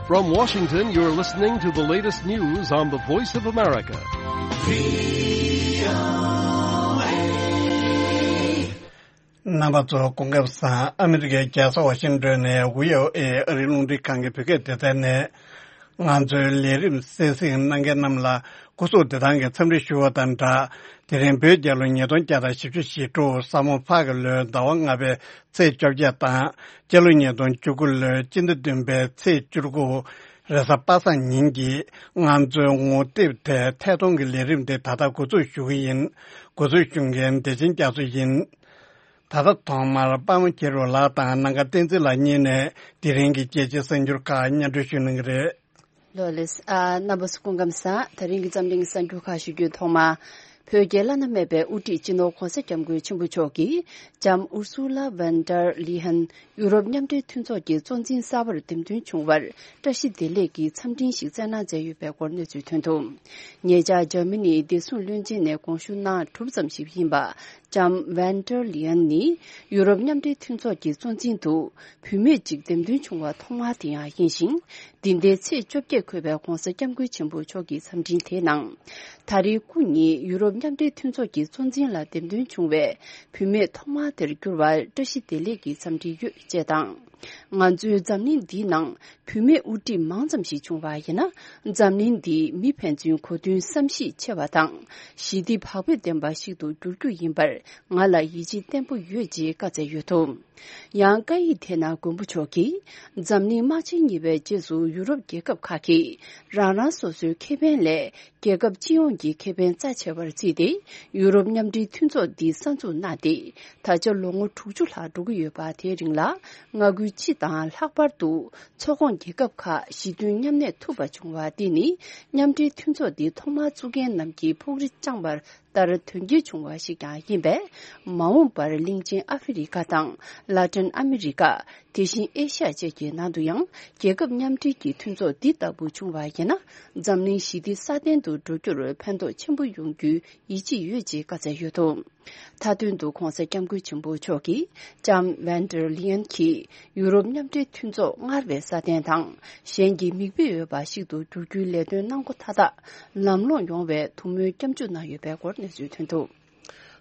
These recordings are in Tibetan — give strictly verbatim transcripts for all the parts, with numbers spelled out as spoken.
From Washington, you're listening to the latest news on the Voice of America. རྣམ་པ་ཚོ་སྐུ་ཁམས་བཟང་། ཨ་མི་རི་ཀའི་རྒྱལ་ས་ཝ་ཤིང་ཏོན་ནས་ཝི་ཨོ་ཨེ་ཨ་རིའི་རླུང་འཕྲིན་ཁང་གི་བོད་སྐད་སྡེ་ཚན་ནས་ང་ཚོའི་ལས་རིམ་གསན་གཟིགས་གནང་མཁན་རྣམས་ལ་སྐུ་གཟུགས་བདེ་ཐང་གི་འཚམས་འདྲི་ཞུ་བ་དང་སྦྲགས། དེ་རིང་བོད་རྒྱལ་ལོ་ཉིས་སྟོང་བརྒྱ་དང་བཞི་བཅུ་ཞེ་དྲུག་ས་མོ་ཕག་གི་ལོའི་ཟླ་བ་ལྔ་པའི་ཚེས་བཅོ་བརྒྱད་དང་། སྤྱི་ལོ་ཉིས་སྟོང་བཅུ་དགུ་ལོའི་སྤྱི་ཟླ་བདུན་པའི་ཚེས་བཅུ་དགུ་རེས་གཟའ་པ་སངས་ཉིན་གྱི་ང་ཚོའི་ངོ་དེབ་དེ་ཐད་གཏོང་གི་ལས་རིམ་དེ་ད་ལྟ་འགོ་འཛུགས་ཞུ་གི་ཡིན། འགོ་འཛུགས་ཞུ་མཁན་བདེ་ཆེན་རྒྱ་མཚོ་ཡིན། ད་ལྟ་ཐོག་མར་དཔལ་མོ་མཁྱེན་རབ་ལགས་དང་ནམ་མཁའ་བསྟན་འཛིན་ལགས་གཉིས་ནས་དེ་རིང་གི་རྒྱལ་སྤྱིའི་གསར་འགྱུར་ཁག་སྙན་སྒྲོན་ཞུ་གནང་གི་རེད། ལོ་ལེགས། ཨ། རྣམ་པ་ཚོ་སྐུ་ཁམས་བཟང་། ད་རིང་གི་འཛམ་གླིང་གསར་འགྱུར་ཁག་ཞུ་རྒྱུའི་ཐོག་མ། བོད་ཀྱི་བླ་ན་མེད་པའི་དབུ་ཁྲིད་སྤྱི་ནོར་གོང་ས་སྐྱབས་མགོན་ཆེན་པོ་མཆོག་གིས་ལྕམ་ཨུར་སུ་ལ་ཝན་ཏར་ལི་ཧན་ཡུ་རོབ་མཉམ་འབྲེལ་མཐུན་ཚོགས་ཀྱི་གཙོ་འཛིན་གསར་པར་འདེམས་ཐོན་བྱུང་བར་བཀྲ་ཤིས་བདེ་ལེགས་ཀྱི་འཚམས་འཕྲིན་ཞིག་བསྩལ་གནང་མཛད་ཡོད་པའི་སྐོར་གནས་ཚུལ་ཐོན་འདུག་ཉེ་ཆར་འཇར་མ་ནིའི་བདེ་སྲུང་བློན་ཆེན་ནས་དགོངས་ཞུ་གནང་གྲུབ་ཙམ་ཞིག་ཡིན་པ། ལྕམ་ཝན་ཏར་ལི་ཨན་ནི་ཡུ་རོབ་མཉམ་འབྲེལ་མཐུན་ཚོགས་ཀྱི་གཙོ་འཛིན་དུ་བུད་མེད་ཅིག་འདེམས་ཐོན་བྱུང་བ་ཐོག་མ་དེ་ཡང་ཡིན་ཞིང་། འདི་ཟླའི་ཚེས་བཅོ་བརྒྱད་འཁོད་པའི་གོང་ས་སྐྱབས་མགོན་ཆེན་པོ་མཆོག་གི་འཚམས་འཕྲིན་དེའི་ནང་། ད་རེས་སྐུ་ཉིད་ཡུ་རོབ་མཉམ་འབྲེལ་མཐུན་ཚོགས་ཀྱི་གཙོ་འཛིན་ལ་འདེམས་ཐོན་བྱུང་བའི་བུད་མེད་ཐོག་མ་དེར་གྱུར་བར་བཀྲ་ཤིས་བདེ་ལེགས་ཀྱི་འཚམས་འཕྲིན་ཡོད་ཅེས་དང་། ང་ཚོའི་འཛམ་གླིང་འདིའི་ནང་བུད་མེད་དབུ་ཁྲིད་མང་ཙམ་ཞིག་བྱུང་བ་ཡིན་ན། འཛམ་གླིང་འདི་མི་ཕན་ཚུན་གོ་མཐུན་བསམ་ཤེས་ཆེ་བ་དང་། ཞི་བདེ་བག་ཕེབས་ལྡན་པ་ཞིག་ཏུ་འགྱུར་རྒྱུ་ཡིན་པར་ང་ལ་ཡིད་ཆེས་བརྟན་པོ་ཡོད་ཅེས་བཀའ་སྩལ་ཡོད་འདུག་ཡང་བཀའ་ཡིག་དེ་ནང་མགོན་པོ་མཆོག་གིས། འཛམ་གླིང་དམག་ཆེན་གཉིས་པའི་རྗེས་སུ་ཡུ་རོབ་རྒྱལ་ཁབ་ཁག་གིས་རང་རང་སོ་སོའི་ཁེ་ཕན་ལས། རྒྱལ་ཁབ་སྤྱི་ཡོངས་ཀྱི་ཁེ་ཕན་རྩ་ཆེ་བར་བརྩིས་ཏེ། ཡུ་རོབ་མཉམ་འབྲེལ་མཐུན་ཚོགས་འདི་གསར་འཛུགས་གནང་སྟེ། ད་ཆ་ལོ་ངོ་དྲུག་ཅུ་ལྷག་འགྲོ་གི་ཡོད་པ། དེའི་རིང་ལ་མངའ་ཁུལ་སྤྱི་དང་ལྷག་པར་དུ་མཚོ་ཁོངས་རྒྱལ་ཁབ་ཁག་ཞི་མཐུན་མཉམ་གནས་ཐུབ་པ་བྱུང་བ་འདི་ནི། མཉམ་འབྲེལ་མཐུན་ཚོགས་འདི་ཐོག་མར་བཙུགས་མཁན་རྣམས་ཀྱིས་ཕུགས་རེ་བཅངས་པ་ལྟར་དོན་འཁྱོལ་བྱུང་བ་ཞིག་ཀྱང་ཡིན་པས། མ་འོངས་པར་གླིང་ཆེན་ཨ་ཧྥེ་རི་ཁ་དང་ལ་ཏིན་ཨ་མི་རི་ཀ། དེ་བཞིན་ཨེ་ཤ་ཡ་བཅས་ཀྱི་ནང་དུ་ཡང་རྒྱལ་ཁབ་མཉམ་འབྲེལ་གྱི་མཐུན་ཚོགས་འདི་ལྟ་བུ་བྱུང་བ་ཡིན་ན། འཛམ་གླིང་ཞི་བདེ་སྲ་བརྟན་དུ་འགྲོ་རྒྱུར་ཕན་ཐོགས་ཆེན་པོ་ཡོང་རྒྱུའི་ཡིད་ཆེས་ཡོད་ཅེས་བཀའ་སྩལ་ཡོད་འདུག་མཐའ་དོན་དུ་༧གོང་ས་༧སྐྱབས་མགོན་ཆེན་པོ་མཆོག་གིས་ལྕམ་ཝན་ཏར་ལི་ཡན་གྱིས་ཡུ་རོབ་མཉམ་འབྲེལ་མཐུན་ཚོགས་སྔར་བས་སྲ་བརྟན་དང་གཞན་གྱིས་མིག་དཔེ་འོས་པ་ཞིག་ཏུ་འགྱུར་རྒྱུའི་ལས་དོན་གནང་སྒོ་མཐའ་དག་ལམ་ལྷོང་ཡོང་བའི་ཐུགས་སྨོན་སྐྱབས་འཇུག་གནང་ཡོད་པའི་སྐོར་གནས་ཚུལ་ཐོན་འདུག་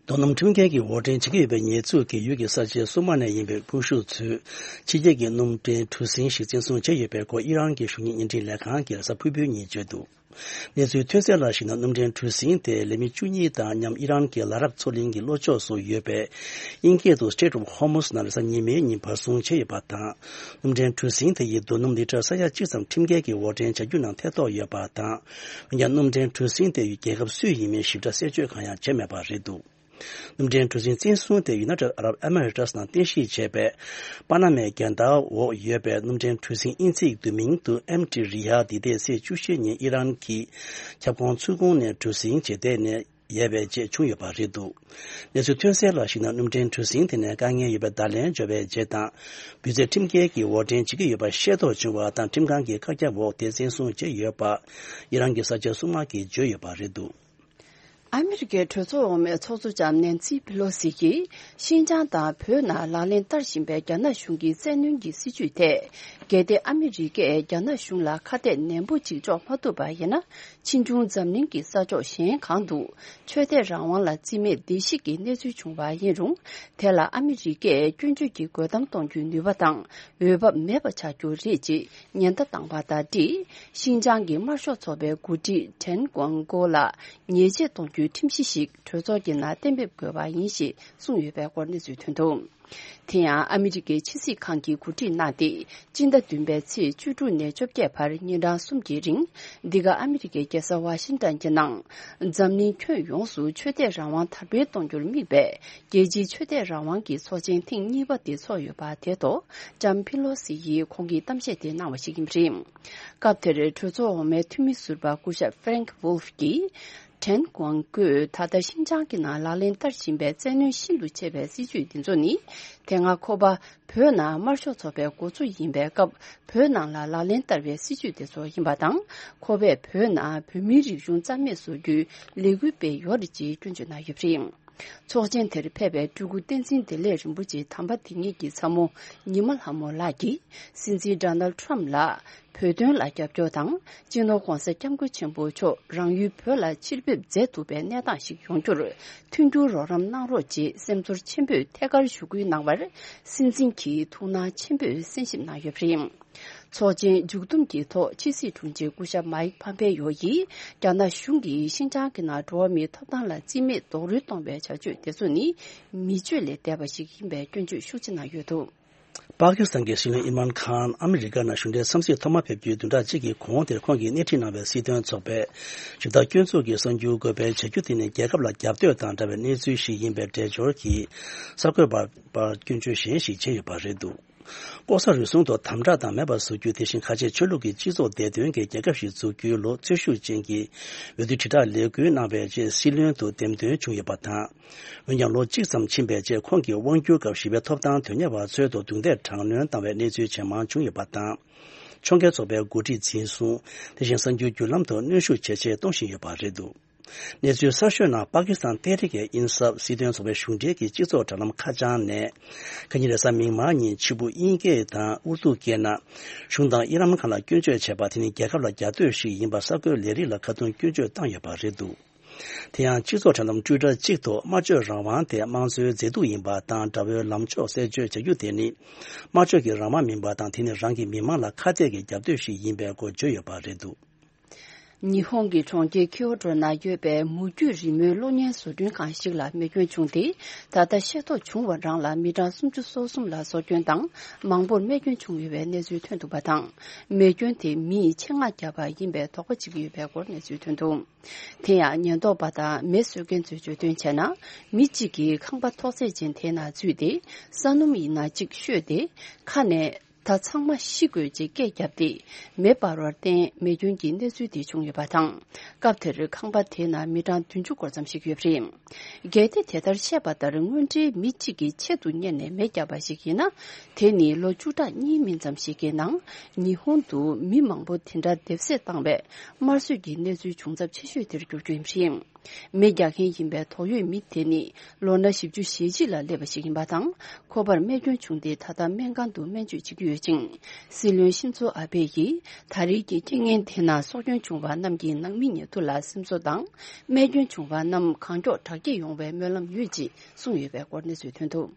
རྡོ་སྣུམ་ཁྲིམས་འགལ་གྱི་འོར་འདྲེན་བྱེད་ཀྱི་ཡོད་པའི་ཉེས་འཛུགས་ཀྱིས་ཡུལ་གྱི་ས་ཆའི་སྲུང་དམག་ནས་ཡིན་པའི་དཔུང་ཤུགས་ཚོས་ཕྱི་རྒྱལ་གྱི་སྣུམ་འདྲེན་གྲུ་གཟིངས་ཤིག་བཙན་བཟུང་བྱས་ཡོད་པའི་སྐོར་ཨི་རན་གྱི་གཞུང་གཉེར་བརྙན་འཕྲིན་ལས་ཁང་གིས་རེས་གཟའ་ཕུར་བུའི་ཉིན་བརྗོད་འདུག་གནས་ཚུལ་ཐོན་གསལ་ལ་གཞིགས་ན། སྣུམ་འདྲེན་གྲུ་གཟིངས་དེ་ལས་མི་བཅུ་གཉིས་དང་མཉམ་ཨི་རན་གྱི་ལ་རབ་མཚོ་གླིང་གི་ལྷོ་ཕྱོགས་སུ་ཡོད་པའི་དབྱིན་སྐད་དུ་Strait of Hormuz ནང་རེས་གཟའ་ཉི་མའི་ཉིན་བར་སྲུང་བྱས་ཡོད་པ་དང་། སྣུམ་འདྲེན་གྲུ་གཟིངས་དེ་ཡིས་རྡོ་སྣུམ་ལི་ཊར་ས་ཡ་གཅིག་ཙམ་ཁྲིམས་འགལ་གྱི་འོར་འདྲེན་བྱ་རྒྱུ་ནང་ཐེ་གཏོགས་ཡོད་པ་དང་། འོན་ཀྱང་སྣུམ་འདྲེན་གྲུ་གཟིངས་དེ་ཡུལ་རྒྱལ་ཁབ་སུའི་ཡིན་མིན་ཞིབ་ཕྲ་གསལ་བརྗོད་གང་ཡང་བྱས་མེད་པ་རེད་འདུག་སྣུམ་འདྲེན་གྲུ་གཟིངས་བཙན་བཟུང་དེ་ཡུ་ནའི་ཊེཌ་ཨ་རབ་ཨེ་མི་རེ་ཊི་སི་ནང་རྟེན་གཞི་བྱས་པའི་པ་ན་མའི་རྒྱལ་དར་འོག་ཡོད་པའི་སྣུམ་འདྲེན་གྲུ་གཟིངས་དབྱིན་ཚིག་བསྡུས་མིང་དུ་ཨེམ་ཊི་རི་ཡ་འདི་འདས་ཚེས་བཅུ་བཞི་ཉིན་ཨི་རན་གྱི་ཁྱབ་ཁོངས་ཚུར་ཁོངས་ནས་གྲུ་གཟིངས་བྱས་ཏེ་ནས་ཡལ་བའི་རྗེས་བྱུང་ཡོད་པ་རེད་འདུག་གནས་ཚུལ་ཐོན་གསལ་ལ་གཞིགས་ན། སྣུམ་འདྲེན་གྲུ་གཟིངས་དེ་ནས་དཀའ་ངལ་ཡོད་པའི་བརྡ་ལན་འབྱོར་བའི་རྗེས་དང་། འབུད་རྫས་ཁྲིམས་འགལ་གྱིས་འོར་འདྲེན་བྱེད་ཀྱི་ཡོད་པ་ཤེས་རྟོགས་བྱུང་བ་དང་། ཁྲིམས་ཁང་གི་བཀག་རྒྱ་འོག་དེ་བཙན་བཟུང་བྱས་ཡོད་པ་ཨི་རན་གྱི་ས་ཆའི་སྲུང་དམག་གིས་བརྗོད་ཡོད་པ་རེད་འདུག་ཨ་མི་རི་ཀའི་གྲོས་ཚོགས་འོག་མའི་ཚོགས་གཙོ་ལྕམ་ནན་སི་པི་ལོ་སི་གིས་ཤིན་ཅང་དང་བོད་ནང་ལག་ལེན་བསྟར་བཞིན་པའི་རྒྱ་ནག་གཞུང་གི་བཙན་གནོན་གྱི་སྲིད་བྱུས་ཐད། གལ་ཏེ་ཨ་མི་རི་ཀས་རྒྱ་ནག་གཞུང་ལ་ཁ་གཏད་ནན་པོ་ཅིག་གཅོག་མ་ཐུབ་པ་ཡིན་ན། ཕྱིས་འབྱུང་འཛམ་གླིང་གི་ས་ཕྱོགས་གཞན་གང་དུ་ཆོས་དད་རང་དབང་ལ་བརྩི་མེད་བརྡལ་བཤིག་གི་གནས་ཚུལ་བྱུང་བ་ཡིན་རུང་། དེ་ལ་ཨ་མི་རི་ཀས་སྐྱོན་བརྗོད་ཀྱི་རྒོལ་གཏམ་གཏོང་རྒྱུའི་ནུས་པ་དང་འོས་བབ་མེད་པ་ཆགས་རྒྱུ་རེད་ཅེས་ཉེན་བརྡ་བཏང་བ་དང་འབྲེལ། ཤིན་ཅང་གི་དམར་ཤོག་ཚོགས་པའི་འགོ་ཁྲིད་ཁྲེན་ཀོང་ཀོ་ལ་ཉེས་ཆད་གཏོང་རྒྱུའི་ཁྲིམས་གཞི་ཞིག་གྲོས་ཚོགས་ཀྱི་ནང་གཏན་འབེབས་དགོས་པ་ཡིན་ཞེས་གསུངས་ཡོད་པའི་སྐོར་གནས་ཚུལ་ཐོན་འདུག་དེ་ཡང་ཨ་མི་རི་ཀའི་ཕྱི་སྲིད་ཁང་གིས་གོ་སྒྲིག་གནང་སྟེ། སྤྱི་ཟླ་བདུན་པའི་ཚེས་བཅུ་དྲུག་ནས་བཅོ་བརྒྱད་བར་ཉིན་གྲངས་གསུམ་གྱི་རིང་། འདི་ག་ཨ་མི་རི་ཀའི་རྒྱལ་ས་ཝ་ཤིང་ཏོན་གྱི་ནང་། འཛམ་གླིང་ཁྱོན་ཡོངས་སུ་ཆོས་དད་རང་དབང་དར་སྤེལ་གཏོང་རྒྱུར་དམིགས་པའི་རྒྱལ་སྤྱིའི་ཆོས་དད་རང་དབང་གི་ཚོགས་ཆེན་ཐེངས་གཉིས་པ་དེ་ཚོགས་ཡོད་པ་དེ་ཐོག་ལྕམ་ཕི་ལོ་སི་ཡིས་ཁོང་གིས་གཏམ་བཤད་དེ་གནང་བ་ཞིག་ཡིན་པ་རེད། སྐབས་དེར་གྲོས་ཚོགས་འོག་མའི་འཐུས་མི་ཟུར་པ་སྐུ་ཞབས་ཧྥེ་རེང་ཝུལ་ཧྥ་གྱིས། ཁྲེན་ཀོང་ཀོས་ད་ལྟ་ཤིན་ཅང་གི་ནང་ལག་ལེན་བསྟར་བཞིན་པའི་བཙན་གནོན་ཤིན་ཏུ་ཆེ་བའི་སྲིད་བྱུས་འདི་ཚོ་ནི། དེ་སྔ་ཁོ་པ་བོད་ནང་དམར་ཤོག་ཚོགས་པའི་འགོ་གཙོ་ཡིན་པའི་སྐབས། བོད་ནང་ལ་ལག་ལེན་བསྟར་བའི་སྲིད་བྱུས་དེ་ཚོ་ཡིན་པ་དང་། ཁོ་པས་བོད་ནང་བོད་མིའི་རིག་གཞུང་རྩ་མེད་བཟོ་རྒྱུའི་ལས་འགུལ་སྤེལ་ཡོད་རེད་ཅེས་སྐྱོན་བརྗོད་གནང་ཡོད་པ་རེད། ཚོགས་ཆེན་དེར་ཕེབས་པའི་སྤྲུལ་སྐུ་བསྟན་འཛིན་བདེ་ལེགས་རིན་པོ་ཆེ་དམ་པ་དེ་ཉིད་ཀྱི་ཚ་མོ་ཉི་མ་ལྷ་མོ་ལགས་ཀྱིས་སྲིད་འཛིན་ཌོ་ནལ་ཊམ་ལ་བོད་དོན་ལ་རྒྱབ་སྐྱོར་དང་། སྤྱི་ནོར་༧གོང་ས་༧སྐྱབས་མགོན་ཆེན་པོ་མཆོག་རང་ཡུལ་བོད་ལ་ཕྱིར་ཕེབས་མཛད་ཐུབ་པའི་གནས་སྟངས་ཤིག་ཡོང་རྒྱུར་མཐུན་འགྱུར་རོགས་རམ་གནང་རོགས་ཅེས་སེམས་ཚོར་ཆེན་པོས་ཐད་ཀར་ཞུ་སྐུལ་གནང་བར། སྲིད་འཛིན་གྱིས་ཐུགས་སྣང་ཆེན་པོས་གསན་ཞིབ་གནང་ཡོད་པ་རེད། ཚོགས་ཆེན་མཇུག་བསྡོམས་ཀྱི་ཐོག་ཕྱི་སྲིད་དྲུང་ཆེ་སྐུ་ཞབས་མཱིག་ཕམ་པེ་ཡོ་ཡིས་རྒྱ་ནག་གཞུང་གིས་ཤིན་ཅང་གི་ནང་འགྲོ་བ་མིའི་ཐོབ་ཐང་ལ་རྩིས་མེད་རྡོག་རོལ་གཏོང་བའི་བྱ་སྤྱོད་དེ་ཚོ་ནི་མི་སྤྱོད་ལས་འདས་པ་ཞིག་ཡིན་པའི་སྐྱོན་བརྗོད་ཤུགས་ཆེ་གནང་ཡོད་འདུག། པ་ཀི་སི་ཐན་གྱི་སྲིད་བློན་ཨིམ་རཱན་ཁཱན་ཨ་མི་རི་ཀ་ནང་གཞུང་འབྲེལ་འཚམས་གཟིགས་ཐོག་མ་ཕེབས་རྒྱུའི་བདུན་ཕྲག་གཅིག་གི་གོང་དེར་ཁོང་གིས་སྣེ་ཁྲིད་གནང་བའི་སྲིད་དོན་ཚོགས་པས་ཞུ་དག་སྐྱོན་འཛུགས་ཀྱི་གསར་འགྱུར་འགོད་སྤེལ་བྱ་རྒྱུ་དེ་ནི་རྒྱལ་ཁབ་ལ་རྒྱབ་གཏོད་དང་འདྲ་བའི་གནས་ཚུལ་ཞིག་ཡིན་པའི་འགྲེལ་བརྗོད་ཀྱིས་གསར་འགོད་པར་སྐྱོན་བརྗོད་གཞན་ཞིག་བྱས་ཡོད་པ་རེད་འདུག། ལྐོག་ཟ་རུལ་སུངས་ཐོག་དམ་དྲག་དང་མེད་པར་བཟོ་རྒྱུ། དེ་བཞིན་ཁ་ཆེ་ཆོས་ལུགས་ཀྱི་སྤྱི་ཚོགས་བདེ་དོན་གྱི་རྒྱལ་ཁབ་ཞིག་འཛུགས་རྒྱུའི་ལོ་ཚོད་ཤུགས་ཅན་གྱི་འོས་བསྡུ་དྲིལ་བསྒྲགས་ལས་འགུལ་གནང་བའི་རྗེས་སྲིད་བློན་དུ་འདེམས་ཐོན་བྱུང་ཡོད་པ་དང་། འོན་ཀྱང་ལོ་གཅིག་ཙམ་ཕྱིན་པའི་རྗེས་ཁོང་གིས་དབང་སྒྱུར་སྐབས་ཞི་བའི་ཐོབ་ཐང་དོན་གཉེར་བ་ཚོའི་ཐོག་རྡུང་རྡེག་དྲག་གནོན་བཏང་བའི་གནས་ཚུལ་ཇེ་མང་བྱུང་ཡོད་པ་དང་། ཕྱོགས་འགལ་ཚོགས་པའི་འགོ་ཁྲིད་འཛིན་བཟུང་། དེ་བཞིན་གསར་འགྱུར་བརྒྱུད་ལམ་ཐོག་གནོན་ཤུགས་ཇེ་ཆེར་གཏོང་བཞིན་ཡོད་པ་རེད་འདུག། གནས་ཚུལ་གསར་ཤོས་ནང་པ་ཀི་སི་ཐན་ཏེ་རི་ཀེ་ཨིན་སབ་སྲིད་དོན་ཚོགས་པའི་གཞུང་འབྲེལ་གྱི་སྤྱི་ཚོགས་དྲ་ལམ་ཁ་བྱང་ནས། ཁ་ཉིན་རེས་གཟའ་མིག་དམར་ཉིན་ཕྱི་དབུགས་དབྱིན་སྐད་དང་ཨུར་དུ་སྐད་ནང་གཞུང་དང་ཨིམ་རཱན་ཁཱན་ལ་སྐྱོན་བརྗོད་བྱས་པ་དེ་ནི་རྒྱལ་ཁབ་ལ་རྒྱབ་གཏོད་ཞིག་ཡིན་པ་གསར་འགོད་ལས་རིགས་ལ་ཁ་རྡུང་སྐྱོན་བརྗོད་བཏང་ཡོད་པ་རེད་འདུག། དེ་ཡང་སྤྱི་ཚོགས་དྲ་ལམ་ཊུའི་ཊར་གཅིག་ཐོག་སྨྲ་བརྗོད་རང་དབང་དེ་དམངས་གཙོའི་མཛེས་སྡུག་ཡིན་པ་དང་དགྲ་བོའི་ལངས་ཕྱོགས་གསལ་བརྗོད་བྱ་རྒྱུ་དེ་ནི་སྨྲ་བརྗོད་ཀྱི་རང་དབང་མིན་པ་དང་དེ་ནི་རང་གི་མི་མང་ལ་ཁ་གཏད་ཀྱི་རྒྱབ་གཏོད་ཞིག་ཡིན་པའི་སྐོར་བརྗོད་ཡོད་པ་རེད་འདུག། ཉི་ཧོང་གི་གྲོང་ཁྱེར་ཁིའོ་ཏོ་ན་ཡོད་པའི་མུ་ཁྱུད་རི་མོའི་གློག་བརྙན་བཟོ་སྐྲུན་ཁང་ཞིག་ལ་མེ་སྐྱོན་བྱུང་སྟེ། ད་ལྟ་ཤེས་རྟོགས་བྱུང་བ་རང་ལ་མི་གྲངས་སུམ་ཅུ་སོ་གསུམ་ལ་སྲོག་སྐྱོན་དང་མང་པོར་རྨས་སྐྱོན་བྱུང་ཡོད་པའི་གནས་ཚུལ་ཐོན་འདུག་པ་དང་། མེ་སྐྱོན་དེ་མིས་ཆེད་མངགས་བརྒྱབ་པ་ཡིན་པའི་དོགས་པ་བྱེད་ཀྱི་ཡོད་པའི་སྐོར་གནས་ཚུལ་ཐོན་འདུག། དེ་ཡང་ཉེན་རྟོག་པ་དང་མེ་གསོད་མཁན་ཚོས་བརྗོད་དོན་བྱས་ན། མི་གཅིག་གིས་ཁང་པ་ཐོག་བརྩེགས་ཅན་དེའི་ནང་འཛུལ་ཏེ། ས་སྣུམ་ཡིན་ན་གཅིག་བཤོས་ཏེ། ཁ་ནས། ད་ཚང་མ་ཤི་དགོས་ཅེས་སྐད་བརྒྱབ་སྟེ། མེ་འབར་བར་བརྟེན་མེ་སྐྱོན་གྱི་གནས་ཚུལ་དེ་བྱུང་ཡོད་པ་དང་། སྐབས་དེར་ཁང་པ་དེའི་ནང་མི་གྲངས་བདུན་ཅུ་སྐོར་ཙམ་ཞིག་ཡོད་པ་རེད། གལ་ཏེ་དེ་ལྟར་བཤད་པ་ལྟར་དངོས་འབྲེལ་མི་གཅིག་གིས་ཆེད་དུ་གཉེར་ནས་མེ་བརྒྱབ་པ་ཞིག་ཡིན་ན། དེ་ནི་ལོ་བཅུ་ཕྲག་གཉིས་མིན་ཙམ་ཞིག་གི་ནང་ཉི་ཧོང་དུ་མི་མང་པོ་དེ་འདྲ་སྡེབ་བསྲེགས་བཏང་བའི་དམར་གསོད་ཀྱི་གནས་ཚུལ་བྱུང་ཚབས་ཆེ་ཤོས་དེར་འགྱུར་རྒྱུ་ཡིན་པ་རེད། མེ་རྒྱག་མཁན་ཡིན་པའི་དོགས་ཡོད་མི་དེ་ནི་ལོ་ན་བཞི་བཅུ་ཞེ་གཅིག་ལ་སླེབས་པ་ཞིག་ཡིན་པ་དང་། ཁོ་པར་རྨས་སྐྱོན་བྱུང་སྟེ་ད་ལྟ་སྨན་ཁང་དུ་སྨན་བཅོས་བྱེད་ཀྱི་ཡོད་ཅིང་། སྲིད་བློན་ཤིན་ཛོ་ཨ་བྷེ་ཡིས་ད་རེས་ཀྱི་རྐྱེན་ངན་དེ་ནང་སྲོག་སྐྱོན་བྱུང་བ་རྣམས་ཀྱི་ནང་མི་ཉེ་དུ་ལ་སེམས་གསོ་དང་། རྨས་སྐྱོན་བྱུང་བ་རྣམས་གང་མགྱོགས་དྲག་སྐྱེད་ཡོང་བའི་སྨོན་ལམ་ཡོད་ཅེས་གསུངས་ཡོད་པའི་སྐོར་གནས་ཚུལ་ཐོན་འདུག།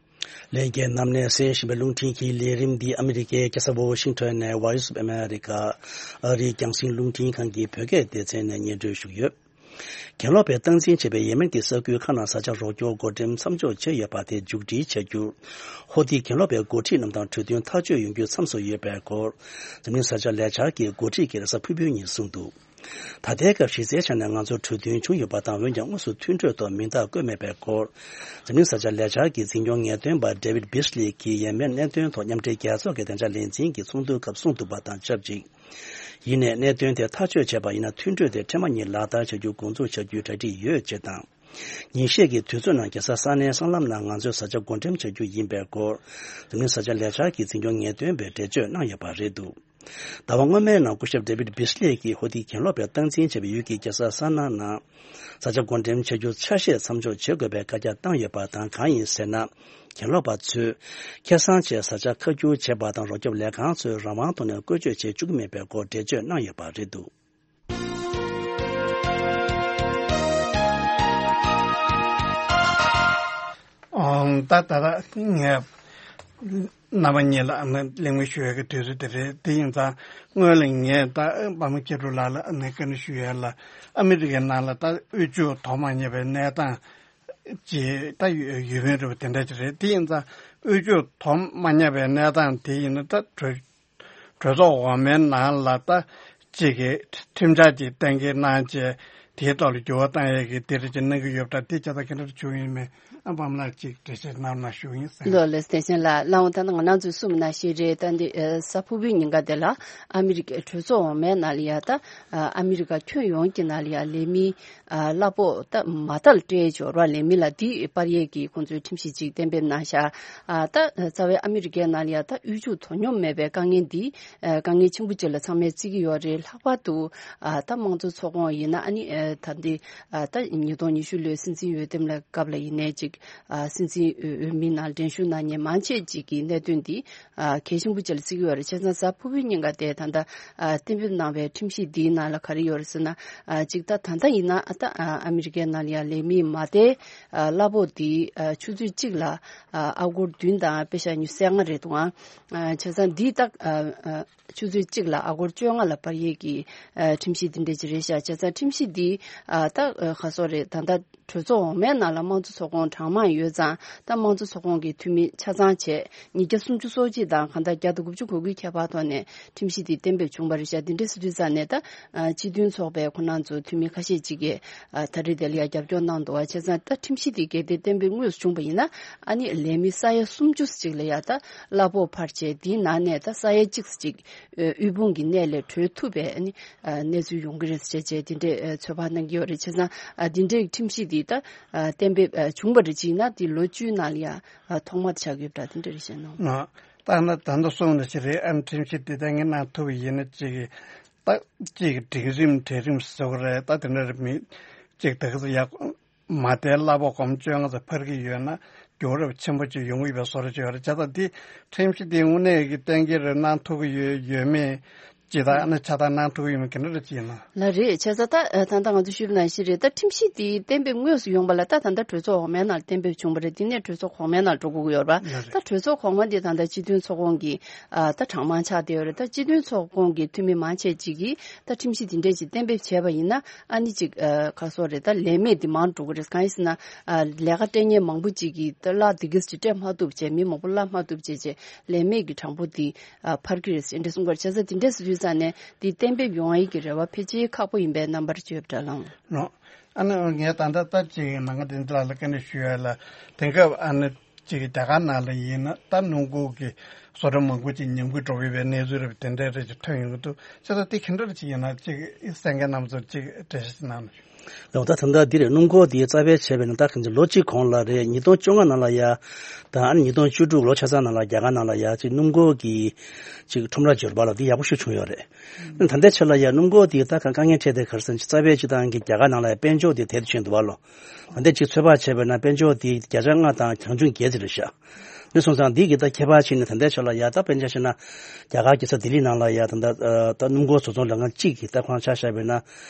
ལྷན་རྒྱས་རྣམས་ནས་གསན་བཞིན་པའི་རླུང་འཕྲིན་གྱི་ལས་རིམ་འདི་ཨ་མི་རི་ཀའི་རྒྱལ་ས་ཝོ་ཤིང་ཊོན་ནས་Voice of America ཨ་རིའི་རྒྱང་སྲིང་རླུང་འཕྲིན་ཁང་གི་བོད་སྐད་སྡེ་ཚན་ནས་སྙན་སྒྲོན་ཞུས་ཡོད། གྱེན་ལོག་པས་སྟངས་འཛིན་བྱས་པའི་ཡེ་མེན་གྱི་ས་ཁུལ་ཁག་ནང་ས་ཆ་རོགས་སྐྱོར་བགོ་འགྲེམས་མཚམས་འཇོག་བྱས་ཡོད་པ་དེ་མཇུག་སྒྲིལ་བྱ་རྒྱུར། ཧོ་ཏི་གྱེན་ལོག་པའི་འགོ་ཁྲིད་རྣམས་དང་གྲོས་མཐུན་ཐག་གཅོད་ཡོང་རྒྱུ་མཚམས་སུ་ཡོད་པའི་སྐོར། འཛམ་གླིང་ས་ཆ་ལས་འཆར་གྱི་འགོ་ཁྲིད་ཀྱིས་རེས་གཟའ་ཕུར་བུའི་ཉིན་གསུངས་འདུག། ད་ལྟའི་སྐབས་གཞི་རྩའི་ཆ་ནས་ང་ཚོ་གྲོས་མཐུན་བྱུང་ཡོད་པ་དང་། འོན་ཀྱང་དངོས་སུ་མཐུན་གྲོས་ཐོག་མིང་རྟགས་བཀོད་མེད་པའི་སྐོར། འཛམ་གླིང་ས་ཆ་ལས་འཆར་གྱི་འཛིན་སྐྱོང་ངེས་སྟོན་པ་David Beasley གྱིས་ཡེ་མེན་གནད་དོན་ཐོག་མཉམ་འབྲེལ་རྒྱལ་ཚོགས་ཀྱི་བདེ་འཇགས་ལས་འཛིན་གྱི་ཚོགས་འདུའི་སྐབས་གསུངས་འདུག་པ་དང་ཆབས་ཅིག། ཡིན་ནའི་གནད་དོན་དེ་ཐག་གཅོད་བྱས་པ་ཡིན་ན། མཐུན་གྲོས་དེ་འཕྲལ་མ་ཉིད་ལག་བསྟར་བྱ་རྒྱུ་འགོ་འཛུགས་བྱ་རྒྱུའི་གྲ་སྒྲིག་ཡོད་ཅེས་དང་། ཉིན་ཤས་ཀྱི་དུས་ཚོད་ནང་རྒྱལ་ས་སན་ནའི་སྲང་ལམ་ནང་ང་ཚོས་ས་ཆ་བགོ་འགྲེམས་བྱ་རྒྱུ་ཡིན་པའི་སྐོར། འཛམ་གླིང་ས་ཆ་ལས་འཆར་གྱི་འཛིན་སྐྱོང་ངེས་སྟོན་པས་འགྲེལ་བརྗོད་གནང་ཡོད་པ་རེད་འདུག། ཟླ་བ་སྔོན་མའི་ནང་སྐུ་ཞབས་David Beasley གྱིས་ཧོ་ཏི་གྱེན་ལོག་པས་སྟངས་འཛིན་བྱས་པའི་ཡུལ་གྱི་རྒྱལ་ས་སན་ན་ནང་ས་ཆ་བགོ་འགྲེམས་བྱ་རྒྱུ་ཆ་ཤས་མཚམས་འཇོག་བྱེད་དགོས་པའི་བཀའ་རྒྱ་བཏང་ཡོད་པ་དང་། གང་ཡིན་ཟེར་ན། གྱེན་ལོག་པ་ཚོས་ཁེ་བཟང་ཆེད་ས་ཆ་ཁ་བསྒྱུར་བྱེད་པ་དང་། རོགས་སྐྱོབ་ལས་ཁང་ཚོས་རང་དབང་ཐོག་ནས་བཀོལ་སྤྱོད་བྱེད་བཅུག་གི་མེད་པའི་སྐོར་འགྲེལ་བརྗོད་གནང་ཡོད་པ་རེད་འདུག། ཨོང་། ད་ད་ད་ངས་རྣམ་པ་གཉིས་ལ་ཨ་ནི་གླེང་མོལ་ཞུ་ཡག་གི་དུས་ཚོད་དེ་རེད། དེ་ཡིན་ཙང་སྔོན་ལ་ངས་ད་པདྨ་སྐྱིད་གྲོལ་ལགས་ལ་ཨ་ནི་བཀའ་འདྲི་ཞུ་ཡག་ལ། ཨ་མི་རི་ཀའི་ནང་ལ་ད་དབུལ་ཕྱུག་དོ་མ་མཉམ་པའི་གནས་སྟངས་ཅིག་ད་ཡོད་ཡོད་མེད་རེད་པ། དེ་འདྲ་ཅིག་རེད། དེ་ཡིན་ཙང་དབུལ་ཕྱུག་དོ་མ་མཉམ་པའི་གནས་སྟངས་དེ་ཡིན་ན་ད་གྲོས་གྲོས་ཚོགས་འོག་མའི་ནང་ལ་ད་ཅིག་གི་ཁྲིམས་འཆར་ཅིག་གཏན་འཁེལ་གནང་བྱས། དེའི་ཐོག་ལ་འགྱུར་བ་གཏང་ཡས་ཀྱི་དེ་འདྲ་ཅིག་གནང་གི་ཡོད་པ་འདྲ། དེ་ཆ་ཚང་ག་འདྲ་བྱུང་ཡོད་མེད། བམ་ལ་ཅིག་འགྲེལ་བཤད་གནང་ན་ཞུ་ཡིན་ཟེར། ལོ་ལེགས། བསྟན་ཆེན་ལགས། ལགས་འོང་། ད་ང་རང་ཚོས་གསུངས་ན་ཞེས་རེད། ད་འདི་ཨ་གཟའ་ཕུར་བུའི་ཉིན་ཀ་དེ་ལ་ཨ་མི་རི་ཀའི་གྲོས་ཚོགས་འོག་མའི་ནང་ལ་ཡ་ད་ཨ་ཨ་མི་རི་ཀ་ཁྱོན་ཡོངས་ཀྱི་ནང་ལ་ཡ་ལས་མི་ཨ་གླ་ཕོགས་ད་མ་མཐའ་ལ་སྤྲད་ཡས་ཅིག་ཡོད་རེད་པ། ལས་མི་ལ་འདི་སྤར་ཡས་ཀྱི་ཁོང་ཚོས་ཁྲིམས་གཞི་ཅིག་གཏན་འབེབས་གནང་ཤག་ཨ་ད་རྩ་བའི་ཨ་མི་རི་ཀའི་ནང་ལ་ཡ་ད་དབུལ་ཕྱུག་དོ་སྙོམས་མེད་པའི་དཀའ་ངལ་འདི་ཨ་དཀའ་ངལ་ཆེན་པོ་ཅིག་ལ་ཚང་མས་བརྩི་གི་ཡོད་རེད། ལྷག་པར་དུ་ཨ་ད་དམངས་གཙོ་ཚོགས་ཁོངས་ཡིན་ན་ཨ་ནི་ཨ་ད་འདི་ཨ་ད་ཉིས་སྟོང་ཉི་ཤུ་ལོའི་སྲིད་འཛིན་འོས་འདེམས་ལ་སྐབས་ལ་ཡིན་ནའི་ཅིག་ཨ་སྲིད་འཛིན་འོས་འོས་མིའི་ནང་འགྲན་ཞུགས་གནང་མཁན་མང་ཆེ་ཅིག་གི་གནད་དོན་འདི་ཨ་གལ་ཆེན་པོ་ཅིག་ལ་བརྩི་གི་ཡོད་རེད། བྱས་ཙང་གཟའ་ཕུར་བུའི་ཉིན་ཀ་དེ་ད་ལྟ་ཨ་གཏན་འབེབས་གནང་བའི་ཁྲིམས་གཞི་འདིའི་ནང་ལ་ག་རེ་ཡོད་རེད་ཟེར་ན། ཨ་གཅིག་ད་ད་ལྟ་ཡིན་ན་ཨ་ད་ཨ་ཨ་མི་རི་ཀའི་ནང་ལ་ཡ་ལས་མིའི་མ་མཐའི་ཨ་གླ་ཕོགས་འདི་ཨ་ཆུ་ཚོད་གཅིག་ལ་ཨ་ཨ་སྒོར་བདུན་དང་པེ་ཤ་ཉི་ཤུ་རྩ་ལྔ་རེད་འདུག་ཨང་། ཨ་བྱས་ཙང་འདི་ད་ཨ་ཨ་ཆུ་ཚོད་གཅིག་ལ་ཨ་སྒོར་བཅོ་ལྔ་ལ་སྤར་ཡས་ཀྱི་ཨ་ཁྲིམས་གཞི་འདི་འདྲ་ཅིག་རེད་ཤག་བྱས་ཙང་ཁྲིམས་གཞི་འདི་ཨ་ད་ཨ་ག་སོགས་རེད། ད་ལྟ་གྲོས་ཚོགས་འོག་མའི་ནང་ལ་དམངས་གཙོ་ཚོགས་ཁོངས་གྲངས་མང་ཡོད་ཙང་ད་དམངས་གཙོ་ཚོགས་ཁོངས་ཀྱི་འཐུས་མི་ཆ་ཚང་བྱས་ཉིས་བརྒྱ་སུམ་ཅུ་སོ་གཅིག་དང་གང་ལྟར་བརྒྱ་དང་དགུ་བཅུ་གོ་དགུའི་ཁྱད་པར་ཐོག་ནས་ཁྲིམས་གཞི་འདི་གཏན་འབེབས་བྱུང་བ་རེད་ཤག་འདི་འདྲ་ཟེར་དུས་ཙང་ནས་ད་ཨ་སྤྱི་མཐུན་ཚོགས་པའི་ཁོ་རང་ཚོ་འཐུས་མི་ཁ་ཤས་ཅིག་གིས་ཨ་ད་རེས་དེ་ལ་ཡ་རྒྱབ་སྐྱོར་གནང་འདུག་བ། བྱས་ཙང་ད་ཁྲིམས་གཞི་འདི་གལ་ཏེ་གཏན་འབེབས་དངོས་སུ་བྱུང་བ་ཡིན་ན་ཨ་ནི་ལས་མི་ས་ཡ་སུམ་ཅུ་ཅིག་ལ་ཡ་ད་གླ་ཕོགས་འཕར་བྱས་འདིའི་ནང་ནས་ད་ས་ཡ་གཅིག་ཅིག་ཨ་དབུལ་ཕོངས་ཀྱི་གནས་ལས་གྲོལ་ཐུབ་པའི་ཨ་ནི་ཨ་གནས་ཚུལ་ཡོང་གི་རེད་ཟེར་བྱས་དེ་འདྲའི་ཨ་ཚོད་དཔག་གནང་གི་ཡོད་རེད། བྱས་ཙང་ཨ་འདི་འདྲའི་ཁྲིམས་གཞི་འདི་ད་ཨ་གཏན་འབེབས་ཨ་བྱུང་བ་རེད། ཅིག་ན་འདི་ལོ་བཅུའི་ནང་ལ་ཡ་ཨ་ཐོག་མ་ཆགས་ཀྱི་ཡོད་པ་འདྲ་དེ་འདྲ་རེད་ཤག་ནོ། ཨ་ད་ན་ད་ལྟ་གསུངས་ནས་ཅི་རེད། ཨ་ནི་ཁྲིམས་གཞི་འདི་ལྟ་ངན་གནང་ཐུབ་པ་ཡིན་ན་ཅིག་ད་ཅིག་སྒྲིག་རིམ་གྲལ་རིམ་ཟེར་བ་རེད། ད་དེ་འདྲ་རེད་མི་ཅིག་ད་ག་ཚོད་ཡག་མ་མཐའི་གླ་ཕོགས་སྒོར་མོ་བཅོ་ལྔ་ཙམ་འཕར་གྱི་ཡོད་ན་རྒྱུ་རབས་ཆེན་པོ་ཅིག་ཡོང་གི་ཡོད་པའི་བཟོ་འདྲ་ཅིག་ཡོད་རེད། བྱས་ཙང་འདི་ཁྲིམས་གཞི་འདི་དངོས་གནས་ཀྱི་གཏན་འཁེལ་རེ་གནང་ཐུབ་ཀྱི་ཡོད་ཡོད་མེད་ཅིག་དང་ཨ་ནི་ཆ་ཚང་གནང་ཐུབ་ཀྱི་ཡོད་མེད་ག་འདྲ་རེ་ཅིག་ཡིན་ན། ལགས་རེད། བྱས་ཙང་ད་ཨ་ད་ལྟ་ང་ཚོ་ཞུས་པ་ནང་བཞིན་རེད། ད་ཁྲིམས་གཞི་འདི་གཏན་འབེབས་དངོས་སུ་ཡོང་བ་ལ་ད་ད་ལྟ་གྲོས་ཚོགས་འོག་མའི་ནང་ལ་གཏན་འབེབས་བྱུང་བ་རེད། འདི་ནས་གྲོས་ཚོགས་གོང་མའི་ནང་ལ་འགྲོ་དགོས་ཀྱི་ཡོད་རེད་པ། ལགས་རེད། ད་གྲོས་ཚོགས་གོང་མ་འདི་ད་ལྟ་སྤྱི་མཐུན་ཚོགས་ཁོངས་ཀྱི་ཨ་ད་གྲངས་མང་ཆགས་བསྡད་ཡོད་རེད། ད་སྤྱི་མཐུན་ཚོགས་ཁོངས་ཀྱི་འཐུས་མི་མང་ཆེ་ཅིག་གིས་ད་ཁྲིམས་གཞི་འདི་འདྲས་ཅིག་གཏན་འབེབས་བྱས་པ་ཡིན་ན་ཨ་ནི་ཅིག་ཨ་ག་སོགས་རེད། ད་ལས་མེད་འདི་མང་འགྲོ་གི་རེད། གང་ཡིན་ཟེར་ན་ཨ་ལས་ཀ་སྤྲད་མཁན་མང་པོ་ཅིག་གིས་ད་གླ་འདི་གིས་ཅིག་སྤྲད་མ་ཐུབ་བྱས། མི་མང་པོ་གླ་མ་ཐུབ་བྱས་བྱས་ལས་མེད་ཀྱི་གྲངས་འབོར་འདི་ཨ་འཕར་གྱི་རེད་ཟེར་འདྲ་གསུང་གི་རེད། བྱས་ཙང་འདི་འདྲས་ཟེར་དུས་ཙང་ནས་འདི་གཏན་འབེབས་ཡོང་ཡས་ཀྱི་རེ་བ་ཕལ་ཆེར་ཁག་པོ་ཡིན་པའི་རྣམ་པར་བརྗོད་འདྲ་ལགས། ནོ། ཨ་ནི་ངས་ད་ལྟ་ལྟ་ཅིག་ནང་གི་འདི་འདྲ་ལ་སྐད་ཆ་ཞུ་ཡ་ལ་དེང་སྐབས་ཨ་ནི་ཅིག་རྒྱ་གར་ནང་ལ་ཡིན་ན་ད་སྣུམ་འཁོར་གྱི་བཟོ་གྲྭ་མང་པོ་ཅིག་ཉམས་རྒུད་འགྲོ་གི་ཡོད་པའི་གནས་ཚུལ་རེད་པ། དེ་འདྲའི་རེ་ཅིག་ཐོན་ཡོང་གི་འདུག་བྱས་ཙང་དེ་ག་འདྲ་ཅིག་ཡིན་ན་ཅིག་གསན་མཁན་རྣམ་ཚོར་ཅིག་འགྲེལ་བཤད་ཅིག་གནང་རོགས་ཞུ། ལགས། ད་ད་ལྟ་འདི་རེད། སྣུམ་འཁོར་འདི་རྩ་བའི་བྱས་པས་ན་ད་གང་ཅི་ལོ་གཅིག་གོང་ལ་རེད། ཉིས་སྟོང་བཅོ་ལྔ་ནང་ལ་ཡ་ད་ཨ་ནི་ཉིས་སྟོང་བཅུ་དྲུག་ལོ་ཆ་ཚང་ནང་ལ་རྒྱ་གར་ནང་ལ་ཡ་ཅིག་སྣུམ་འཁོར་གྱི་ཅིག་ཁྲོམ་ར་འབྱོར་པ་ལ་འདི་ཡག་པོ་ཞིག་བྱུང་ཡོད་རེད། ད་ལྟའི་ཆ་ལ་ཡ་སྣུམ་འཁོར་དེ་ད་དཀའ་ངལ་འཕྲད་དེ་ག་རེ་ཟེར་ན་རྩ་བའི་སྤྱི་བཏང་གི་རྒྱ་གར་ནང་ལ་ཡ་དཔལ་འབྱོར་དེ་དལ་དུ་ཕྱིན་འདུག་བ་ལོ། ད་ལྟའི་ཅིག་ཚོད་དཔག་བྱས་པ་ན་དཔལ་འབྱོར་དེ་བརྒྱ་ཆ་ལྔ་དང་གྱ་བརྒྱད་ཙམ་རེད་ཤག་དེ་སོང་ཙང་འདི་གི་ད་ཁྱད་པར་ཕྱིན་ནས་ད་ལྟའི་ཆ་ལ་ཡ་ད་དཔེར་ན་ཆ་བཞག་ན་རྒྱ་གར་རྒྱལ་ས་ལྡི་ལི་ནང་ལ་ཡ་ད་ལྟ་ད་སྣུམ་འཁོར་བཟོ་ཚོང་ལས་ཁང་གཅིག་གི་ད་ཁོང་ཆ་བཞག་པ་ཡིན་ན་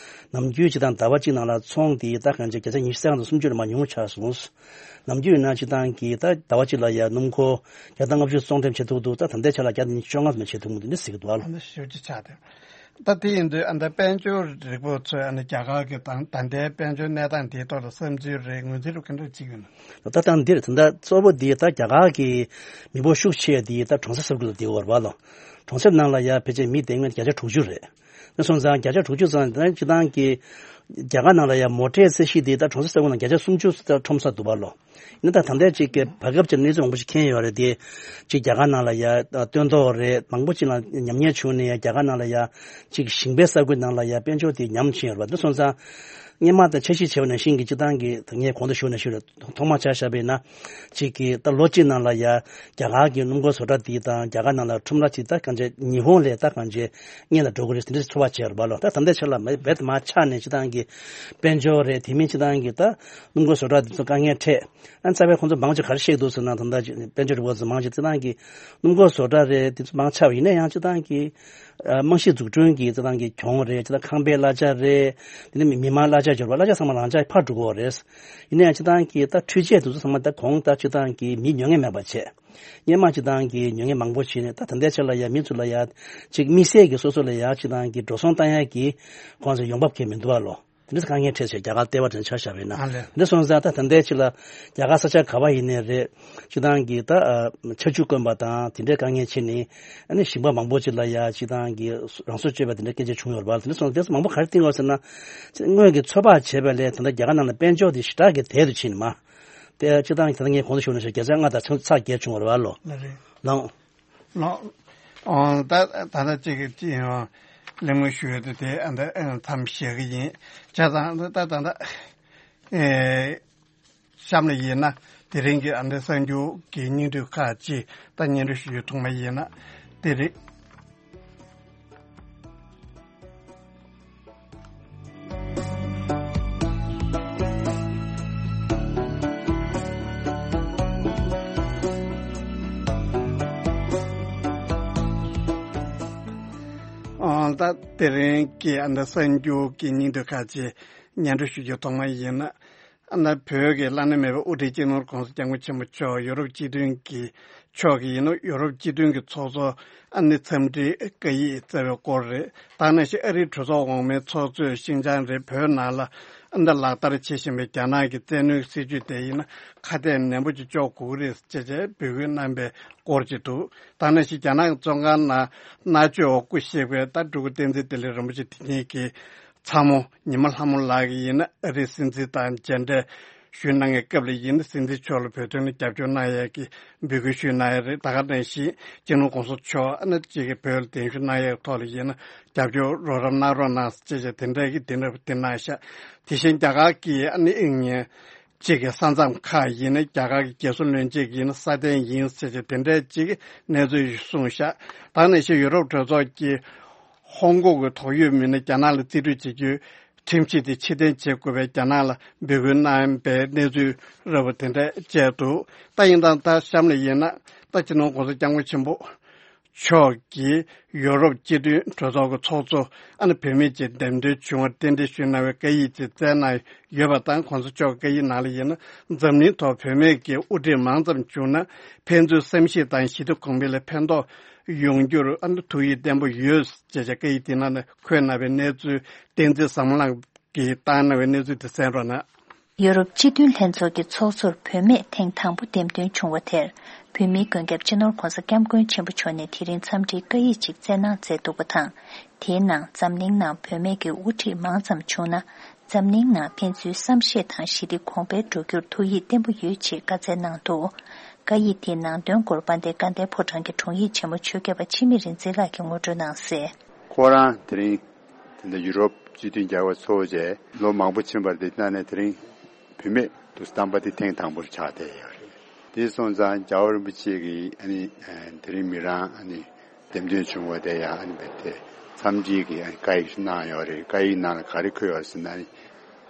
ནམ་རྒྱུན་སྤྱི་བཏང་ཟླ་བ་གཅིག་ནང་ལ་ཚོང་དེ་ད་གང་ཅི་བརྒྱ་ཆ་ཉི་ཤུ་རྩ་ལྔ་དང་སུམ་ཅུ་ལས་མར་ཉུང་ཆགས་སོང་། ནམ་རྒྱུན་ཡིན་ན་སྤྱི་བཏང་གི་ད་ཟླ་བ་གཅིག་ལ་ཡ་སྣུམ་འཁོར་བརྒྱ་དང་ལྔ་བཅུ་བཙོང་འགྲེམས་བྱེད་ཐུབ་འདུག་ད་ད་ལྟའི་ཆ་ལ་བརྒྱ་དང་ཉི་ཤུ་བཅོ་ལྔ་ཙམ་བྱེད་ཐུབ་མི་འདུག་འདི་ཟེར་གྱི་འདུག་ཨ་ལོ། ཨ་ནི་ཞེ་པོ་ཅིག་ཆགས་ཏེ། ད་དེ་ཡིན་དུས་ཨ་ནི་དཔལ་འབྱོར་རིག་པ་ཚོས་ཨ་ནི་རྒྱ་གར་གྱི་ད་ད་ལྟའི་དཔལ་འབྱོར་གནས་སྟངས་དེའི་ཐོག་ལ་བསམ་ཚུལ་རེད། ངོས་འཛིན་རེད་ག་འདྲ་བྱེད་ཀྱི་ཡོད་ན། ད་ལྟ་འདིར་ད་ལྟ་གཙོ་བོ་འདི་ད་རྒྱ་གར་གྱི་མི་འབོར་ཤུགས་ཆེ་འདི་ད་གྲོང་གསེབ་ས་ཁུལ་ལ་བསྡད་ཡོད་རེད་པ་ལོ། གྲོང་གསེབ་ནང་ལ་ཡ་ཕལ་ཆེར་མི་བསྡད་མཁན་བརྒྱ་ཆ་དྲུག་ཅུ་རེད། དེ་སོང་ཙང་བརྒྱ་ཆ་དྲུག་ཅུ་ཙམ་ད་སྤྱི་བཏང་གི་རྒྱ་གར་ནང་ལ་ཡ་མོ་ཊའི་ཚད་གཞི་འདི་ད་གྲོང་གསེབ་ས་ཁུལ་ནང་བརྒྱ་ཆ་སུམ་ཅུ་ད་ཁྲོམ་ས་འདུག་པ་ལོ། ཡིན་ན་ད་ད་ལྟའི་ཅིག་གི་བར་སྐབས་ཀྱི་གནས་ཚུལ་མང་པོ་ཞིག་མཁྱེན་ཡོད་རེད་དེ། ཅིག་རྒྱ་གར་ནང་ལ་ཡ་སྟོན་ཐོག་རེད་མང་པོ་ཅིག་ལ་ཉམས་ཉེས་བྱུང་ནས་ཡ་རྒྱ་གར་ནང་ལ་ཡ་ཅིག་ཞིང་པའི་ས་ཁུལ་ནང་ལ་ཡ་དཔལ་འབྱོར་དེ་ཉམས་ཕྱིན་ཡོད་རེད་པ། འདི་སོང་ཙང་སྔོན་མ་དང་འཆར་གཞི་བྱས་པ་ནང་བཞིན་གྱི་སྤྱི་བཏང་གི་ངས་གོང་དུ་ཞུས་ནང་བཞིན་རེད། ཐོག་མར་ཆ་བཞག་པ་ཡིན་ན་ཅིག་གི་ད་ལོ་གཅིག་ནང་ལ་ཡ་རྒྱ་གར་གྱི་སྣུམ་འཁོར་བཟོ་གྲྭ་དེ་དང་རྒྱ་གར་ནང་ལ་ཁྲོམ་ར་ཅིག་ད་གང་ཅི་ཉི་ཧོང་ལས་ད་གང་ཅི་སྔོན་ལ་འགྲོ་གི་རེད་དེ་འདྲ་ཚོར་བ་བྱས་རེད་པ་ལོ། ད་ད་ལྟའི་ཆ་ལ་མ་རྦད་དེ་མར་ཆག་ནས་སྤྱི་བཏང་གི་དཔལ་འབྱོར་རེད། དེ་མིན་སྤྱི་བཏང་གི་ད་སྣུམ་འཁོར་བཟོ་གྲྭ་དེ་ཚོ་དཀའ་ངལ་འཕྲད། ཨ་རྩ་བའི་ཁོང་ཚོ་མང་ཆེ་ག་རེ་བཤད་འདུག་ཟེར་ན་ད་ལྟ་དཔལ་འབྱོར་རིག་པ་ཚོ་མང་ཆེ་སྤྱི་བཏང་གི་སྣུམ་འཁོར་བཟོ་གྲྭ་རེད་དེ་ཚོ་མང་ཆེ་བ་ཡིན་ན་ཡང་སྤྱི་བཏང་གི་ཨ་རྨང་གཞི་འཛུགས་སྐྲུན་གྱི་སྤྱི་བཏང་གི་གྱོང་རེད། སྤྱི་བཏང་ཁང་པའི་གླ་ཆ་རེད། དེ་ནས་མི་མང་གླ་ཆ་འབྱོར་བ་གླ་ཆ་ཚང་མ་རང་འཇགས་ཕར་འགྲོ་གི་ཡོད་རེད། ཡིན་ན་ཡང་སྤྱི་བཏང་གི་ད་འཕྲུལ་ཆས་དེ་ཚོ་ཚང་མ་ད་གོང་ད་སྤྱི་བཏང་གི་མི་ཉོ་མཁན་མེད་པ་བྱས། སྔོན་མ་སྤྱི་བཏང་གི་ཉོ་མཁན་མང་པོ་བྱས་ནས་ད་ད་ལྟའི་ཆ་ལ་ཡ་མི་ཚོ་ལ་ཡ་ཅིག་དམིགས་བསལ་གྱི་སོ་སོ་ལ་ཡ་སྤྱི་བཏང་གི་འགྲོ་སོང་བཏང་ཡ་གི་ཁོང་ཚོ་ཡོང་འབབ་གང་མི་འདུག་བ་ལོ། དེ་འདྲ་དཀའ་ངལ་འཕྲད་བྱས་རྒྱ་གར་ལྟེ་བ་དེ་ཆ་བཞག་པ་ཡིན་ན། ཨ་ལས། འདི་སོང་ཙང་ད་ད་ལྟའི་ཆ་ལ་རྒྱ་གར་ས་ཆ་ག་བ་ཡིན་ནའི་རེད། སྤྱི་བཏང་གི་ད་ཨ་ཆར་ཆུ་དཀོན་པ་དང་དེ་འདྲའི་དཀའ་ངལ་ཕྱིན་ནས་ཨ་ནི་ཞིང་པ་མང་པོ་ཅིག་ལ་ཡ་སྤྱི་བཏང་གི་རང་སྲོག་གཅོད་པ་དེ་འདྲའི་སྐད་ཆ་བྱུང་ཡོད་རེད་པ། དེ་འདྲ་སོང་ཙང་དེ་ཚོ་མང་པོ་ག་རེ་བསྟན་ཡོད་ཟེར་ན། སྔོན་གྱི་ཚོད་དཔག་བྱས་པ་ལས་ད་ལྟ་རྒྱ་གར་ནང་ལ་དཔལ་འབྱོར་དེ་ཞེ་དྲག་གི་དལ་དུ་ཕྱིན་ནས་མ། དེ་སྤྱིར་བཏང་དེ་ངས་གོང་དུ་ཞུས་ནང་བཞིན་བརྒྱ་ཆ་ལྔ་དང་ཚེག་བརྒྱད་བྱུང་བ་རེད་བ། ལོ་ལ་རེད། ལོ། ལོ། ཨོ། ད་ད་ལྟ་གཅིག་གི་གཅིག་ཡང་གླེང་མོལ་ཞུ་ཡོད་དུས་དེ་ཨ་འདི་མཚམས་བཞག་གི་ཡིན། བྱས་ཙང་ད་ད་ད་ཨེ། གཤམ་ལ་ཡིན་ན་དེ་རིང་གི་ཨ་འདི་གསར་འགྱུར་གྱི་སྙིང་བསྡུས་ཁག་ཅིག་ད་སྙན་སྒྲོན་ཞུ་རྒྱུ་ཐོག་མ་ཡིན་ན་དེ་རེད། ཨང་། ད་དེ་རིང་གི་ཨ་འདི་གསར་འགྱུར་གྱི་སྙིང་བསྡུས་ཁག་ཅིག་སྙན་སྒྲོན་ཞུ་རྒྱུ་ཐོག་མ་ཡིན་ན། ཨ་ནི་བོད་ཀྱི་བླ་ན་མེད་པའི་དབུ་ཁྲིད་སྤྱི་ནོར་༸གོང་ས་༸སྐྱབས་མགོན་ཆེན་པོ་མཆོག་ཡུ་རོབ་སྤྱི་མཐུན་གྱི་ཕྱོགས་ཀྱི་ཡིན་ནོ། ཡུ་རོབ་སྤྱི་མཐུན་གྱི་ཚོགས་གཙོ་ཨ་ནི་འཚམས་འདྲིའི་བཀའ་ཡིག་བསྩལ་བའི་སྐོར་རེད། ད་ནང་བཞིན་ཨ་རིའི་གྲོས་ཚོགས་འོག་མའི་ཚོགས་གཙོས་ཤིན་ཅང་རེད། བོད་ནང་ལ་ཨ་ནི་ལག་བསྟར་བྱེད་བཞིན་པའི་རྒྱ་ནག་གི་བཙན་གནོན་སྲིད་བྱུས་དེ་ཡིན་ན་ཁ་གཏད་ནན་པོ་ཅིག་གཅོག་དགོས་ཀྱི་རེད་ཅེས་བྱས་འབོད་སྐུལ་གནང་པའི་སྐོར་ཅིག་འདུག། ད་ནང་བཞིན་རྒྱ་ནག་གི་བཙོན་ཁང་ནང་མནར་གཅོད་འོག་སྐུ་གཤེགས་པའི་ད་སྤྲུལ་སྐུ་བསྟན་འཛིན་བདེ་ལེགས་རིན་པོ་ཆེ་དེ་ཉིད་ཀྱི་ཚ་མོ་ཉི་མ་ལྷ་མོ་ལགས་ཀྱིས་ཡིན་ན་ཨ་རིའི་སྲིད་འཛིན་དང་མཇལ་འཕྲད་ཞུས་གནང་བའི་སྐབས་ལ་ཡིན་ན་སྲིད་འཛིན་མཆོག་ལ་བོད་དོན་ལ་རྒྱབ་སྐྱོར་གནང་ཡས་ཀྱི་འབོད་སྐུལ་ཞུས་གནང་ཡས་རེད། ད་ག་ནང་བཞིན་སྤྱི་ནོར་༸གོང་ས་མཆོག་ཨ་ནི་གཅིག་གིས་བོད་ལ་གདན་ཞུ་གནང་ཡས་ཐོག་ལ་ཡིན་ན་རྒྱབ་སྐྱོར་རོགས་རམ་གནང་རོགས་གནང་ཅེས་བྱས་དེ་འདྲ་གི་དེ་འདྲ་དེ་གནང་ཤག། དེ་བཞིན་རྒྱ་གར་གྱི་ཨ་ནི་དབྱིན་ཉིན་གཅིག་གི་ས་མཚམས་ཁག་ཡིན་ན་རྒྱ་གར་གྱི་རྒྱལ་སྲུང་བློན་ཆེན་གྱིས་ཡིན་ན་སྲ་བརྟན་ཡིན་ཟེར་གྱི་དེ་འདྲའི་གཅིག་གི་གནས་ཚུལ་ཞིག་གསུངས་ཤག། ད་ནང་བཞིན་ཡུ་རོབ་གྲོས་ཚོགས་ཀྱིས་ཧོང་ཀོང་གི་དོགས་ཡོད་མི་སྣ་རྒྱ་ནག་ལ་རྩིས་སྤྲོད་བྱེད་རྒྱུའི་ཁྲིམས་གཞི་དེ་ཕྱིར་འཐེན་བྱེད་དགོས་པའི་རྒྱ་ནག་ལ་འབོད་སྐུལ་གནང་པའི་གནས་ཚུལ་རབ་པོ་དེ་འདྲ་བཅས་འདུག། ད་ཡིན་ཙང་ད་གཤམ་ལ་ཡིན་ན་ད་སྤྱི་ནོར་༸གོང་ས་༸སྐྱབས་མགོན་ཆེན་པོ་མཆོག་གིས་ཡོ་རོབ་སྤྱི་མཐུན་གྲོས་ཚོགས་ཀྱི་ཚོགས་གཙོ་ཨ་ནི་བུད་མེད་ཅིག་འདེམས་ཐོན་བྱུང་བར་རྟེན་འབྲེལ་ཞུས་གནང་བའི་བཀའ་ཡིག་ཅིག་བསྩལ་གནང་ཡོད་པ་དང་། གོང་ས་མཆོག་བཀའ་ཡིག་ནང་ལ་ཡིན་ན་འཛམ་གླིང་ཐོག་བུད་མེད་ཀྱི་དབུ་ཁྲིད་མང་ཙམ་བྱུང་ན་ཕན་ཚུན་བསམ་ཤེས་དང་ཞི་བདེ་གོང་འཕེལ་ལ་ཕན་ཐོགས་ཡོང་རྒྱུར་ཨ་ནི་ཐུགས་ཡིད་བརྟན་པོ་ཡོད་ཅེས་བཀའ་ཡིག་དེ་ནང་ནས་འཁོད་གནང་བའི་གནས་ཚུལ་བསྟན་འཛིན་བཟང་མོ་ལགས་ཀྱིས་བཏང་གནང་བའི་གནས་ཚུལ་དེ་གསན་རོགས་གནང་། ཡོ་རོབ་སྤྱི་མཐུན་ལྷན་ཚོགས་ཀྱི་ཚོགས་གཙོར་བུད་མེད་ཐེངས་དང་པོ་འདེམས་ཐོན་བྱུང་བ་དེར། བོད་མིའི་མགོན་སྐྱབས་སྤྱི་ནོར་༸གོང་ས་༸སྐྱབས་མགོན་ཆེན་པོ་མཆོག་ནས་དེ་རིང་འཚམས་འདྲིའི་བཀའ་ཡིག་ཅིག་བསྩལ་གནང་མཛད་འདུག་པ་དང་། དེའི་ནང་འཛམ་གླིང་ནང་བུད་མེད་ཀྱི་དབུ་ཁྲིད་མང་ཙམ་བྱུང་ན། འཛམ་གླིང་ནང་ཕན་ཚུན་བསམ་ཤེས་དང་ཞི་བདེ་གོང་འཕེལ་འགྲོ་རྒྱུར་ཐུགས་ཡིད་བརྟན་པོ་ཡོད་ཅེས་བཀའ་སྩལ་གནང་འདུག། བཀའ་ཡིག་དེའི་ནང་དོན་སྐོར་དཔལ་ལྡན་དགའ་ལྡན་ཕོ་བྲང་གི་དྲུང་ཡིག་ཆེན་མོ་ཆོས་རྒྱལ་པ་འཆི་མེད་རིག་འཛིན་ལགས་ཀྱིས་ངོ་སྤྲོད་གནང་གསལ། ཁོ་རང་དེ་རིང་དེ་འདྲ་ཡུ་རོབ་སྤྱི་མཐུན་རྒྱལ་ཁབ་ཚོགས་བྱས་ལོ་མང་པོ་ཕྱིན་པ་རེད། དེ་ནང་ནས་དེ་རིང་བུད་མེད་དུ་བདམས་པ་དེ་ཐེངས་དང་པོར་ཆགས་བསྡད་ཡོད་རེད། དེ་སོང་ཙང་རྒྱལ་བ་རིན་པོ་ཆེ་གིས་ཨ་ནི་དེ་རིང་མི་རང་ཨ་ནི་འདེམས་ཐོན་བྱུང་བ་དེ་ཡང་ཨ་ནི་བས་དེ་འཚམས་འདྲིའི་གི་ཨ་ནི་བཀའ་ཡིག་གནང་ཡོད་རེད། བཀའ་ཡིག་ནང་ལ་ག་རེ་འཁོད་ཡོད་ཟེར་ན།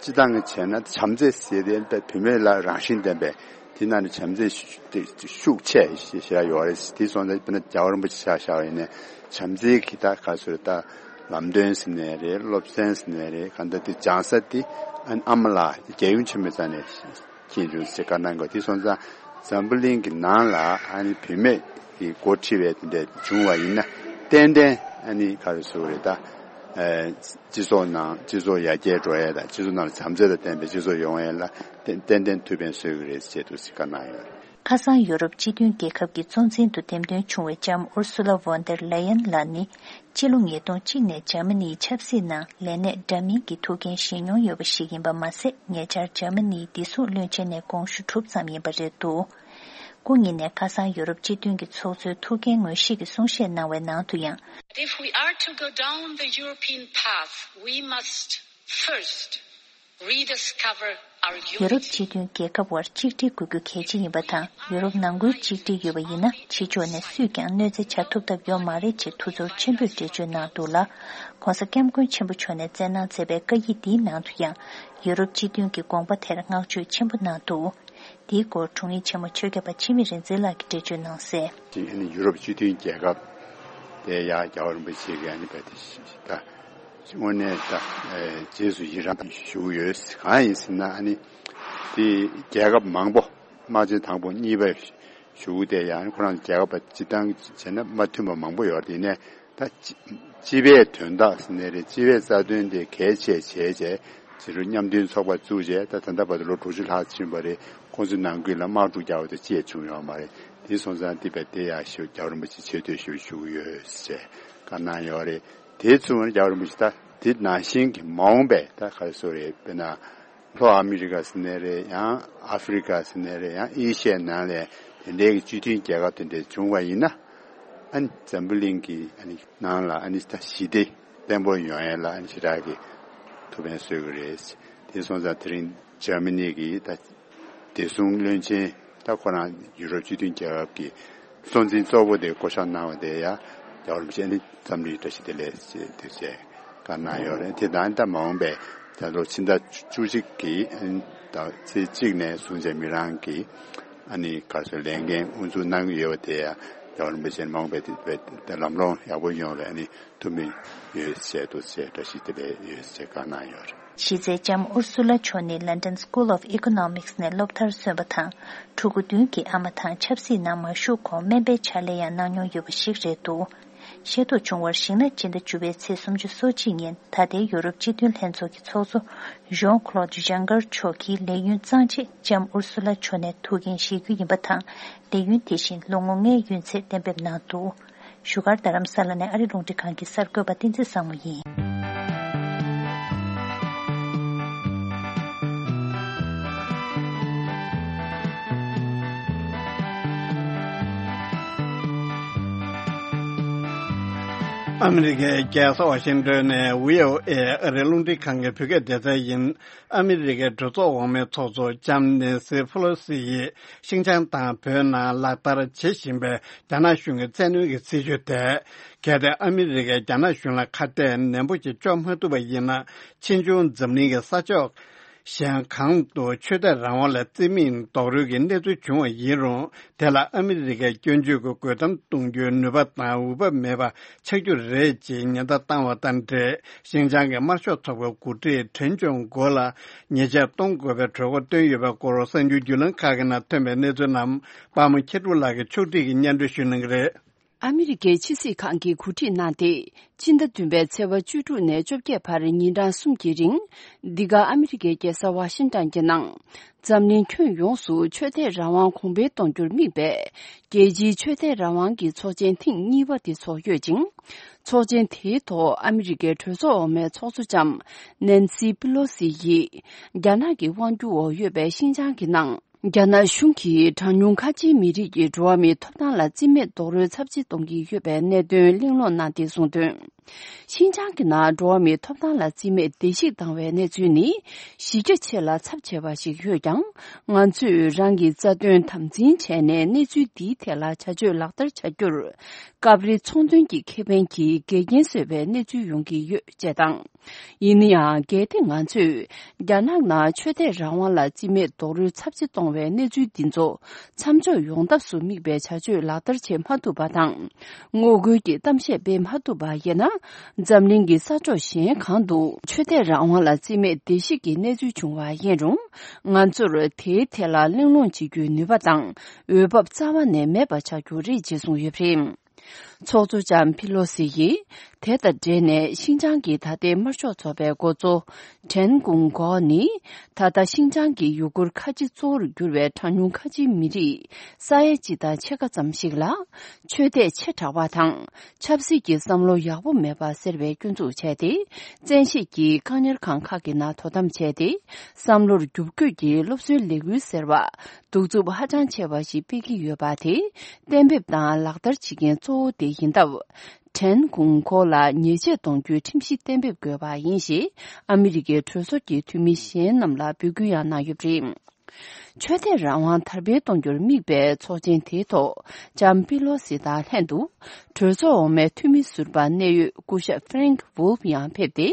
སྤྱི་བཏང་གི་བྱས་ན་བྱམས་བརྩེ་ཟེར་དེ་བུད་མེད་ལ་རང་བཞིན་ལྡན་པའི་དེ་ནང་ནས་བྱམས་བརྩེ་ཤུགས་ཆེ་ཞེ་དྲག་ཡོད་རེད། དེ་སོང་ཙང་དཔེར་ན་རྒྱལ་བ་རིན་པོ་ཆེ་ཆ་བཞག་པ་ཡིན་ན་བྱམས་བརྩེ་གི་ད་ག་ཚོད་ད་ལམ་སྟོན་ཟེར་ནའི་རེད། སློབ་ཚན་ཟེར་ནའི་རེད། གང་ལྟར་དེ་སྦྱང་ས་དེ་ཨ་ནི་ཨ་མ་ལགས་རྒྱལ་ཡུམ་ཆེན་མོའི་རྩ་ནས་མཁྱེན་བྱུང་ཟེར་བཀའ་གནང་དགོས། དེ་སོང་ཙང་འཛམ་བུ་གླིང་གི་ནང་ལ་ཨ་ནི་བུད་མེད་ཀྱི་འགོ་ཁྲིད་པའི་དེ་འདྲ་བྱུང་བ་ཡིན་ན་ཏན་ཏན་ཨ་ནི་ག་རེ་ཟེར་དགོས་རེད། ད་སྤྱི་ཚོགས་ནང་སྤྱི་ཚོགས་ཡར་རྒྱས་འགྲོ་ཡས་དང་སྤྱི་ཚོགས་ནང་ལ་བྱམས་བརྩེ་དང་ལྡན་པའི་སྤྱི་ཚོགས་ཡོང་ཡས་ལ་ཏན་ཏན་ཏན་ཐུགས་ཕན་གསོས་ཀྱི་རེད་ཅེས་འདུག་ཟེར་བཀའ་གནང་ཡོད་རེད། ཁ་སང་ཡོ་རོབ་སྤྱི་མཐུན་རྒྱལ་ཁབ་ཀྱི་གཙོ་འཛིན་དུ་འདེམས་ཐོན་བྱུང་བའི་ལྕམ་ཨུར་སུ་ལ་ཝོན་ཏེར་ལེ་ཡན་ལགས་ནི། སྤྱི་ལོ་ཉིས་སྟོང་གཅིག་ནས་འཇར་མ་ནིའི་ཆབ་སྲིད་ནང་ལས་གནས་འདྲ་མིན་གྱི་ཐུགས་འགན་བཞེས་མྱོང་ཡོད་པ་ཞིག་ཡིན་པ་མ་ཟད། ཉེ་ཆར་འཇར་མ་ནིའི་བདེ་སྲུང་བློན་ཆེན་ནས་དགོངས་ཞུ་གྲུབ་ཙམ་ཡིན་པ་རེད་འདུག། སྐུ་ཉིད་ནས་ཁ་སང་ཡོ་རོབ་སྤྱི་མཐུན་གྱི་ཚོགས་གཙོའི་ཐུགས་འགན་ངོས་བཞེས་ཀྱི་གསུང་བཤད་གནང་བའི་ནང་དུ་ཡང་། If we are to go down the European path, we must first rediscover our unity. ཡོ་རོབ་སྤྱི་མཐུན་རྒྱལ་ཁབ་དབར་གཅིག་སྒྲིལ་དགོས་རྒྱུ་གལ་ཆེ་ཡིན་པ་དང་། ཡོ་རོབ་ནང་ཁུལ་གཅིག་སྒྲིལ་ཡོད་པ་ཡིན་ན་ཕྱི་ཕྱོགས་ནས་སུས་ཀྱང་གནོད་འཚེ་བྱ་ཐུབ་ཐབས་ཡོད་མ་རེད་ཅེས་ཐུགས་ཚོར་ཆེན་པོས་འགྲེལ་བརྗོད་གནང་འདུག་ལ། ༸གོང་ས་༸སྐྱབས་མགོན་ཆེན་པོ་མཆོག་ནས་བསྩལ་གནང་མཛད་པའི་བཀའ་ཡིག་འདིའི་ནང་དུ་ཡང་ཡོ་རོབ་སྤྱི་མཐུན་གྱི་དགོངས་པ་དེར་བསྔགས་བརྗོད་ཆེན་པོ་གནང་འདུག། འདིའི་སྐོར་དྲུང་ཡིག་ཆེན་མོ་ཆོས་རྒྱལ་པ་འཆི་མེད་རིག་འཛིན་ལགས་ཀྱིས་འགྲེལ་བརྗོད་གནང་གསལ། དེ་ནི་ཡུ་རོབ་སྤྱི་མཐུན་རྒྱལ་ཁབ་དེ་ཡང་རྒྱལ་བ་རིན་པོ་ཆེ་གིས་ཨ་ནི་བས་དེ་ད་དངོས་གནས་ད་རྗེས་སུ་ཡི་རང་ཞུ་གི་ཡོད། གང་ཡིན་ཟེར་ན་ཨ་ནི་དེ་རྒྱལ་ཁབ་མང་པོ་དམག་ཆེན་དང་པོ་གཉིས་པ་ཞུ་དེ་ཡང་ཁོ་རང་རྒྱལ་ཁབ་སྤྱི་བཏང་བྱས་ན་མ་མཐུན་པ་མང་པོ་ཡོད་རེད། ཡིན་ནའི་ད་སྤྱི་སྤྱི་པའི་དོན་དག་ཟེར་ནའི་རེད། སྤྱི་པའི་རྩ་དོན་དེ་གལ་ཆེ་བྱས་བྱས་ཕྱི་རུ་མཉམ་མཐུན་ཚོགས་པ་བཙུགས་བྱས་ད་ད་ལྟ་བར་དུ་ལོ་དྲུག་ཅུ་ལྷག་ཕྱིན་པ་རེད། ཁོང་ཚོའི་ནང་ཁུལ་ལ་དམག་འཁྲུག་རྒྱག་པ་དེ་ཅི་ཡང་བྱུང་ཡོད་མ་རེད། དེ་སོང་ཙང་དེ་བས་དེ་ཡང་ཞུ་རྒྱལ་བ་རིན་པོ་ཆེ་ཆེ་བསྟོད་ཞུ་ཞུ་གི་ཡོད་ཅེས་བཀའ་གནང་ཡོད་རེད། དེ་ཚུར་རྒྱལ་བ་རིན་པོ་ཆེ་ད་དེ་ནང་བཞིན་གྱི་མ་འོངས་པའི་ད་ག་རེ་ཟེར་རེད། དཔེར་ན་ ལྷོ་ཨ་མི་རི་ཀ་ཟེར་ནའི་རེད། ཡང་ཨ་ཧྥེ་རི་ཀ་ཟེར་ནའི་རེད། ཡང་ཨེ་ཤི་ཡའི་ནང་ལ་དེ་འདྲའི་གི་སྤྱི་མཐུན་རྒྱལ་ཁབ་དེ་འདྲ་བྱུང་བ་ཡིན་ན། ཨ་ནི་འཛམ་བུ་གླིང་གི་ཨ་ནི་ནང་ལ་ཨ་ནི་ད་ཞི་བདེ་བརྟན་པོ་ཡོང་ཡས་ལ་ཨ་ནི་ཞེ་དྲག་གི་ཐུགས་ཕན་གསོས་ཀྱི་རེད། དེ་སོང་ཙང་དེ་རིང་འཇར་མ་ནི་གི་ད་བདེ་སྲུང་བློན་ཆེན་ད་ཁོ་རང་ཡུ་རོབ་སྤྱི་མཐུན་རྒྱལ་ཁབ་ཀྱི་གཙོ་འཛིན་གཙོ་བོ་དེ་བསྐོ་གཞག་གནང་བ་དེ་ཡང་རྒྱལ་བ་རིན་པོ་ཆེ་ནི་འཚམས་འདྲི་བཀྲ་ཤིས་བདེ་ལེགས་ཞེས་དེ་བྱས་བཀའ་གནང་ཡོད་རེད། དེ་དང་ད་མ་འོངས་པའི་ད་ལོ་ཕྱི་ཟླ་བཅུ་གཅིག་གི་ད་ཚེས་གཅིག་ནས་བཟུང་བྱས་མི་རང་གི་ཨ་ནི་ག་ཚོད་ལས་འགན་དབུ་འཛུགས་གནང་གི་ཡོད་པ་དེ་ཡང་རྒྱལ་བ་རིན་པོ་ཆེ་མ་འོངས་པའི་དེ་ལམ་ལྷོང་ཡག་པོ་ཡོང་བའི་ཨ་ནི་ཐུགས་སྨོན་ཡོད་ཟེར་འདུག་ཟེར། བཀྲ་ཤིས་བདེ་ལེགས་ཡོད་ཟེར་བཀའ་གནང་ཡོད་རེད། གཞི་རྩའི་ལྕམ་ཨུར་སུ་ལ་མཆོག་ནི་London School of Economics ནས་སློབ་མཐར་སོན་པ་དང་། ཕྲུ་གུ་བདུན་གྱི་ཨ་མ་དང་ཆབ་སྲིད་ནང་མ་ཞུགས་གོང་སྨན་པའི་ཕྱག་ལས་ཡང་གནང་མྱོང་ཡོད་པ་ཞིག་རེད་འདུག་ཤེས་རྟོགས་བྱུང་བར་གཞིགས་ན། སྤྱི་ཟླ་བཅུ་པའི་ཚེས་སུམ་ཅུ་སོ་གཅིག་ཉིན་ད་ལྟའི་ཡོ་རོབ་སྤྱི་མཐུན་ལྷན་ཚོགས་ཀྱི་ཚོགས་གཙོ་Jean Claude Juncker མཆོག་གིས་ལས་ཡུན་གཙང་ཆེད་ལྕམ་ཨུར་སུ་ལ་མཆོག་ནས་ཐུགས་འགན་བཞེས་རྒྱུ་ཡིན་པ་དང་། ལས་ཡུན་དེ་བཞིན་ལོ་ངོ་ལྔའི་ཡུན་ཚད་གཏན་འབེབས་གནང་འདུག་བཞུགས་སྒར་རྡ་རམ་ས་ལ་ནས་ཨ་རི་རླུང་འཕྲིན་ཁང་གི་གསར་འགོད་པ་བསྟན་འཛིན་བཟང་མོ་ཡིན། ཨ་མི་རི་ཀའི་རྒྱལ་ས་ཝ་ཤིང་ཏོན་ནས་བྷི་ཨོ་ཨེ་ཨ་རིའི་རླུང་འཕྲིན་ཁང་གི་བོད་སྐད་སྡེ་ཚན་ཡིན། ཨ་མི་རི་ཀའི་གྲོས་ཚོགས་འོག་མའི་ཚོགས་གཙོ་ལྕམ་ནེན་སི་ཕེ་ལོ་སི་ཡིས་ཤིན་ཅང་དང་བོད་ནང་ལག་བསྟར་བྱེད་བཞིན་པའི་རྒྱ་ནག་གཞུང་གི་བཙན་གནོན་གྱི་སྲིད་བྱུས་ཐད། གལ་ཏེ་ཨ་མི་རི་ཀས་རྒྱ་ནག་གཞུང་ལ་ཁ་གཏད་ནན་པོ་ཞིག་གཅོག་མ་ཐུབ་པ་ཡིན་ན། ཕྱིས་འབྱུང་འཛམ་གླིང་གི་ས་ཕྱོགས་གཞན་གང་དུ་ཆོས་དད་རང་དབང་ལ་རྩིས་མེད་རྡོག་རོལ་གྱི་གནས་ཚུལ་བྱུང་བ་ཡིན་རུང་། དེ་ལ་ཨ་མི་རི་ཀའི་སྐྱོན་བརྗོད་ཀྱི་རྒོལ་གཏམ་གཏོང་རྒྱུའི་ནུས་པ་དང་འོས་བབ་མེད་པ་ཆགས་རྒྱུ་རེད་ཅེས་ཉེན་བརྡ་བཏང་བ་དང་འབྲེལ། ཤིན་ཅང་གི་དམར་ཤོག་ཚོགས་པའི་འགོ་ཁྲིད་ཁྲེན་ཅུང་གོ་ལ་ཉེས་ཆད་གཏོང་དགོས་པའི་གྲོས་འགོ་བཏོན་ཡོད་པའི་སྐོར་གསར་འགྱུར་བརྒྱུད་ལམ་ཁག་གི་ནང་ཐོན་པའི་གནས་ཚུལ་རྣམས་པདྨ་མཁས་གྲུབ་ལགས་ཀྱིས་ཕྱོགས་སྒྲིག་གིས་སྙན་སྒྲོན་ཞུ་གནང་གི་རེད། ཨ་མི་རི་ཀའི་ཕྱི་སྲིད་ཁང་གིས་གོ་སྒྲིག་གནང་སྟེ། ཕྱི་ཟླ་བདུན་པའི་ཚེས་པ་བཅུ་དྲུག་ནས་བཅོ་བརྒྱད་བར་ཉིན་གྲངས་གསུམ་གྱི་རིང་། འདི་ག་ཨ་མི་རི་ཀའི་རྒྱལ་ས་ཝ་ཤིང་ཏོན་གྱི་ནང་། འཛམ་གླིང་ཁྱོན་ཡོངས་སུ་ཆོས་དད་རང་དབང་གོང་འཕེལ་གཏོང་རྒྱུར་དམིགས་པའི་རྒྱལ་སྤྱིའི་ཆོས་དད་རང་དབང་གི་ཚོགས་ཆེན་ཐེངས་གཉིས་པ་དེ་ཚོགས་ཡོད་ཅིང་། ཚོགས་ཆེན་དེའི་ཐོག་ཨ་མི་རི་ཀའི་གྲོས་ཚོགས་འོག་མའི་ཚོགས་གཙོ་ལྕམ་ནན་སི་པི་ལོ་སི་ཡིས་རྒྱ་ནག་གི་དབང་སྒྱུར་འོག་ཡོད་པའི་ཤིན་ཅང་གི་ནང་། རྒྱ་ནག་གཞུང་གིས་གྲངས་ཉུང་ཁ་ཆེའི་མི་རིགས་ཀྱི་འགྲོ་བ་མིའི་ཐོབ་ཐང་ལ་རྩིས་མེད་རྡོག་རོལ་ཚབས་ཆེ་གཏོང་གི་ཡོད་པའི་གནད་དོན་གླེང་སློང་གནང་སྟེ་གསུངས་དོན། ཤིན་ཅང་གི་ནང་འགྲོ་བ་མིའི་ཐོབ་ཐང་ལ་རྩིས་མེད་བརྡལ་བཤིག་བཏང་བའི་གནས་ཚུལ་ནི་གཞི་རྒྱ་ཆེ་ལ་ཚབས་ཆེ་བ་ཞིག་ཡོད་ཀྱང་། ང་ཚོས་རང་གི་རྩ་དོན་དམ་འཛིན་བྱས་ནས་གནས་ཚུལ་འདིའི་ཐད་ལ་བྱ་སྤྱོད་ལག་བསྟར་བྱ་རྒྱུར། སྐབས་རེ་ཚོང་དོན་གྱི་ཁེ་ཕན་གྱིས་འགལ་རྐྱེན་བཟོས་པའི་གནས་ཚུལ་ཡོང་གི་ཡོད་ཅེས་དང་། ཡིན་ན་ཡང་། གལ་ཏེ་ང་ཚོས་རྒྱ་ནག་ནང་ཆོས་དད་རང་དབང་ལ་རྩིས་མེད་རྡོག་རོལ་ཚབས་ཆེ་གཏོང་བའི་གནས་ཚུལ་འདི་ཚོ་མཚམས་འཇོག་ཡོང་ཐབས་སུ་དམིགས་པའི་བྱ་སྤྱོད་ལག་བསྟར་བྱེད་མ་ཐུབ་པ་དང་། ངོ་རྒོལ་གྱི་གཏམ་བཤད་སྤེལ་མ་ཐུབ་པ་ཡིན་ན། འཛམ་གླིང་གི་ས་ཕྱོགས་གཞན་གང་དུ་ཆོས་དད་རང་དབང་ལ་རྩིས་མེད་བརྡལ་བཤིག་གི་གནས་ཚུལ་བྱུང་བ་ཡིན་རུང་། ང་ཚོར་དེའི་ཐད་ལ་གླེང་སློང་བྱེད་རྒྱུའི་ནུས་པ་དང་འོས་བབ་རྩ་བ་ནས་མེད་པ་ཆགས་རྒྱུ་རེད་ཅེས་གསུངས་ཡོད་པ་རེད། ཚོགས་གཙོ་ལྕམ་ཕི་ལོ་སི་ཡིས་དེ་དང་འབྲེལ་ནས་ཤིན་ཅང་གི་ད་ལྟའི་དམར་ཤོག་ཚོགས་པའི་འགོ་གཙོ་ཁྲེན་ཀུང་གོ་ནི། ད་ལྟ་ཤིན་ཅང་གི་ཡུ་གུར་ཁ་ཆེ་གཙོ་བོར་གྱུར་བའི་གྲངས་ཉུང་ཁ་ཆེའི་མི་རིགས་ས་ཡ་གཅིག་དང་ཕྱེད་ཀ་ཙམ་ཞིག་ལ། ཆོས་དད་ཆེ་དྲགས་པ་དང་ཆབ་སྲིད་ཀྱི་བསམ་བློ་ཡག་པོ་མེད་པ་ཟེར་བའི་སྐྱོན་འཛུགས་བྱས་ཏེ། བཙན་ཤེད་ཀྱིས་བཀག་ཉར་ཁང་ཁག་གི་ནང་དོ་དམ་བྱས་ཏེ། བསམ་བློར་རྒྱུག་སྐྱོད་ཀྱིས་སློབ་གསོའི་ལས་འགུལ་ཟེར་བ། གདུག་རྩུབ་ཧ་ཅང་ཆེ་བ་ཞིག་སྤེལ་གྱི་ཡོད་པ་དེ་གཏན་འབེབས་དང་ལག་བསྟར་བྱེད་མཁན་གཙོ་བོ་དེ་ཡིན་སྟབས། ཁྲེན་ཀུང་གོ་ལ་ཉེས་ཆད་གཏོང་རྒྱུའི་ཁྲིམས་གཞི་གཏན་འབེབས་དགོས་པ་ཡིན་ཞེས་ཨ་མི་རི་ཀའི་གྲོས་ཚོགས་ཀྱི་འཐུས་མི་གཞན་རྣམས་ལ་འབོད་སྐུལ་ཡང་གནང་ཡོད་པ་རེད། ཆོས་དད་རང་དབང་དར་སྤེལ་གཏོང་རྒྱུར་དམིགས་པའི་ཚོགས་ཆེན་དེའི་ཐོག་ལྕམ་པི་ལོ་སི་དང་ལྷན་དུ། གྲོས་ཚོགས་འོག་མའི་འཐུས་མི་ཟུར་པ་གནད་ཡོད་སྐུ་ཞབས་ཧྥེ་རེང་ཝུལ་ཕ་ཡང་ཕེབས་ཏེ།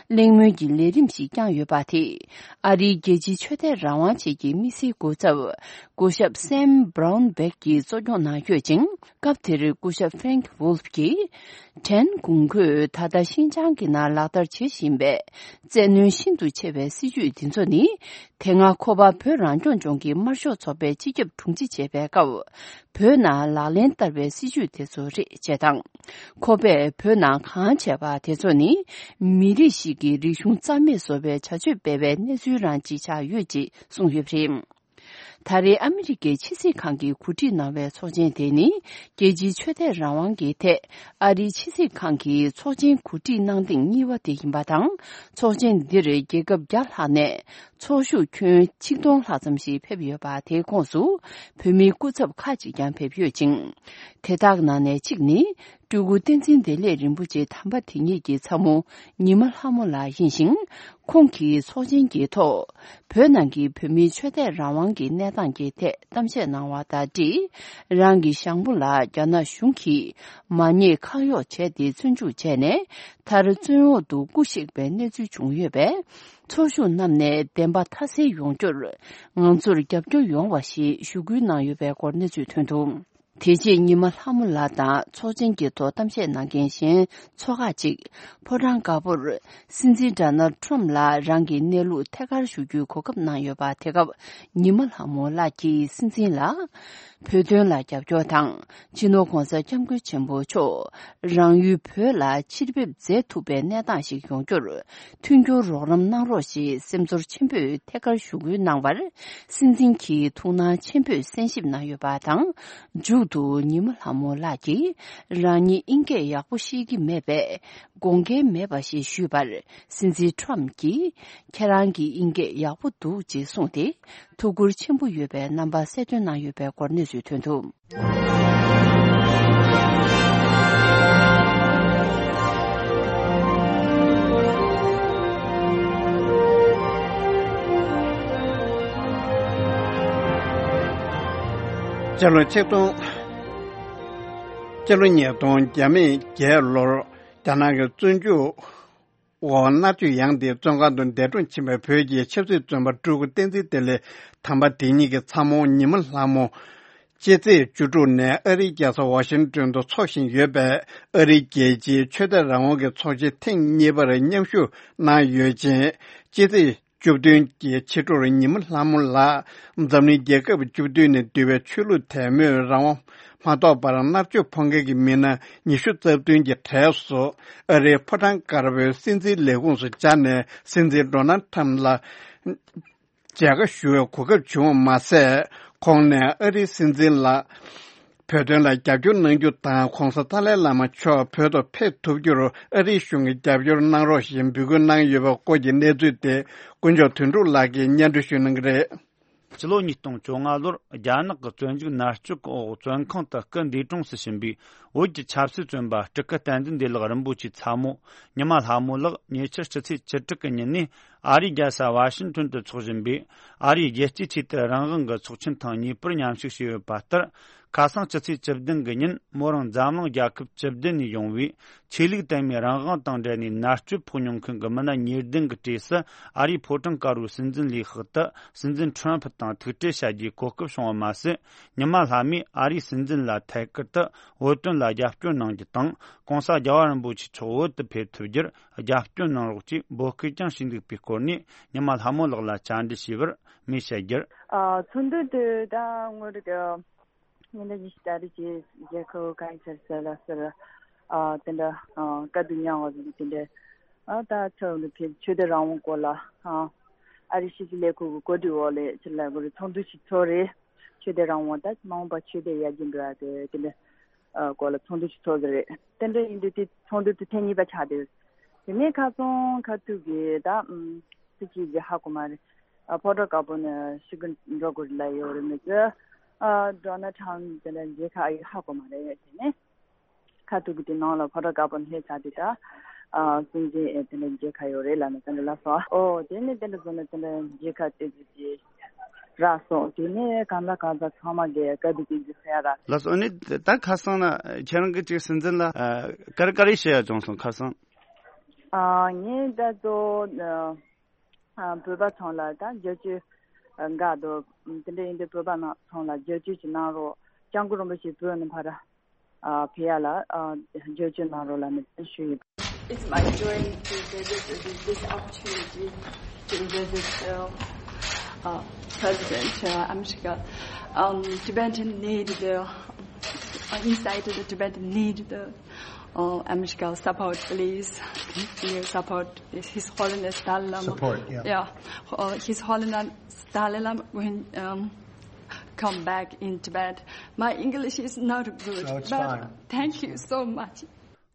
གླེང་མོལ་གྱི་ལས་རིམ་ཞིག་བསྐྱངས་ཡོད་པ་དེས། ཨ་རིའི་རྒྱལ་སྤྱིའི་ཆོས་དད་རང་དབང་ཆེད་ཀྱི་དམིགས་བསལ་སྐུ་ཚབ། སྐུ་ཞབས་སེམ་བྷ་རའུན་བེག་གིས་གཙོ་སྐྱོང་གནང་ཡོད་ཅིང་། སྐབས་དེར་སྐུ་ཞབས་ཧྥེ་རེང་ཝུལ་ཕ་གིས། ཁྲེན་ཀུང་གོས་ད་ལྟ་ཤིན་ཅང་གི་ནང་ལག་བསྟར་བྱེད་བཞིན་པའི། བཙན་གནོན་ཤིན་ཏུ་ཆེ་བའི་སྲིད་བྱུས་འདི་ཚོ་ནི། དེ་སྔ་ཁོ་པ་བོད་རང་སྐྱོང་ལྗོངས་ཀྱི་དམར་ཤོག་ཚོགས་པའི་སྤྱི་ཁྱབ་དྲུང་ཆེ་བྱེད་པའི་སྐབས། བོད་ནང་ལག་ལེན་བསྟར་བའི་སྲིད་བྱུས་དེ་ཚོ་རེད་ཅེས་དང་། ཁོ་པས་བོད་ནང་གང་བྱས་པ་དེ་ཚོ་ནི། མི་རིགས་ཤིག་གི་རིག་གཞུང་རྩ་མེད་བཟོ་བའི་བྱ་སྤྱོད་སྤེལ་བའི་གནས་ཚུལ་རང་ཅིག་ཆགས་ཡོད་ཅེས་གསུངས་ཡོད་པ་རེད། ད་རེས་ཨ་མི་རི་ཀའི་ཕྱི་སྲིད་ཁང་གིས་གོ་སྒྲིག་གནང་བའི་ཚོགས་ཆེན་དེ་ནི། རྒྱལ་སྤྱིའི་ཆོས་དད་རང་དབང་གི་ཐད་ཨ་རིའི་ཕྱི་སྲིད་ཁང་གིས་ཚོགས་ཆེན་གོ་སྒྲིག་གནང་ཐེངས་གཉིས་པ་དེ་ཡིན་པ་དང་། ཚོགས་ཆེན་འདིར་རྒྱལ་ཁབ་བརྒྱ་ལྷག་ནས་ ཚོགས་ཞུགས་ཁྱོན་ཆིག་སྟོང་ལྷག་ཙམ་ཞིག་ཕེབས་ཡོད་པ། དེའི་ཁོངས་སུ་བོད་མིའི་སྐུ་ཚབ་ཁག་ཅིག་ཀྱང་ཕེབས་ཡོད་ཅིང་། དེ་དག་ནང་ནས་གཅིག་ནི། སྤྲུལ་སྐུ་བསྟན་འཛིན་བདེ་ལེགས་རིན་པོ་ཆེ་དམ་པ་དེ་ཉིད་ཀྱི་ཚ་མོ་ཉི་མ་ལྷ་མོ་ལགས་ཡིན་ཞིང་། ཁོང་གིས་ཚོགས་ཆེན་གྱི་ཐོག་བོད་ནང་གི་བོད་མིའི་ཆོས་དད་རང་དབང་གི་གནས་སྟངས་ཀྱི་ཐད་གཏམ་བཤད་གནང་བ་དང་འབྲེལ། རང་གི་ཞང་པོ་ལ་རྒྱ་ནག་གཞུང་གིས་མ་ཉེས་ཁག་གཡོགས་བྱས་ཏེ་བཙོན་འཇུག་བྱས་ནས། མཐར་བཙོན་འོག་ཏུ་སྐུ་གཤེགས་པའི་གནས་ཚུལ་བྱུང་ཡོད་པས། ཚོགས་ཞུགས་རྣམས་ནས་བདེན་པ་མཐའ་གསལ་ཡོང་རྒྱུར་ང་ཚོར་རྒྱབ་སྐྱོར་ཡོང་བ་ཞེས་ཞུ་སྐུལ་གནང་ཡོད་པའི་སྐོར་གནས་ཚུལ་ཐོན་འདུག་དེ་རྗེས་ཉི་མ་ལྷ་མོ་ལགས་དང་ཚོགས་ཆེན་གྱི་ཐོག་གཏམ་བཤད་གནང་མཁན་གཞན་ཚོགས་ཁག་ཅིག་ཕོ་བྲང་དཀར་པོར་སྲིད་འཛིན་ཌོ་ནལ་ཊམ་ལ་རང་གི་གནས་ལུགས་ཐད་ཀར་ཞུ་རྒྱུའི་གོ་སྐབས་གནང་ཡོད་པ། དེ་སྐབས་ཉི་མ་ལྷ་མོ་ལགས་ཀྱིས་སྲིད་འཛིན་ལ། བོད་དོན་ལ་རྒྱབ་སྐྱོར་དང་། སྤྱི་ནོར་༸གོང་ས་༸སྐྱབས་མགོན་ཆེན་པོ་མཆོག་རང་ཡུལ་བོད་ལ་ཕྱིར་ཕེབས་མཛད་ཐུབ་པའི་གནས་སྟངས་ཤིག་ཡོང་རྒྱུར་མཐུན་འགྱུར་རོགས་རམ་གནང་རོགས་ཞེས་སེམས་ཚོར་ཆེན་པོས་ཐད་ཀར་ཞུ་སྐུལ་གནང་བར། སྲིད་འཛིན་གྱིས་ཐུགས་སྣང་ཆེན་པོས་གསན་ཞིབ་གནང་ཡོད་པ་དང་། མཇུག་ཏུ་ཉི་མ་ལྷ་མོ་ལགས་ཀྱིས་རང་ཉིད་དབྱིན་སྐད་ཡག་པོ་ཤེས་ཀྱི་མེད་པས་དགོངས་འགལ་མེད་པ་ཞེས་ཞུས་པར། སྲིད་འཛིན་ཊམ་གྱིས་ཁྱེད་རང་གི་དབྱིན་སྐད་ཡག་པོ་འདུག་ཅེས་གསུངས་ཏེ། ཐུགས་ཁུར་ཆེན་པོ་ཡོད་པའི་རྣམ་པ་གསལ་སྟོན་གནང་ཡོད་པའི་སྐོར་གནས་ཚུལ་ཐོན་འདུག་སྤྱི་ལོ་ཆིག་སྟོང་། སྤྱི་ལོ་ཉིས་སྟོང་བརྒྱ་མེད་བརྒྱད་ལོར་རྒྱ་ནག་གི་བཙོན་འཇུག་འོག་མནར་གཅོད་ཡང་དེའི་བཙོན་ཁང་དུ་འདས་གྲོངས་ཕྱིན་པའི་བོད་ཀྱི་ཆབ་སྲིད་བཙོན་པ་སྤྲུལ་སྐུ་བསྟན་འཛིན་བདེ་ལེགས་དམ་པ་དེ་ཉིད་ཀྱི་ཚ་མོ་ཉི་མ་ལྷ་མོ། སྤྱི་ཚེས་བཅུ་དྲུག་ནས་ཨ་རིའི་རྒྱལ་ས་ཝ་ཤིང་ཏོན་དུ་འཚོགས་བཞིན་ཡོད་པའི་ཨ་རིའི་རྒྱལ་སྤྱིའི་ཆོས་དད་རང་དབང་གི་ཚོགས་ཆེན་ཐེངས་གཉིས་པར་མཉམ་ཞུགས་གནང་ཡོད་ཅིང་། སྤྱི་ཚེས་བཅུ་བདུན་གྱི་ཕྱི་དྲོར་ཉི་མ་ལྷ་མོ་ལགས་འཛམ་གླིང་རྒྱལ་ཁབ་བཅུ་བདུན་ནས་འདུས་པའི་ཆོས་ལུགས་དད་མོས་རང་དབང་མ་ཐོབ་པར་མནར་གཅོད་ཕོག་མཁན་གྱི་མི་སྣ་ཉི་ཤུ་རྩ་བདུན་གྱི་གྲས་སུ་ཨ་རིའི་ཕོ་བྲང་དཀར་པོའི་སྲིད་འཛིན་ལས་ཁུངས་སུ་བཅར་ནས། སྲིད་འཛིན་ཌོ་ནལ་ཊམ་ལ་མཇལ་ཁ་ཞུ་བའི་གོ་སྐབས་བྱུང་བ་མ་ཟད། ཁོང་ནས་ཨ་རིའི་སྲིད་འཛིན་ལ་བོད་དོན་ལ་རྒྱབ་སྐྱོར་གནང་རྒྱུ་དང་། ྋགོང་ས་ཏཱ་ལའི་བླ་མ་མཆོག་བོད་དུ་ཕེབས་ཐུབ་རྒྱུར་ཨ་རིའི་གཞུང་གིས་རྒྱབ་སྐྱོར་གནང་རོགས་ཞེས་འབོད་སྐུལ་གནང་ཡོད་པའི་སྐོར་གྱི་གནས་ཚུལ་དེ། དཀོན་མཆོག་དོན་གྲུབ་ལགས་ཀྱིས་སྙན་སྒྲོན་ཞུ་གནང་གི་རེད། སྤྱི་ལོ་ཉིས་སྟོང་བཅོ་ལྔ་ལོར་རྒྱ་ནག་གི་བཙོན་འཇུག་མནར་གཅོད་འོག་བཙོན་ཁང་དུ་སྐུ་འདས་གྲོངས་སུ་ཕྱིན་པའི་བོད་ཀྱི་ཆབ་སྲིད་བཙོན་པ་སྤྲུལ་སྐུ་བསྟན་འཛིན་བདེ་ལེགས་རིན་པོ་ཆེའི་ཚ་མོ་ཉི་མ་ལྷ་མོ་ལགས་ཉེ་ཆར་སྤྱི་ཚེས་བཅུ་དྲུག་གི་ཉིན་ནས་ཨ་རིའི་རྒྱལ་ས་ཝ་ཤིང་ཏོན་དུ་འཚོགས་བཞིན་པའི་ཨ་རིའི་རྒྱལ་སྤྱིའི་ཆོས་དད་རང་དབང་གི་ཚོགས་ཆེན་ཐེངས་གཉིས་པར་མཉམ་ཞུགས་བྱས་ཡོད་པ་ལྟར། ཁ་སང་སྤྱི་ཚེས་བཅུ་བདུན་གྱི་ཉིན་མོ་རང་འཛམ་གླིང་རྒྱལ་ཁབ་བཅུ་བདུན་ནས་ཡོང་བའི་ཆོས་ལུགས་དད་མོས་རང་དབང་དང་འབྲེལ་ནས་མནར་གཅོད་ཕོག་མྱོང་མཁན་གྱི་མི་སྣ་ཉེར་བདུན་གྱི་གྲས་སུ་ཨ་རིའི་ཕོ་བྲང་དཀར་པོའི་སྲིད་འཛིན་ལས་ཁུངས་དུ་སྲིད་འཛིན་ཁྲོམ་ཕུ་དང་ཐུག་འཕྲད་བྱ་རྒྱུའི་གོ་སྐབས་བྱུང་བ་མ་ཟད། ཉི་མ་ལྷ་མོས་ཨ་རིའི་སྲིད་འཛིན་ལ་ཐད་ཀར་དུ་བོད་དོན་ལ་རྒྱབ་སྐྱོར་གནང་རྒྱུ་དང་། ྋགོང་ས་རྒྱལ་བ་རིན་པོ་ཆེ་མཆོག་བོད་དུ་ཕེབས་ཐུབ་རྒྱུར་རྒྱབ་སྐྱོར་གནང་རོགས་ཅེས་འབོད་སྐུལ་ཀྱང་བྱས་འདུག་པའི་སྐོར་ནས་ཉི་མ་ལྷ་མོ་ལགས་ལ་བཅར་འདྲི་བྱས་པར་མོས་བཤད་རྒྱུར། ཨ། ཚོགས་འདུ་དེ་ད་ངོ་རེ་གི་ཉིན་ལ་ཉི་ཤུ་རྩ་དྲུག་གི་རྒྱལ་ཁབ་གང་ཡིན་ཟེར་ཟེར་ལ་ཟེར། ཨ། དེ་འདྲ། ཨ། དཀའ་སྡུག་མྱངས་པ་དེ་འདྲ། ཨ། ད་ཚོགས་འདུ་ཕེབས་ཆོས་དད་རང་དབང་སྐོར་ལ། ཨ། ཨ་རི་ཕྱི་སྲིད་ལས་ཁུངས་ཀྱི་གོ་སྒྲིག་འོག་ལ་ཕྱིར་ལ་གོ་རེ་ཚོགས་འདུ་ཞིག་ཚོགས་རེད། ཆོས་དད་རང་དབང་ད་མ་འོངས་པ་ཆོས་དད་ཡར་རྒྱས་འགྲོ་ཡ་དེ་དེ་འདྲ། ཨ། སྐོར་ལ་ཚོགས་འདུ་ཞིག་ཚོགས་ཟེར་རེད། དེ་འདྲ་ཡིན་དུས་དེ་ཚོགས་འདུ་དེ་ཐེངས་གཉིས་པ་ཆགས་བསྡད། དེ་ནས་ཁ་སང་ཁ་ཐུག་གི་ད། ཨམ། སུ་གཅིག་གིས་ཧ་གོ་མ་རེད། ཨ། ཕོ་བྲང་དཀར་པོ་ནས་ཤི་གི་འགྲོ་དགོས་རེད་ལབ་ཡོད་རེད་མི་ཚོས། ཨ། ཌོ་ནལ་ཊམ་དེ་འདྲ་མཇལ་ཁ་ཨ་ཡིག་ཧ་གོ་མ་རེད། དེ་ནས་ཁ་ཐུག་གི་དེ་ནང་ལ་ཕོ་བྲང་དཀར་པོ་ནས་སླེབས་ཚར་དུས་ད། ཨ། སྲིད་འཛིན་ཨེ་དེ་འདྲ་མཇལ་ཁ་ཡོད་རེད་ལབ་ནས་དེ་འདྲ་ལབ་སོང་། ཨོ། དེ་ནས་དེ་འདྲ་བཟོ་ནས་དེ་འདྲ་མཇལ་ཁ་དེ་ཚོ་དེ་རག་སོང་། དེ་ནས་གང་ལ་གང་འཚམ་ཚང་མ་གི་དཀའ་སྡུག་དེ་ཚོ་སེལ་ཡ་རག་ལགས་སོ། ཨ་ནི་ད་ཁ་སང་ན་ཁྱེད་རང་གི་ཅིག་སྲིད་འཛིན་ལ་ཨ་ག་རེ་ག་རེ་བཤད་ཡ་བྱུང་སོང་ཁ་སང་། ཨ། ངས་ད་གཙོ་བོ་ཨ་བོད་པ་ཚང་ལ་ད་བསྒྱུར་བཅོས་འགའ་འདུག་དེ་འདྲ་ཡིན་དུས་བོད་པ་ཚང་ལ་བསྒྱུར་བཅོས་ཅིག་གནང་རོགས། སྐྱབས་མགོན་རིན་པོ་ཆེ་བོད་ནས་ཕར་ཨ་ཕེབས་ཡ་ལ་ཨ་བསྒྱུར་བཅོས་གནང་རོགས་ལབ་ནས་ཞུ་ཡིན། It's my joy to visit, this opportunity to visit uh, uh, President uh, America. Um, Tibetan need the uh, inside the Tibetan need the uh, America support, please. Your support, His Holiness Dalai Lama. Support, yeah. Yeah, uh, His Holiness Dalai Lama when um, come back in Tibet. My English is not good, no, it's but fine. Thank you so much.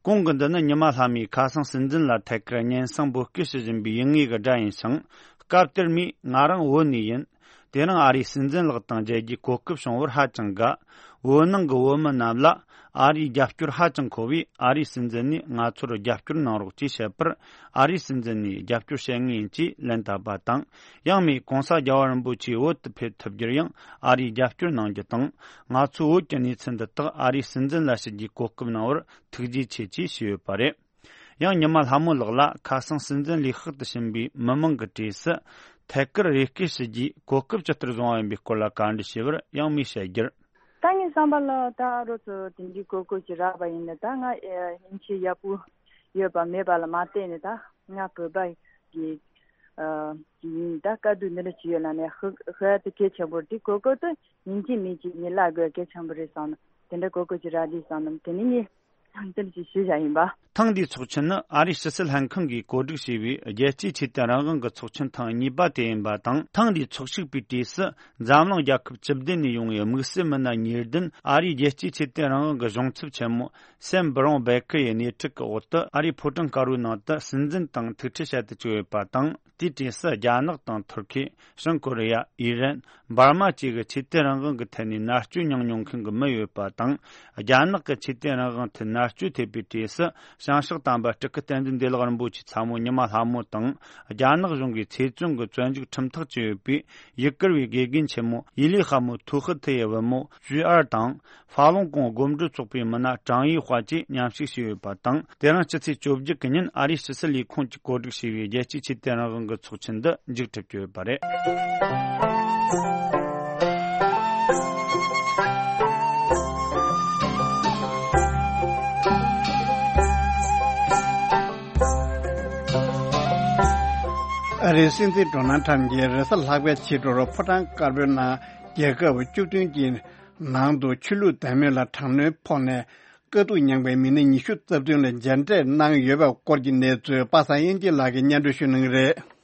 གོང་གི་འདི་ནི་ཉི་མ་ལྷ་མོས་ཁ་སང་སྲིད་འཛིན་ལ་ཐད་ཀར་སྙན་སེང་འབོད་སྐུལ་ཞུ་བཞིན་པའི་ཡུལ་དངོས་ཀྱི་སྒྲ་ཡིན་ཞིང་། སྐབས་དེར་མོས་ང་རང་བོད་ནས་ཡིན། དེ་རིང་ཨ་རིའི་སྲིད་འཛིན་ལགས་དང་མཇལ་རྒྱུའི་གོ་སྐབས་བྱུང་བར་ཧ་ཅང་དགའ། བོད་ནང་གི་བོད་མི་རྣམས་ལ་ཨ་རིའི་རྒྱབ་སྐྱོར་ཧ་ཅང་མཁོ་བས། ཨ་རིའི་སྲིད་འཛིན་ནས་ང་ཚོར་རྒྱབ་སྐྱོར་གནང་རོགས་ཅེས་བཤད་པར། ཨ་རིའི་སྲིད་འཛིན་ནས་རྒྱབ་སྐྱོར་བྱེད་ངེས་ཡིན་ཅེས་ལན་བཏབ་པ་དང་། ཡང་མོས་༸གོང་ས་༸རྒྱལ་བ་རིན་པོ་ཆེ་བོད་དུ་ཕེབས་ཐུབ་རྒྱུར་ཡང་ཨ་རིའི་རྒྱབ་སྐྱོར་གནང་རྒྱུ་དང་། ང་ཚོས་བོད་ཀྱི་གནས་ཚུལ་འདི་དག་ཨ་རིའི་སྲིད་འཛིན་ལ་ཞུ་རྒྱུའི་གོ་སྐབས་གནང་བར་ཐུགས་རྗེ་ཆེ་ཅེས་ཞུས་ཡོད་པ་རེད། ཡང་ཉི་མ་ལྷ་མོ་ལགས་ལ་ཁ་སང་སྲིད་འཛིན་ལས་ཁག་ཏུ་ཕྱིན་པའི་མི་མང་གི་གྲས་སུ་ཐད་ཀར་རེ་སྐུལ་ཞུ་རྒྱུའི་གོ་སྐབས་ཇི་ལྟར་བཟུང་བ་ཡིན་པའི་སྐོར་ལ་བཀའ་འདྲི་ཞུས་པར། ཡང་མོས་བཤད་རྒྱུར། ད་ངའི་བསམ་པ་ལ་ད་རོགས་ཚོ་དེ་འདྲའི་གོ་སྐབས་ཅིག་རག་པ་ཡིན་ན། ད་ང་ཨེ་སྙིང་རྗེ་ཡག་པོ་ཡོད་པ་མེད་པ་ལ་མ་བལྟས་ནས། ད་ང་བོད་པ་གི་ཨ་ཅིག་ཡིན། ད་དཀའ་སྡུག་འདི་འདྲ་ཅིག་ཡོད་ན་ནས་ཧ་ཧ་དེ་གལ་ཆེན་པོ་རེད། དེ་གོ་སྐབས་དེ་ཡིན་གཅིག་མིན་གཅིག་ངས་ལབ་དགོས་གལ་ཆེན་པོ་རེད་བསམ་ན། དེ་འདྲ་གོ་སྐབས་ཅིག་རག་དུས་བསམ་ན། དེ་ནི་ངས་དེ་འདྲ་ཅིག་ཞུས་བཞག་ཡིན་པ། ཐེངས་འདིའི་ཚོགས་ཆེན་ནི་ཨ་རིའི་ཕྱི་སྲིད་ལྷན་ཁང་གིས་གོ་སྒྲིག་བྱས་པའི་རྒྱལ་སྤྱིའི་ཆོས་དད་རང་དབང་གི་ཚོགས་ཆེན་ཐེངས་གཉིས་པ་དེ་ཡིན་པ་དང་། ཐེངས་འདིའི་ཚོགས་ཞུགས་པའི་གྲས་སུ་འཛམ་གླིང་རྒྱལ་ཁབ་བཅུ་བདུན་ནས་ཡོང་བའི་དམིགས་བསལ་མི་སྣ་ཉེར་བདུན། ཨ་རིའི་རྒྱལ་སྤྱིའི་ཆོས་དད་རང་དབང་གི་གཞུང་ཚབ་ཆེན་མོ་སེམ་བྷི་རོན་བེ་ཀེར་ཡི་སྣེ་ཁྲིད་ཀྱི་འོག་ཏུ་ཨ་རིའི་ཕོ་བྲང་དཀར་པོའི་ནང་དུ་སྲིད་འཛིན་དང་ཐུག་འཕྲད་བྱ་དུ་བཅུག་ཡོད་པ་དང་། དེའི་གྲས་སུ་རྒྱ་ནག་དང་ཐུར་ཁེ། བྱང་ཀོ་རི་ཡ། ཨི་རན། འབར་མ་བཅས་ཀྱི་ཆོས་དད་རང་དབང་གི་ཐད་ནས་མནར་གཅོད་མྱངས་མྱོང་མཁན་གྱི་མི་ཡོད་པ་དང་། རྒྱ་ནག་གི་ཆོས་དད་རང་དབང་ཐད་མནར་གཅོད་ཐེབས་པའི་གྲས་སུ་བྱང་ཕྱོགས་དམ་པ་སྤྲུལ་སྐུ་བསྟན་འཛིན་བདེ་ལེགས་རིན་པོ་ཆེའི་ཚ་མོ་ཉི་མ་ལྷ་མོ་དང་། རྒྱ་ནག་གཞུང་གིས་ཚེ་བཙོན་གྱི་བཙོན་འཇུག་ཁྲིམས་ཐག་བཅད་ཡོད་པའི་ཡུ་གུར་བའི་དགེ་རྒན་ཆེན་མོ་ཡི་ལི་ཧ་མོ་ཐུའུ་ཧི་ཐི་ཡི་བུ་མོ་ཞུས་ཨར་དང་། ཧྥ་ལུང་ཀོང་སྒོམ་སྒྲུབ་ཚོགས་པའི་མི་སྣ་ཀྲང་ཡི་ཧྭ་བཅས་མཉམ་ཞུགས་བྱས་ཡོད་པ་དང་། དེ་རིང་སྤྱི་ཚེས་བཅོ་བརྒྱད་ཀྱི་ཉིན་ཨ་རིའི་ཕྱི་སྲིད་ལས་ཁུངས་ཀྱིས་གོ་སྒྲིག་བྱས་པའི་རྒྱལ་སྤྱིའི་ཆོས་དད་རང་དབང་གི་ཚོགས་ཆེན་འདི་མཇུག་གྲུབ་ཀྱི་ཡོད་པ་རེད། ཨ་རིའི་སྲིད་འཛིན་ཌོ་ནལ་ཁྲམ་གྱིས་རེས་གཟའ་ལྷག་པའི་ཕྱི་དྲོར་ཕོ་བྲང་དཀར་པོའི་ནང་རྒྱལ་ཁབ་བཅུ་བདུན་གྱི་ནང་དུ་ཆོས་ལུགས་དད་མོས་ལ་དྲག་གནོན་ཕོག་ནས། དཀའ་སྡུག་མྱངས་པའི་མི་སྣ་ཉི་ཤུ་རྩ་བདུན་ལ་མཇལ་འཕྲད་གནང་ཡོད་པའི་སྐོར་གྱི་གནས་ཚུལ་པ་སངས་དབྱངས་སྐྱིད་ལགས་ཀྱིས་སྙན་སྒྲོན་ཞུ་གནང་གི་རེད།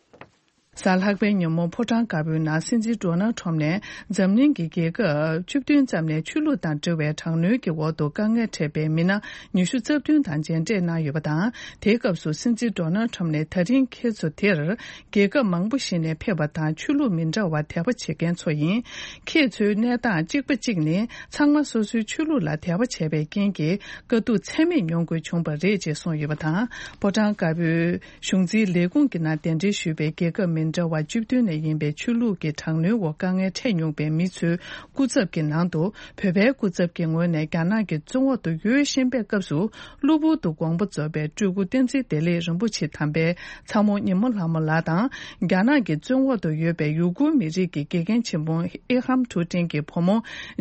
གཟའ་ལྷག་པའི་ཉིན་མོ་ཕོ་བྲང་དཀར་པོའི་ནང་སྲིད་འཛིན་ཌོ་ནལ་ཁྲམ་ནས་འཛམ་གླིང་གི་རྒྱལ་ཁབ་བཅུ་བདུན་ཙམ་ནས་ཆོས་ལུགས་དང་འབྲེལ་བའི་དྲག་གནོན་གྱི་འོག་ཏུ་དཀའ་ངལ་འཕྲད་པའི་མི་སྣ་ཉི་ཤུ་རྩ་བདུན་དང་མཇལ་འཕྲད་གནང་ཡོད་པ་དང་། དེའི་སྐབས་སུ་སྲིད་འཛིན་ཌོ་ནལ་ཁྲམ་ནས་ད་རིང་ཁྱེད་ཚོ་དེར་རྒྱལ་ཁབ་མང་པོ་ཞིག་ནས་ཕེབས་པ་དང་ཆོས་ལུགས་མི་འདྲ་བར་དད་པ་བྱེད་མཁན་ཚོ་ཡིན། ཁྱེད་ཚོའི་གནས་སྟངས་གཅིག་པ་གཅིག་ནི་ཚང་མ་སོ་སོའི་ཆོས་ལུགས་ལ་དད་པ་བྱས་པའི་རྐྱེན་གྱིས་དཀའ་སྡུག་ཚད་མེད་མྱོང་དགོས་བྱུང་བ་རེད་ཅེས་གསུངས་ཡོད་པ་དང་། ཕོ་བྲང་དཀར་པོའི་གཞུང་འཛིན་ལས་ཁུངས་ཀྱི་ནང་གདན་འདྲེན་ཞུས་པའི་རྒྱལ་ཁབ་མི་འདྲ་བ་བཅུ་བདུན་ནས་ཡིན་པའི་ཆོས་ལུགས་ཀྱི་དྲག་གནོན་འོག་དཀའ་ངལ་འཕྲད་མྱོང་པའི་མི་ཚོའི་སྐུ་ཚབ་ཀྱི་ནང་དུ། བོད་པའི་སྐུ་ཚབ་ཀྱི་ངོས་ནས་རྒྱ་ནག་གི་བཙོན་འོག་ཏུ་ཡོད་བཞིན་པའི་སྐབས་སུ། གློ་བུར་དུ་དགོངས་པ་རྫོགས་པའི་སྤྲུལ་སྐུ་བསྟན་འཛིན་བདེ་ལེགས་རིན་པོ་ཆེ་དམ་པའི་ཚ་མོ་ཉི་མ་ལྷ་མོ་ལགས་དང་། རྒྱ་ནག་གི་བཙོན་འོག་ཏུ་ཡོད་པའི་ཡུ་གུར་མི་རིགས་ཀྱི་དགེ་རྒན་ཆེན་མོ་ཨེ་ཧམ་ཐུའུ་ཀྲིན་གྱི་བུ་མོ་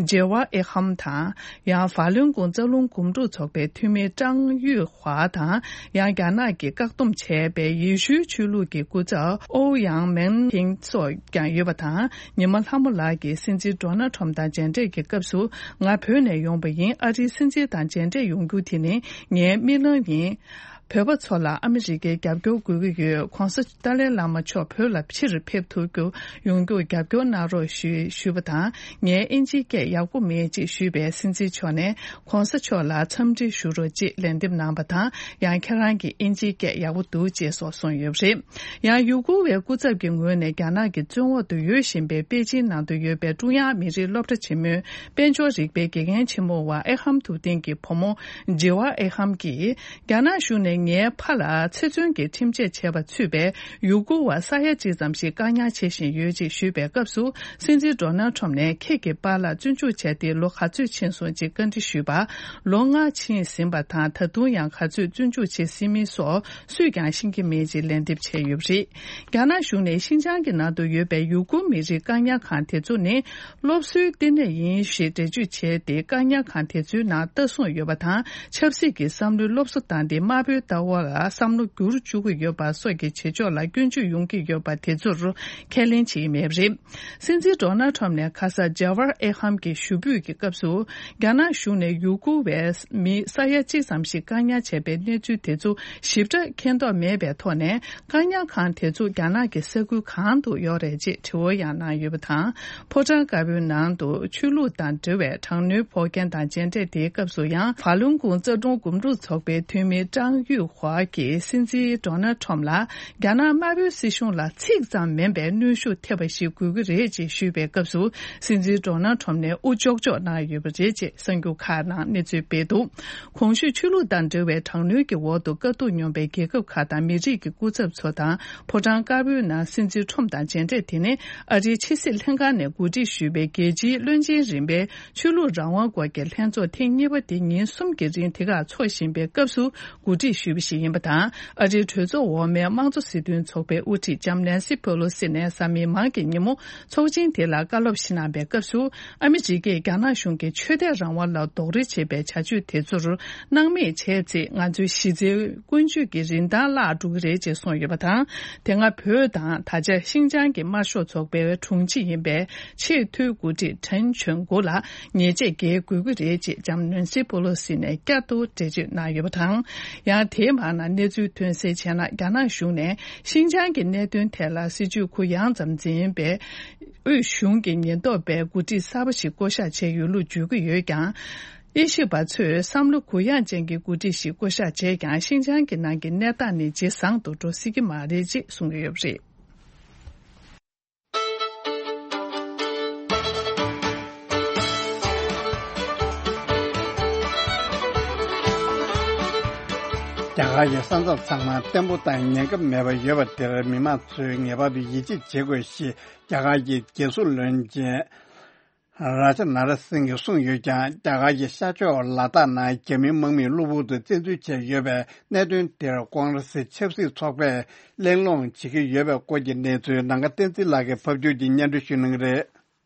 ཇེ་ཝ་ཨེ་ཧམ་དང་། ཡང་ཧྥ་ལུན་གོང་རྩ་རླུང་འགུམ་འགྲུལ་ཚོགས་པའི་འཐུས་མི་ཀྲང་ཡུས་ཧྭ་དང་། ཡང་རྒྱ་ནག་གིས་བཀག་སྡོམ་བྱས་པའི་ཡེ་ཤུའི་ཆོས་ལུགས་ཀྱི་སྐུ་ཚབ་ཨོ་ཡང་མེན་ཐིང་སོགས་ཀྱང་ཡོད་པ་དང་། ཉི་མ་ལྷ་མོ་ལགས་ཀྱིས་སྲིད་འཛིན་ཌོ་ནལ་ཁྲམ་དང་མཇལ་འཕྲད་ཀྱི་སྐབས་སུ། ང་བོད་ནས་ཡོང་པ་ཡིན། ཨ་རིའི་སྲིད་འཛིན་དང་མཇལ་འཕྲད་ཡོང་རྒྱུ་དེ་ནི་ངའི་རྨི་ལམ་ཡིན། བོད་པ་ཚོ་ལ་ཨ་མི་རི་ཀའི་རྒྱབ་སྐྱོར་དགོས་ཀྱི་ཡོད། ༸གོང་ས་ཏཱ་ལའི་བླ་མ་མཆོག་བོད་ལ་ཕྱིར་ཕེབས་ཐུབ་རྒྱུ་ཡོང་རྒྱུར་རྒྱབ་སྐྱོར་གནང་རོགས་ཞུ་ཞུས་པ་དང་། ངས་དབྱིན་ཇིའི་སྐད་ཡག་པོ་མེད་ཅེས་ཞུས་པས། སྲིད་འཛིན་མཆོག་ནས་༸གོང་ས་མཆོག་ལ་འཚམས་འདྲི་ཞུ་རོགས་ཅེས་ལན་འདེབས་གནང་བ་དང་། ཡང་ཁྱེད་རང་གི་དབྱིན་ཇིའི་སྐད་ཡག་པོ་འདུག་ཅེས་སོགས་གསུངས་ཡོད་པ་རེད། ཡང་ཡུ་གུར་བའི་སྐུ་ཚབ་ཀྱི་ངོས་ནས་རྒྱ་ནག་གི་བཙོན་འོག་ཏུ་ཡོད་བཞིན་པའི་པེ་ཅིན་ནང་དུ་ཡོད་པའི་ཀྲུང་དབྱང་མི་རིགས་སློབ་གྲྭ་ཆེན་མོའི་དཔལ་འབྱོར་རིག་པའི་དགེ་རྒན་ཆེན་མོ་བ་ཨེ་ཧམ་ཐུབ་བསྟན་གྱི་བུ་མོ་ཇེ་ཝ་ཨེ་ཧམ་གྱིས། རྒྱ་ནག་གཞུང་ནས་ངའི་ཕ་ལ་ཚེ་བཙོན་གྱི་ཁྲིམས་ཆད་བྱས་པ་ཚུད་པའི་ཡུ་གུར་བ་ས་ཡ་གཅིག་ཙམ་ཞིག་བཀག་ཉར་བྱེད་བཞིན་ཡོད་ཅེས་ཞུས་པའི་སྐབས་སུ། སྲིད་འཛིན་ཌོ་ནལ་ཁྲམ་ནས་ཁྱེད་ཀྱི་པཱ་ལགས་བཙོན་འཇུག་བྱས་ཏེ་ལོ་ག་ཚོད་ཕྱིན་སོང་ཅེས་བཀའ་འདྲི་ཞུས་པར། ལོ་ལྔ་ཕྱིན་ཟིན་པ་དང་། ད་དུང་ཡང་ག་ཚོད་བཙོན་འཇུག་བྱེད་སྲིད་མིན་སོགས་སུས་ཀྱང་ཤེས་ཀྱི་མེད་ཅེས་ལན་འདེབས་བྱས་ཡོད་པ་རེད། རྒྱ་ནག་གཞུང་ནས་ཤིན་ཅང་གི་ནང་དུ་ཡོད་པའི་ཡུ་གུར་མི་རིགས་བཀག་ཉར་ཁང་དེ་ཚོ་ནི། སློབ་གསོའི་ལྟེ་གནས་ཡིན་ཞེས་འགྲེལ་བརྗོད་བྱས་ཏེ། བཀག་ཉར་ཁང་དེ་ཚོའི་ནང་ལྟ་སྲུང་ཡོད་པ་དང་། ཆབ་སྲིད་ཀྱི་བསམ་བློའི་སློབ་གསོ་བཏང་སྟེ། དམར་པོའི་ལྟ་བ་ལ་བསམ་བློ་བསྒྱུར་བཅུག་གི་ཡོད་པ་སོགས་ཀྱི་བྱེད་ཕྱོགས་ལ་སྐྱོན་བརྗོད་ཡོང་གི་ཡོད་པ་དེ་ཚོར་ཁས་ལེན་བྱེད་ཀྱི་མེད་པ་རེད། སྲིད་འཛིན་ཌོ་ནལ་ཁྲམ་ནས་ཁ་ས་ཇཱ་ཝར་ཨེ་ཧམ་གྱི་ཞུ་འབོད་ཀྱི་སྐབས་སུ། རྒྱ་ནག་གཞུང་ནས་ཡུ་གུར་བའི་མི་ས་ཡ་གཅིག་ཙམ་ཞིག་བཀག་ཉར་བྱས་པའི་གནས་ཚུལ་དེ་ཚོ་ཞིབ་ཕྲ་མཁྱེན་རྟོགས་མེད་པའི་ཐོག་ནས། བཀག་ཉར་ཁང་དེ་ཚོ་རྒྱ་ནག་གི་ས་ཁུལ་གང་དུ་ཡོད་རེད་ཅེས་དྲི་བ་ཡང་གནང་ཡོད་པ་དང་། ཕོ་བྲང་དཀར་པོའི་ནང་དུ་ཆོས་ལུགས་དང་འབྲེལ་བའི་དྲག་གནོན་ཕོག་མཁན་དང་མཇལ་འཕྲད་དེའི་སྐབས་སུ་ཡང་། ཧྥ་ལུན་གོང་རྩ་དྲུང་འགོ་ཁྲིད་ཚོགས་པའི་འཐུས་མི་ཀྲང་ཡུས། ཏུ་ཧྭ་གིས་སྲིད་འཛིན་ཌོ་ནལ་ཁྲོམ་ལ་རྒྱ་ནག་དམར་པོའི་སྲིད་གཞུང་ལ་ཚིག་ཙམ་མིན་པའི་གནོན་ཤུགས་ཐེབས་པ་ཞིག་དགོས་ཀྱི་རེད་ཅེས་ཞུས་པའི་སྐབས་སུ། སྲིད་འཛིན་ཌོ་ནལ་ཁྲོམ་ནས་དབུ་ལྕོག་ལྕོག་གནང་ཡོད་པ་རེད་ཅེས་གསར་འགྱུར་ཁག་ནང་གནས་ཚུལ་སྤེལ་འདུག་གོང་ཞུས་ཆོས་ལུགས་དང་འབྲེལ་བའི་དྲག་གནོན་གྱི་འོག་ཏུ་དཀའ་སྡུག་མྱོང་པའི་རྒྱལ་ཁབ་ཁག་དང་མི་རིགས་ཀྱི་སྐུ་ཚབ་ཚོ་དང་ཕོ་བྲང་དཀར་པོའི་ནང་སྲིད་འཛིན་ཁྲོམ་དང་མཇལ་འཕྲད། དེ་ནི་ཨ་རིའི་ཕྱི་སྲིད་ལྷན་ཁང་ནས་གོ་སྒྲིག་ཞུས་པའི་རྒྱལ་སྤྱིའི་བློན་ཆེན་རིམ་པའི་ཆོས་ལུགས་རང་དབང་སྐོར་གྱི་ལྷན་ཚོགས་ཐེངས་གཉིས་པ་དེ་ཉིན་གསུམ་གྱི་རིང་དེ་གར་འཚོགས་བཞིན་པའི་སྐབས་སུ་གོ་སྒྲིག་ཞུས་པ་ཞིག་ཡིན་པ་དང་། ཨ་རིའི་གྲོས་ཚོགས་འོག་མའི་དམངས་གཙོ་སྲིད་དོན་ཚོགས་པའི་དབུ་ཁྲིད་ལྕམ་ནན་སི་ཕེ་ལོ་སི་ནས་གཟའ་མིག་དམར་གྱི་ཉིན་མོ་ཚོགས་ཆེན་དེ་ལ་བཀའ་སློབ་ཞིག་གནང་བའི་སྐབས་སུ། ཨ་མི་རི་ཀས་རྒྱ་ནག་གཞུང་གིས་ཆོས་དད་རང་དབང་ལ་རྡོག་རོལ་བྱེད་པའི་བྱ་སྤྱོད་དེ་ཚོར་སྣང་མེད་བྱས་ཚེ། ང་ཚོའི་གཞི་རྩའི་ཀུན་སྤྱོད་ཀྱི་རིན་ཐང་བརླག་འགྲོ་གི་རེད་ཅེས་གསུངས་ཡོད་པ་དང་། དེ་སྔ་བོད་དང་ད་ཆ་ཤིན་ཅང་གི་དམར་ཤོག་ཚོགས་པའི་དྲུང་ཆེ་ཡིན་པའི་ཆེས་མཐོའི་འགོ་ཁྲིད་ཁྲེན་ཆོན་གོ་ལ་ཉེས་ཆད་འགེལ་དགོས་ཀྱི་རེད་ཅེས་ལྕམ་ནན་སི་པོ་ལོ་སི་ནས་བསྐྱར་དུ་འགྲེལ་བརྗོད་གནང་ཡོད་པ་དང་། ཡང་དེའི་མར་ནང་གནས་ཚུལ་ཐོན་གསལ་བྱས་ན། རྒྱ་ནག་གཞུང་ནས་ཤིན་ཅང་གི་གནད་དོན་ཐད་ལ་སྲིད་བྱུས་གུ་ཡངས་ཙམ་འཛིན་པའི་དབུས་གཞུང་གི་ཉེན་རྟོག་པའི་འགོ་ཁྲིད་གསར་པ་ཞིག་བསྐོ་གཞག་བྱས་ཡོད་ལུགས་བརྗོད་ཀྱི་ཡོད་ཀྱང་། དབྱེ་ཞིབ་པ་ཚོས་བསམ་བློ་གུ་ཡངས་ཅན་གྱི་འགོ་ཁྲིད་ཞིག་བསྐོ་གཞག་བྱས་ཀྱང་། ཤིན་ཅང་གི་ནང་གི་གནས་སྟངས་ནི་ཇེ་བཟང་དུ་འགྲོ་སྲིད་ཀྱི་མ་རེད་ཅེས་གསུངས་ཡོད་པ་རེད། རྒྱ་གར་གྱི་ས་མཚམས་ཚང་མ་བརྟན་པོ་དང་ཉེན་ཁ་མེད་པར་ཡོད་པ་དེར་མི་མང་ཚོས་ངེས་པར་དུ་ཡིད་ཆེས་བྱེད་དགོས་ཞེས་རྒྱ་གར་གྱི་རྒྱལ་སྲུང་བློན་ཆེན་རཱ་ཇ་ནཱ་ར་སིང་གིས་གསུངས་ཡོད་ཀྱང་། རྒྱ་གར་གྱི་ཤར་ཕྱོགས་ལ་དྭགས་ནང་རྒྱ་མིའི་དམག་མིས་གློ་བུར་དུ་བཙན་འཛུལ་བྱས་ཡོད་པའི་གནད་དོན་དེར་ཀོང་རེ་སི་ཆབ་སྲིད་ཚོགས་པས་གླེང་སློང་བྱེད་ཀྱི་ཡོད་པའི་སྐོར་གྱི་གནས་ཚུལ་ནམ་མཁའ་བསྟན་འཛིན་ལགས་ཀྱིས་ཕབ་སྒྱུར་གྱིས་སྙན་སྒྲོན་ཞུ་གནང་གི་རེད།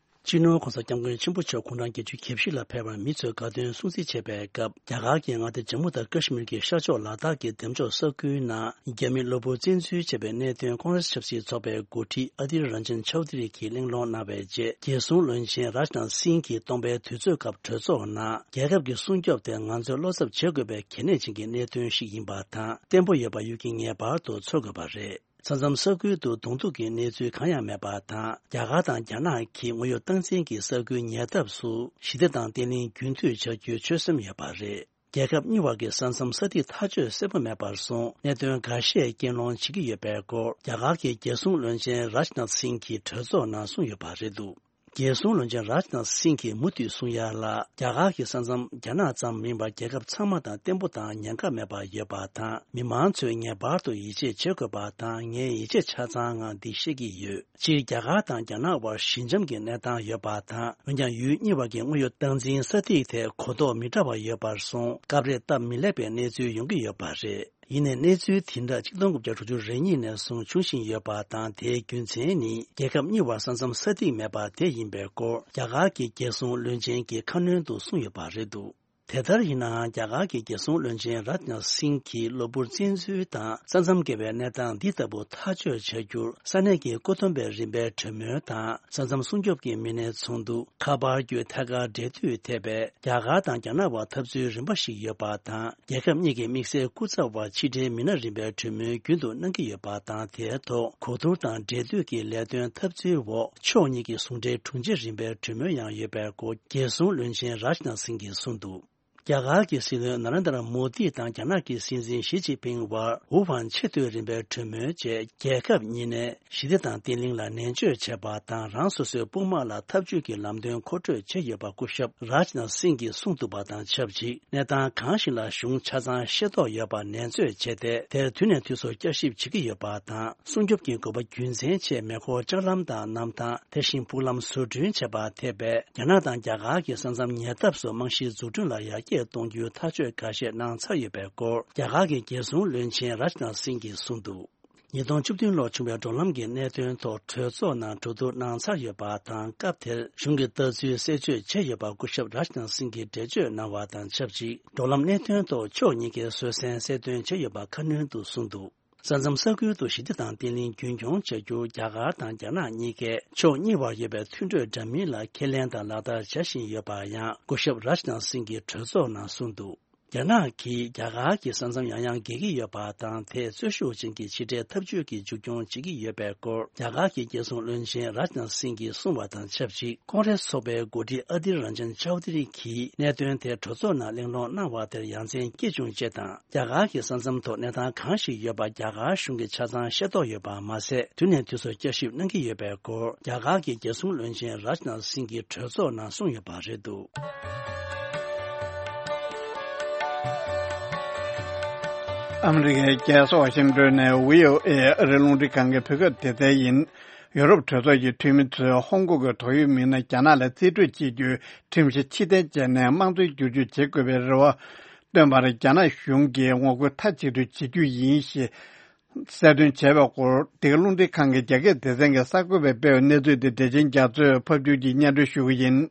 སྤྱི་ནོར་༧གོང་ས་༧སྐྱབས་མགོན་ཆེན་པོ་མཆོག་དགུང་གྲངས་བརྒྱད་ཅུ་གྱ་བཞི་ལ་ཕེབས་པར་མི་ཚོས་དགའ་སྟོན་སྲུང་བརྩི་བྱེད་པའི་སྐབས། རྒྱ་གར་གྱིས་མངའ་སྡེ་ཇམ་མུ་དང་ཀ་ཤི་མིར་གྱི་ཤར་ཕྱོགས་ལ་དྭགས་ཀྱི་འདེམས་འཇོག་ས་ཁུལ་ནང་རྒྱ་མི་གློ་བུར་བཙན་འཛུལ་བྱས་པའི་གནད་དོན་ཀོང་རེ་སི་ཆབ་སྲིད་ཚོགས་པའི་འགོ་ཁྲིད་ཨ་དིར་རན་ཇན་ཆའོ་དི་རི་གིས་གླེང་སློང་གནང་བའི་རྗེས། རྒྱལ་སྲུང་བློན་ཆེན་རཱཇ་ནཱཐ་སིང་གིས་སྟོང་པའི་དུས་ཚོད་སྐབས་གྲོས་ཚོགས་ནང་རྒྱལ་ཁབ་ཀྱི་སྲུང་སྐྱོབ་དེ་ང་ཚོས་བློ་འཚབ་བྱེད་དགོས་པའི་གལ་གནད་ཅན་གྱི་གནད་དོན་ཞིག་ཡིན་པ་དང་། བརྟན་པོ་ཡོད་པ་ཡུལ་གྱིས་ངེས་པར་དུ་ཚོར་དགོས་པ་རེད། ས་མཚམས་ས་ཁུལ་དུ་གདོང་ཐུག་གི་གནས་ཚུལ་གང་ཡང་མེད་པ་དང་། རྒྱ་གར་དང་རྒྱ་ནག་གིས་དངོས་ཡོད་སྟངས་འཛིན་གྱི་ས་ཁུལ་ཉེ་འདབས་སུ་ཞི་བདེ་དང་བརྟན་ལྷིང་རྒྱུན་མཐུད་བྱ་རྒྱུའི་ཆོད་སེམས་ཡོད་པ་རེད། རྒྱལ་ཁབ་གཉིས་བར་གྱི་ས་མཚམས་ས་ཐིག་ཐག་གཅོད་གསལ་པོ་མེད་པར་སོང་། གནད་དོན་འགའ་ཤས་རྐྱེན་སློང་བྱེད་ཀྱི་ཡོད་པའི་སྐོར་རྒྱ་གར་གྱི་རྒྱལ་སྲུང་བློན་ཆེན་རཱཇ་ནཱཐ་སིང་གིས་གྲོས་ཚོགས་ནང་གསུངས་ཡོད་པ་རེད་འདུག་རྒྱལ་སྲུང་བློན་ཆེན་རཱཇ་ནཱཐ་སིང་གིས་མུ་མཐུད་གསུང་ཡ་ལ། རྒྱ་གར་གྱི་ས་མཚམས་རྒྱ་ནག་ཙམ་མིན་པར་རྒྱལ་ཁབ་ཚང་མ་དང་བརྟན་པོ་དང་ཉེན་ཁ་མེད་པར་ཡོད་པ་དང་། མི་མང་ཚོས་ངེས་པར་དུ་ཡིད་ཆེས་བྱེད་དགོས་པ་དང་། ངས་ཡིད་ཆེས་ཆ་ཚང་ངང་འདི་བཤད་ཀྱི་ཡོད། སྤྱིར་རྒྱ་གར་དང་རྒྱ་ནག་དབར་ཞི་འཇམ་གྱི་གནས་སྟངས་ཡོད་པ་དང་། འོན་ཀྱང་ཡུལ་གཉིས་བར་གྱི་དངོས་ཡོད་སྟངས་འཛིན་ས་ཐིག་དེ་གོ་རྟོགས་མི་འདྲ་བ་ཡོད་པར་སོང་། སྐབས་རེ་སྟབས་མི་ལེགས་པའི་གནས་ཚུལ་ཡོང་གི་ཡོད་པ་རེད། ཡིན་ནའི་གནས་ཚུལ་དེ་འདྲ་གཅིག་སྟོང་དགུ་བརྒྱ་དྲུག་ཅུ་རེ་གཉིས་ནས་བཟུང་འབྱུང་བཞིན་ཡོད་པ་དང་། དེའི་རྒྱུ་མཚན་ནི་རྒྱལ་ཁབ་གཉིས་བར་ས་མཚམས་ས་ཐིག་མེད་པ་དེ་ཡིན་པའི་སྐོར་རྒྱ་གར་གྱི་རྒྱལ་སྲུང་བློན་ཆེན་གྱིས་ཁ་སྣོན་དུ་གསུངས་ཡོད་པ་རེད་འདུག་དེ་ལྟར་ཡིན་ནའང་། རྒྱ་གར་གྱི་རྒྱལ་སྲུང་བློན་ཆེན་རཱཇ་ནཱཐ་སིང་གིས་གློ་བུར་བཙན་འཛུལ་དང་ས་མཚམས་བརྒལ་བའི་གནས་སྟངས་འདི་ལྟ་བུ་ཐག་གཅོད་བྱ་རྒྱུར་ས་གནས་ཀྱི་བཀོད་འདོམས་པའི་རིམ་པའི་གྲོས་མོལ་དང་། ས་མཚམས་སྲུང་སྐྱོབ་ཀྱི་མི་སྣའི་ཚོགས་འདུ། ཁ་པར་བརྒྱུད་ཐད་ཀར་འབྲེལ་མཐུད་ཐེབས་པའི་རྒྱ་གར་དང་རྒྱ་ནག་བར་འཐབ་རྩོད་རིམ་པ་ཞིག་ཡོད་པ་དང་། རྒྱལ་ཁབ་གཉིས་ཀྱི་དམིགས་བསལ་སྐུ་ཚབ་བར་ཕྱི་འབྲེལ་མི་སྣ་རིམ་པའི་གྲོས་མོལ་རྒྱུན་དུ་གནང་གི་ཡོད་པ་དང་། དེའི་ཐོག་གོ་བསྡུར་དང་འབྲེལ་མཐུད་ཀྱི་ལས་དོན་འཐབ་རྩོད་འོག་ཕྱོགས་གཉིས་ཀྱི་ཟུང་འབྲེལ་དྲུང་ཆེ་རིམ་པའི་གྲོས་མོལ་ཡང་ཡོད་པའི་སྐོར་རྒྱལ་སྲུང་བློན་ཆེན་རཱཇ་ནཱཐ་སིང་གིས་གསུངས་འདུག་རྒྱ་གར་གྱི་སྲིད་བློན་ན་རེན་དྲ་མོ་དི་དང་རྒྱ་ནག་གི་སྲིད་འཛིན་ཞི་ཅིན་ཕིང་དབར་ཝུ་ཧན་ཆེས་མཐོའི་རིམ་པའི་གྲོས་མོལ་བཅས་རྒྱལ་ཁབ་གཉིས་ནས་ཞི་བདེ་དང་བརྟན་ལྷིང་ལ་ནན་བརྗོད་བྱས་པ་དང་། རང་སོ་སོའི་དཔུང་དམག་ལ་འཐབ་ཇུས་ཀྱི་ལམ་སྟོན་མཁོ་སྤྲོད་བྱས་ཡོད་པ་སྐུ་ཞབས་རཱཇ་ནཱཐ་སིང་གིས་གསུངས་འདུག་པ་དང་ཆབས་ཅིག་གནས་སྟངས་གང་ཞིག་ལ་གཞུང་ཆ་ཚང་ཤེས་རྟོགས་ཡོད་པ་ནན་རྩོད་བྱས་ཏེ། དེར་དུས་ནས་དུས་སུ་བསྐྱར་ཞིབ་བྱེད་ཀྱི་ཡོད་པ་དང་། སྲུང་སྐྱོབ་ཀྱི་དགོས་པ་རྒྱུ་མཚན་ཆེད་མེ་འཁོར་ལྕགས་ལམ་དང་གནམ་ཐང་། དེ་བཞིན་ཕུག་ལམ་བཟོ་སྐྲུན་བྱས་པ་ཐེ་བའི་རྒྱ་ནག་དང་རྒྱ་གར་གྱི་ས་མཚམས་ཉེ་འདབས་སུ་རྨང་གཞིའི་འཛུགས་སྐྲུན་ལ་ཡར་རྒྱས་གཏོང་རྒྱུའི་ཐག་གཅོད་འགའ་ཤས་གནང་ཚར་ཡོད་པའི་སྐོར་རྒྱ་གར་གྱི་རྒྱལ་སྲུང་བློན་ཆེན་རཱཇ་ནཱཐ་སིང་གིས་གསུངས་འདུག་ཉིས་སྟོང་བཅུ་བདུན་ལོར་བྱུང་བའི་འགྲོ་ལམ་གྱི་གནད་དོན་ཐོག་གྲོས་ཚོགས་ནང་གྲོས་བསྡུར་གནང་ཚར་ཡོད་པ་དང་། སྐབས་དེར་གཞུང་གི་ལྟ་ཚུལ་གསལ་བརྗོད་བྱས་ཡོད་པ་སྐུ་ཞབས་རཱཇ་ནཱཐ་སིང་གིས་འགྲེལ་བརྗོད་གནང་བ་དང་ཆབས་ཅིག་འགྲོ་ལམ་གནད་དོན་ཐོག་ཕྱོགས་གཉིས་ཀས་བཟོད་བསྲན་གསལ་སྟོན་བྱས་ཡོད་པ་ཁ་སྣོན་དུ་གསུངས་འདུག་ས་མཚམས་ས་ཁུལ་དུ་ཞི་བདེ་དང་བརྟན་ལྷིང་རྒྱུན་འཁྱོངས་བྱ་རྒྱུར་རྒྱ་གར་དང་རྒྱ་ནག་གཉིས་ཀས་ཕྱོགས་གཉིས་བར་ཡོད་པའི་མཐུན་གྲོས་འདྲ་མིན་ལ་ཁས་ལེན་དང་ལག་བསྟར་བྱ་བཞིན་ཡོད་པ་ཡང་སྐུ་ཞབས་རཱཇ་ནཱཐ་སིང་གིས་གྲོས་ཚོགས་ནང་གསུངས་འདུག་རྒྱ་ནག་གིས་རྒྱ་གར་གྱི་ས་མཚམས་ཡང་ཡང་བརྒལ་གྱི་ཡོད་པ་དང་། དེས་རྩོད་ཤུགས་ཅན་གྱི་ཕྱི་འབྲེལ་འཐབ་ཇུས་ཀྱི་མཇུག་སྐྱོང་བྱེད་ཀྱི་ཡོད་པའི་སྐོར། རྒྱ་གར་གྱི་རྒྱལ་སྲུང་བློན་ཆེན་རཱཇ་ནཱཐ་སིང་གིས་གསུངས་པ་དང་ཆབས་ཅིག་ཀོང་རེས་ཚོགས་པའི་འགོ་ཁྲིད་ཨ་དིར་རན་ཇན་ཆའོ་དི་རི་གིས་གནད་དོན་དེ་གྲོས་ཚོགས་ནང་གླེང་སློང་གནང་བ་དེར་ཡ་མཚན་སྐྱེས་བྱུང་ཅེས་དང་། རྒྱ་གར་གྱི་ས་མཚམས་ཐོག་གནས་སྟངས་གང་ཞིག་ཡོད་པ་རྒྱ་གར་གཞུང་གིས་ཆ་ཚང་ཤེས་རྟོགས་ཡོད་པ་མ་ཟད། དུས་ནས་དུས་སུ་བསྐྱར་ཞིབ་གནང་གི་ཡོད་པའི་སྐོར། རྒྱ་གར་གྱི་རྒྱལ་སྲུང་བློན་ཆེན་རཱཇ་ནཱཐ་སིང་གིས་གྲོས་ཚོགས་ནང་གསུངས་ཡོད་པ་རེད་འདུག་ཨ་མི་རི་ཀའི་རྒྱལ་ས་ཝ་ཤིང་ཏོན་ནས་བྷི་ཨོ་ཨེ་ཨ་རིའི་རླུང་འཕྲིན་ཁང་གི་བོད་སྐད་སྡེ་ཚན་ཡིན། ཡུ་རོབ་གྲོས་ཚོགས་ཀྱི་འཐུས་མི་ཚོས་ཧོང་ཀོང་གི་ཏོག་དབྱིབས་མི་སྣ་རྒྱ་ནག་ལ་རྩིས་སྤྲོད་བྱེད་རྒྱུའི་ཁྲིམས་གཞི་ཕྱིར་འཐེན་བྱས་ནས་དམངས་གཙོའི་བསྒྱུར་བཅོས་བྱེད་དགོས་པའི་རེ་བ་བཏོན་པར་རྒྱ་ནག་གཞུང་གིས་ངོ་རྒོལ་མཐའ་གཅིག་ཏུ་བྱེད་རྒྱུ་ཡིན་ཞེས་གསལ་སྟོན་བྱས་པའི་སྐོར། འདི་ག་རླུང་འཕྲིན་ཁང་གི་རྒྱ་སྐད་སྡེ་ཚན་གྱི་གསར་འགོད་པས་སྤེལ་བའི་གནས་ཚུལ་དེ་བདེ་ཆེན་རྒྱ་མཚོས་ཕབ་སྒྱུར་གྱིས་སྙན་སྒྲོན་ཞུ་གི་ཡིན།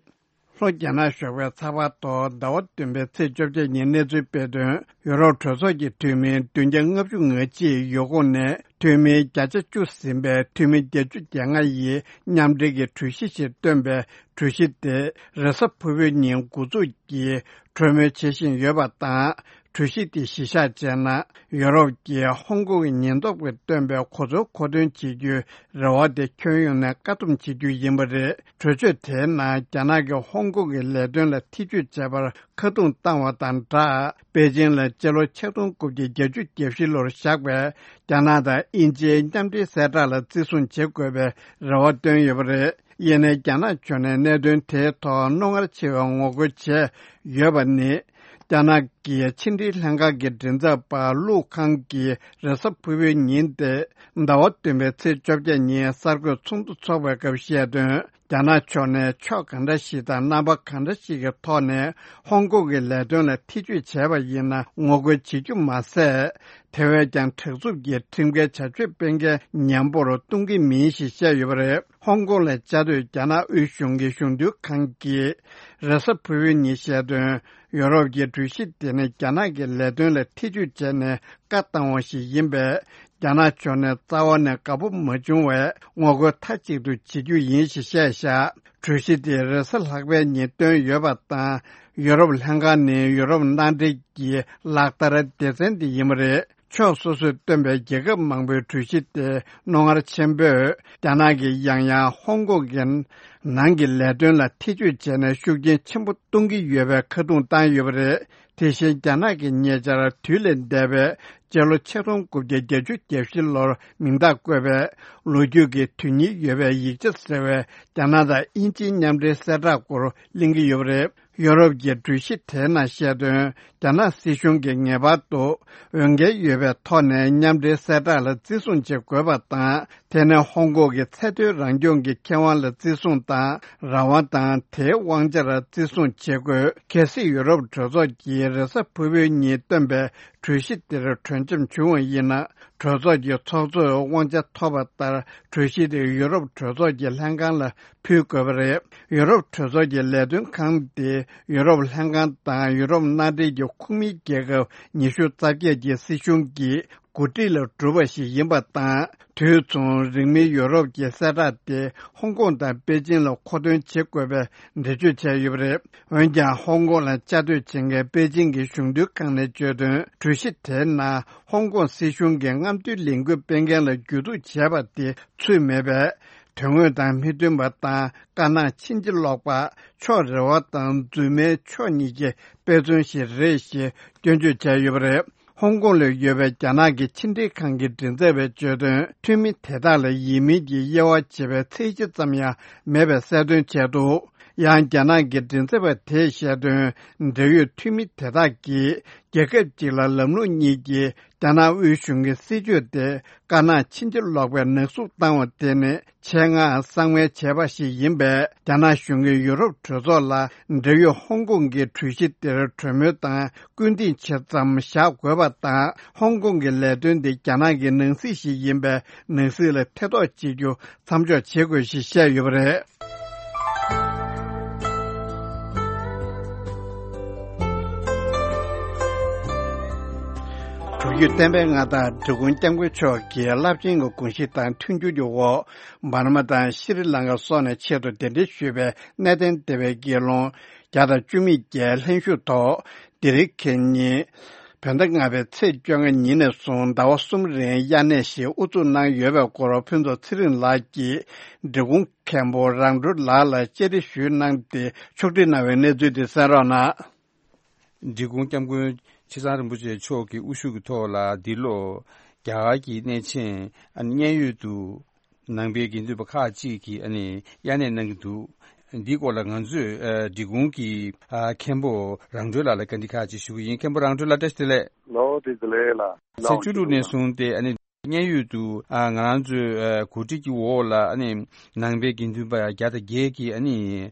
ལྷོ་རྒྱ་ནག་ཞོགས་པའི་ཚགས་པར་ཐོག་ཟླ་བ་བདུན་པའི་ཚེས་བཅོ་བརྒྱད་ཉིན་གནས་ཚུལ་སྤེལ་དོན། ཡུ་རོབ་གྲོས་ཚོགས་ཀྱི་འཐུས་མི་བདུན་བརྒྱ་ལྔ་བཅུ་ང་གཅིག་ཡུལ་ཁོངས་ནས་འཐུས་མི་བརྒྱ་ཆ་བཅུ་ཟིན་པའི་འཐུས་མི་བརྒྱད་ཅུ་གྱ་ལྔ་ཡིས་མཉམ་འབྲེལ་གྱི་གྲོས་གཞི་ཞིག་བཏོན་པའི་གྲོས་གཞི་དེ་རེས་གཟའ་ཕུར་བུའི་ཉིན་འགོ་འཛུགས་ཀྱིས་གྲོས་མོལ་བྱེད་བཞིན་ཡོད་པ་དང་། གྲོས་གཞི་དེ་གཞི་བཞག་བྱས་ན། ཡུ་རོབ་ཀྱིས་ཧོང་ཀོང་གི་ཉེན་རྟོག་པས་བཏོན་པའི་གོ་མཚོན་མཁོ་འདོན་བྱེད་རྒྱུའི་རེ་བ་དེ་ཁྱོན་ཡོངས་ནས་བཀག་སྡོམ་བྱེད་རྒྱུ་ཡིན་པ་རེད། གྲོས་ཆོད་དེའི་ནང་རྒྱ་ནག་གིས་ཧོང་ཀོང་གི་ལས་དོན་ལ་ཐེ་ཇུས་བྱས་པར་ཁ་རྡུང་བཏང་བ་དང་སྦྲགས། པེ་ཅིང་ལ་སྤྱི་ལོ་ཆིག་སྟོང་དགུ་བརྒྱ་བརྒྱད་ཅུ་གྱ་བཞི་ལོར་བཞག་པའི་རྒྱ་ནག་དང་དབྱིན་ཇིའི་མཉམ་འབྲེལ་གསལ་བསྒྲགས་ལ་བརྩི་སྲུང་བྱེད་དགོས་པའི་རེ་བ་བཏོན་ཡོད་པ་རེད། ཡིན་ནའི་རྒྱ་ནག་ཕྱོགས་ནས་གནད་དོན་དེའི་ཐོག་རྣོ་ངར་ཆེ་བའི་ངོ་རྒོལ་བྱས་ཡོད་པ་ནི། རྒྱ་ནག་གི་ཕྱི་འབྲེལ་ལྷན་ཁང་གི་མགྲིན་ཚབ་པ་ལུའུ་ཁང་གིས་རེས་གཟའ་ཕུར་བུའི་ཉིན་ཏེ་ཟླ་བ་བདུན་པའི་ཚེས་བཅོ་བརྒྱད་ཉིན་གསར་འགོད་ཚོགས་འདུ་འཚོགས་པའི་སྐབས་བཤད་དོན། རྒྱ་ནག་ཕྱོགས་ནས་ཕྱོགས་གང་འདྲ་ཞིག་དང་རྣམ་པ་གང་འདྲ་ཞིག་གི་ཐོག་ནས་ཧོང་ཀོང་གི་ལས་དོན་ལ་ཐེ་ཇུས་བྱས་པ་ཡིན་ན་ངོ་རྒོལ་བྱེད་རྒྱུ་མ་ཟད། དེ་བས་ཀྱང་དྲག་རྩུབ་ཀྱི་ཁྲིམས་འགལ་བྱ་སྤྱོད་སྤེལ་མཁན་ཉམས་པོར་གཏོང་གི་མིན་ཞེས་བཤད་ཡོད་པ་རེད། ཧོང་ཀོང་ལ་བཅའ་སྡོད་རྒྱ་ནག་དབུས་གཞུང་གི་གཞུང་དོན་ཁང་གིས་རེས་གཟའ་ཕུར་བུའི་ཉིན་བཤད་དོན། ཡོ་རོབ་ཀྱི་གྲོས་གཞི་དེ་ནི་རྒྱ་ནག་གི་ལས་དོན་ལ་ཐེ་ཇུས་བྱས་ནས་བཀའ་བཏང་བ་ཞིག་ཡིན་པས། རྒྱ་ནག་ཕྱོགས་ནས་རྩ་བ་ནས་དགའ་པོ་མ་བྱུང་བས་ངོ་རྒོལ་མཐའ་གཅིག་ཏུ་བྱེད་རྒྱུ་ཡིན་ཞེས་བཤད་བཞག་གྲོས་གཞི་དེ་རེས་གཟའ་ལྷག་པའི་ཉིན་བཏོན་ཡོད་པ་དང་། ཡོ་རོབ་ལྷན་ཁང་ནི་ཡོ་རོབ་མནའ་འབྲེལ་གྱི་ལག་བསྟར་སྡེ་ཚན་དེ་ཡིན་པ་རེད། ཕྱོགས་སོ་སོས་བཏོན་པའི་རྒྱལ་ཁབ་མང་པོའི་གྲོས་གཞི་དེ་རྣོ་ངར་ཆེན་པོས་རྒྱ་ནག་གིས་ཡང་ཡང་ཧོང་ཀོང་གི་ནང་གི་ལས་དོན་ལ་ཐེ་ཇུས་བྱས་ནས་ཤུགས་རྐྱེན་ཆེན་པོ་གཏོང་གི་ཡོད་པའི་ཁ་རྡུང་བཏང་ཡོད་པ་རེད། དེ་བཞིན་རྒྱ་ནག་གིས་ཉེ་ཆར་དུས་ལས་འདས་པའི་སྤྱི་ལོ་ཆིག་སྟོང་དགུ་བརྒྱ་བརྒྱད་ཅུ་གྱ་བཞི་ལོར་མིང་རྟགས་བཀོད་པའི་ལོ་རྒྱུས་ཀྱི་དོན་སྙིང་ཡོད་པའི་ཡིག་ཆ་ཟེར་བའི་རྒྱ་ནག་དང་དབྱིན་ཇིའི་མཉམ་འབྲེལ་གསལ་བསྒྲགས་སྐོར་གླེང་གི་ཡོད་པ་རེད། ཡོ་རོབ་ཀྱི་གྲོས་གཞི་དེའི་ནང་བཤད་དོན། རྒྱ་ནག་སྲིད་གཞུང་གིས་ངེས་པར་དུ་འོས་འགན་ཡོད་པའི་ཐོག་ནས་མཉམ་འབྲེལ་གསལ་བསྒྲགས་ལ་བརྩི་སྲུང་བྱེད་དགོས་པ་དང་། དེ་ནི་ཧོང་ཀོང་གི་ཚད་མཐོའི་རང་སྐྱོང་གི་ཁེ་དབང་ལ་བརྩི་སྲུང་དང་རང་དབང་དང་དེའི་དབང་ཆར་བརྩི་སྲུང་བྱེད་དགོས། གལ་སྲིད་ཡུ་རོབ་གྲོས་ཚོགས་ཀྱིས་རེས་གཟའ་ཕུར་བུའི་ཉིན་བཏོན་པའི་གྲོས་གཞི་དེར་གྲོས་འཆམ་བྱུང་བ་ཡིན་ན། གྲོས་ཚོགས་ཀྱི་ཚོགས་གཙོས་དབང་ཆ་ཐོབ་པ་ལྟར་གྲོས་གཞི་དེ་ཡུ་རོབ་གྲོས་ཚོགས་ཀྱི་ལྷན་ཁང་ལ་ཕུལ་དགོས་པ་རེད། ཡུ་རོབ་གྲོས་ཚོགས་ཀྱི་ལས་དོན་ཁང་དེ་ཡུ་རོབ་ལྷན་ཁང་དང་ཡུ་རོབ་མནའ་འབྲེལ་གྱི་ཁོངས་མི་རྒྱལ་ཁབ་ཉི་ཤུ་རྩ་བརྒྱད་ཀྱི་སྲིད་གཞུང་གིས་གོ་སྒྲིག་ལ་གྲུབ་པ་ཞིག་ཡིན་པ་དང་། དུས་མཚུངས་རིང་མིན་ཡུ་རོབ་ཀྱི་གསལ་བསྒྲགས་དེ་ཧོང་ཀོང་དང་པེ་ཅིང་ལ་མཁོ་འདོན་བྱེད་དགོས་པའི་འགྲེལ་བརྗོད་བྱས་ཡོད་པ་རེད། འོན་ཀྱང་ཧོང་ཀོང་ལ་བཅའ་སྡོད་བྱེད་མཁན་པེ་ཅིང་གི་གཞུང་དོན་ཁང་ནས་བརྗོད་དོན། གྲོས་གཞི་དེའི་ནང་ཧོང་ཀོང་སྲིད་གཞུང་གིས་རྔམ་སྟོན་ལས་འགུལ་སྤེལ་མཁན་ལ་རྒྱུད་གཏུག་བྱས་པ་དེ་ཚུད་མེད་པས། དོན་དངོས་དང་མི་མཐུན་པ་དང་དཀར་ནག་ཕྱིན་ཅི་ལོག་པ། ཕྱོགས་རེ་བ་དང་རྫུན་མའི་ཕྱོགས་གཉིས་ཀྱི་དཔེ་མཚོན་ཞིག་རེད་ཞེས་སྐྱོན་བརྗོད་བྱས་ཡོད་པ་རེད། ཧོང་ཀོང་ལ་ཡོད་པའི་རྒྱ་ནག་གི་ཕྱི་འབྲེལ་ཁང་གི་མགྲིན་ཚབ་པས་བརྗོད་དོན། འཐུས་མི་དེ་དག་ལ་ཡིན་མིན་གྱི་དབྱེ་བ་འབྱེད་པའི་ཚད་གཞི་ཙམ་ཡང་མེད་པའི་གསལ་སྟོན་བྱས་འདུག་ཡང་རྒྱ་ནག་གི་མགྲིན་ཚབ་པ་དེས་བཤད་དོན། འབྲེལ་ཡོད་འཐུས་མི་དེ་དག་གིས་རྒྱལ་ཁབ་ཅིག་ལ་ལམ་ལུགས་གཉིས་ཀྱི་རྒྱ་ནག་དབུས་གཞུང་གི་སྲིད་བྱུས་དེ་དཀར་ནག་ཕྱིན་ཅི་ལོག་པའི་ནག་གསུབ་བཏང་བ་དེ་ནི་ཆེད་མངགས་གསང་བའི་བྱས་པ་ཞིག་ཡིན་པས། རྒྱ་ནག་གཞུང་གིས་ཡུ་རོབ་གྲོས་ཚོགས་ལ་འབྲེལ་ཡོད་ཧོང་ཀོང་གི་གྲོས་གཞི་དེར་གྲོས་མོལ་དང་སྐུལ་འདེད་ཆེད་ཙམ་བཞག་དགོས་པ་དང་། ཧོང་ཀོང་གི་ལས་དོན་དེ་རྒྱ་ནག་གི་ནང་སྲིད་ཞིག་ཡིན་པས། ནང་སྲིད་ལ་ཐེ་གཏོགས་བྱེད་རྒྱུ་མཚམས་འཇོག་བྱེད་དགོས་ཞེས་བཤད་ཡོད་པ་རེད། དྲུག་བརྒྱུད་བསྟན་པའི་མངའ་བདག་འབྲི་གུང་སྐྱབས་མགོན་མཆོག་གིས་རླབས་ཆེན་གྱི་དགོངས་གཞི་དང་མཐུན་འགྱུར་གྱི་འོག་འབར་མ་དང་ཤྲི་ལང་ཀ་སོགས་ནས་ཆེད་དུ་གདན་འདྲེན་ཞུས་པའི་གནས་བརྟན་སྡེ་བའི་དགེ་སློང་བརྒྱ་དང་བཅུ་མེད་བརྒྱད་ལྷན་ཞུགས་ཐོག་འདིར་ཁེ་ཉིན་བོད་ཟླ་ལྔ་པའི་ཚེས་བཅོ་ལྔ་ཉིན་ནས་བཟུང་ཟླ་བ་གསུམ་རིང་དབྱར་གནས་ཤིག་དབུ་འཛུགས་གནང་ཡོད་པའི་སྐོར་ཕུན་ཚོགས་ཚེ་རིང་ལགས་ཀྱིས་འབྲི་གུང་མཁན་པོ་རང་གྲོལ་ལགས་ལ་བཅར་འདྲི་ཞུས་གནང་སྟེ་ཕྱོགས་སྒྲིག་གནང་བའི་གནས་ཚུལ་དེ་གསན་རོགས་གནང་། འབྲི་གུང་སྐྱབས་མགོན་ཆེ་ཚང་རིན་པོ་ཆེ་མཆོག་གི་དབུ་བཞུགས་ཀྱི་ཐོག་ལ་འདི་ལོ་རྒྱ་གར་གྱི་གནས་ཆེན་ཨ་ནི་མཉན་ཡོད་དུ་ནང་པའི་དགེ་འདུན་པ་ཁག་ཅིག་གིས་ཨ་ནི་དབྱར་གནས་གནང་གི་འདུག་འདིའི་སྐོར་ལ་ང་ཚོས་ཨ་འབྲི་གུང་གི་ཨ་མཁན་པོ་རང་གྲོལ་ལགས་ལ་བཀའ་འདྲི་ཁག་ཅིག་ཞུ་གི་ཡིན། མཁན་པོ་རང་གྲོལ་ལགས་བཀྲ་ཤིས་བདེ་ལེགས། ལོ་བདེ་ལེགས་ལ། ཚེས་བཅུ་དྲུག་ནས་བཟུང་སྟེ་ཨ་ནི་མཉན་ཡོད་དུ་ཨ་ང་རང་ཚོའི་ཨ་གོ་སྒྲིག་གི་འོག་ལ་ཨ་ནི་ནང་པའི་དགེ་འདུན་པ་བརྒྱ་དང་བརྒྱད་ཀྱིས་ཨ་ནི་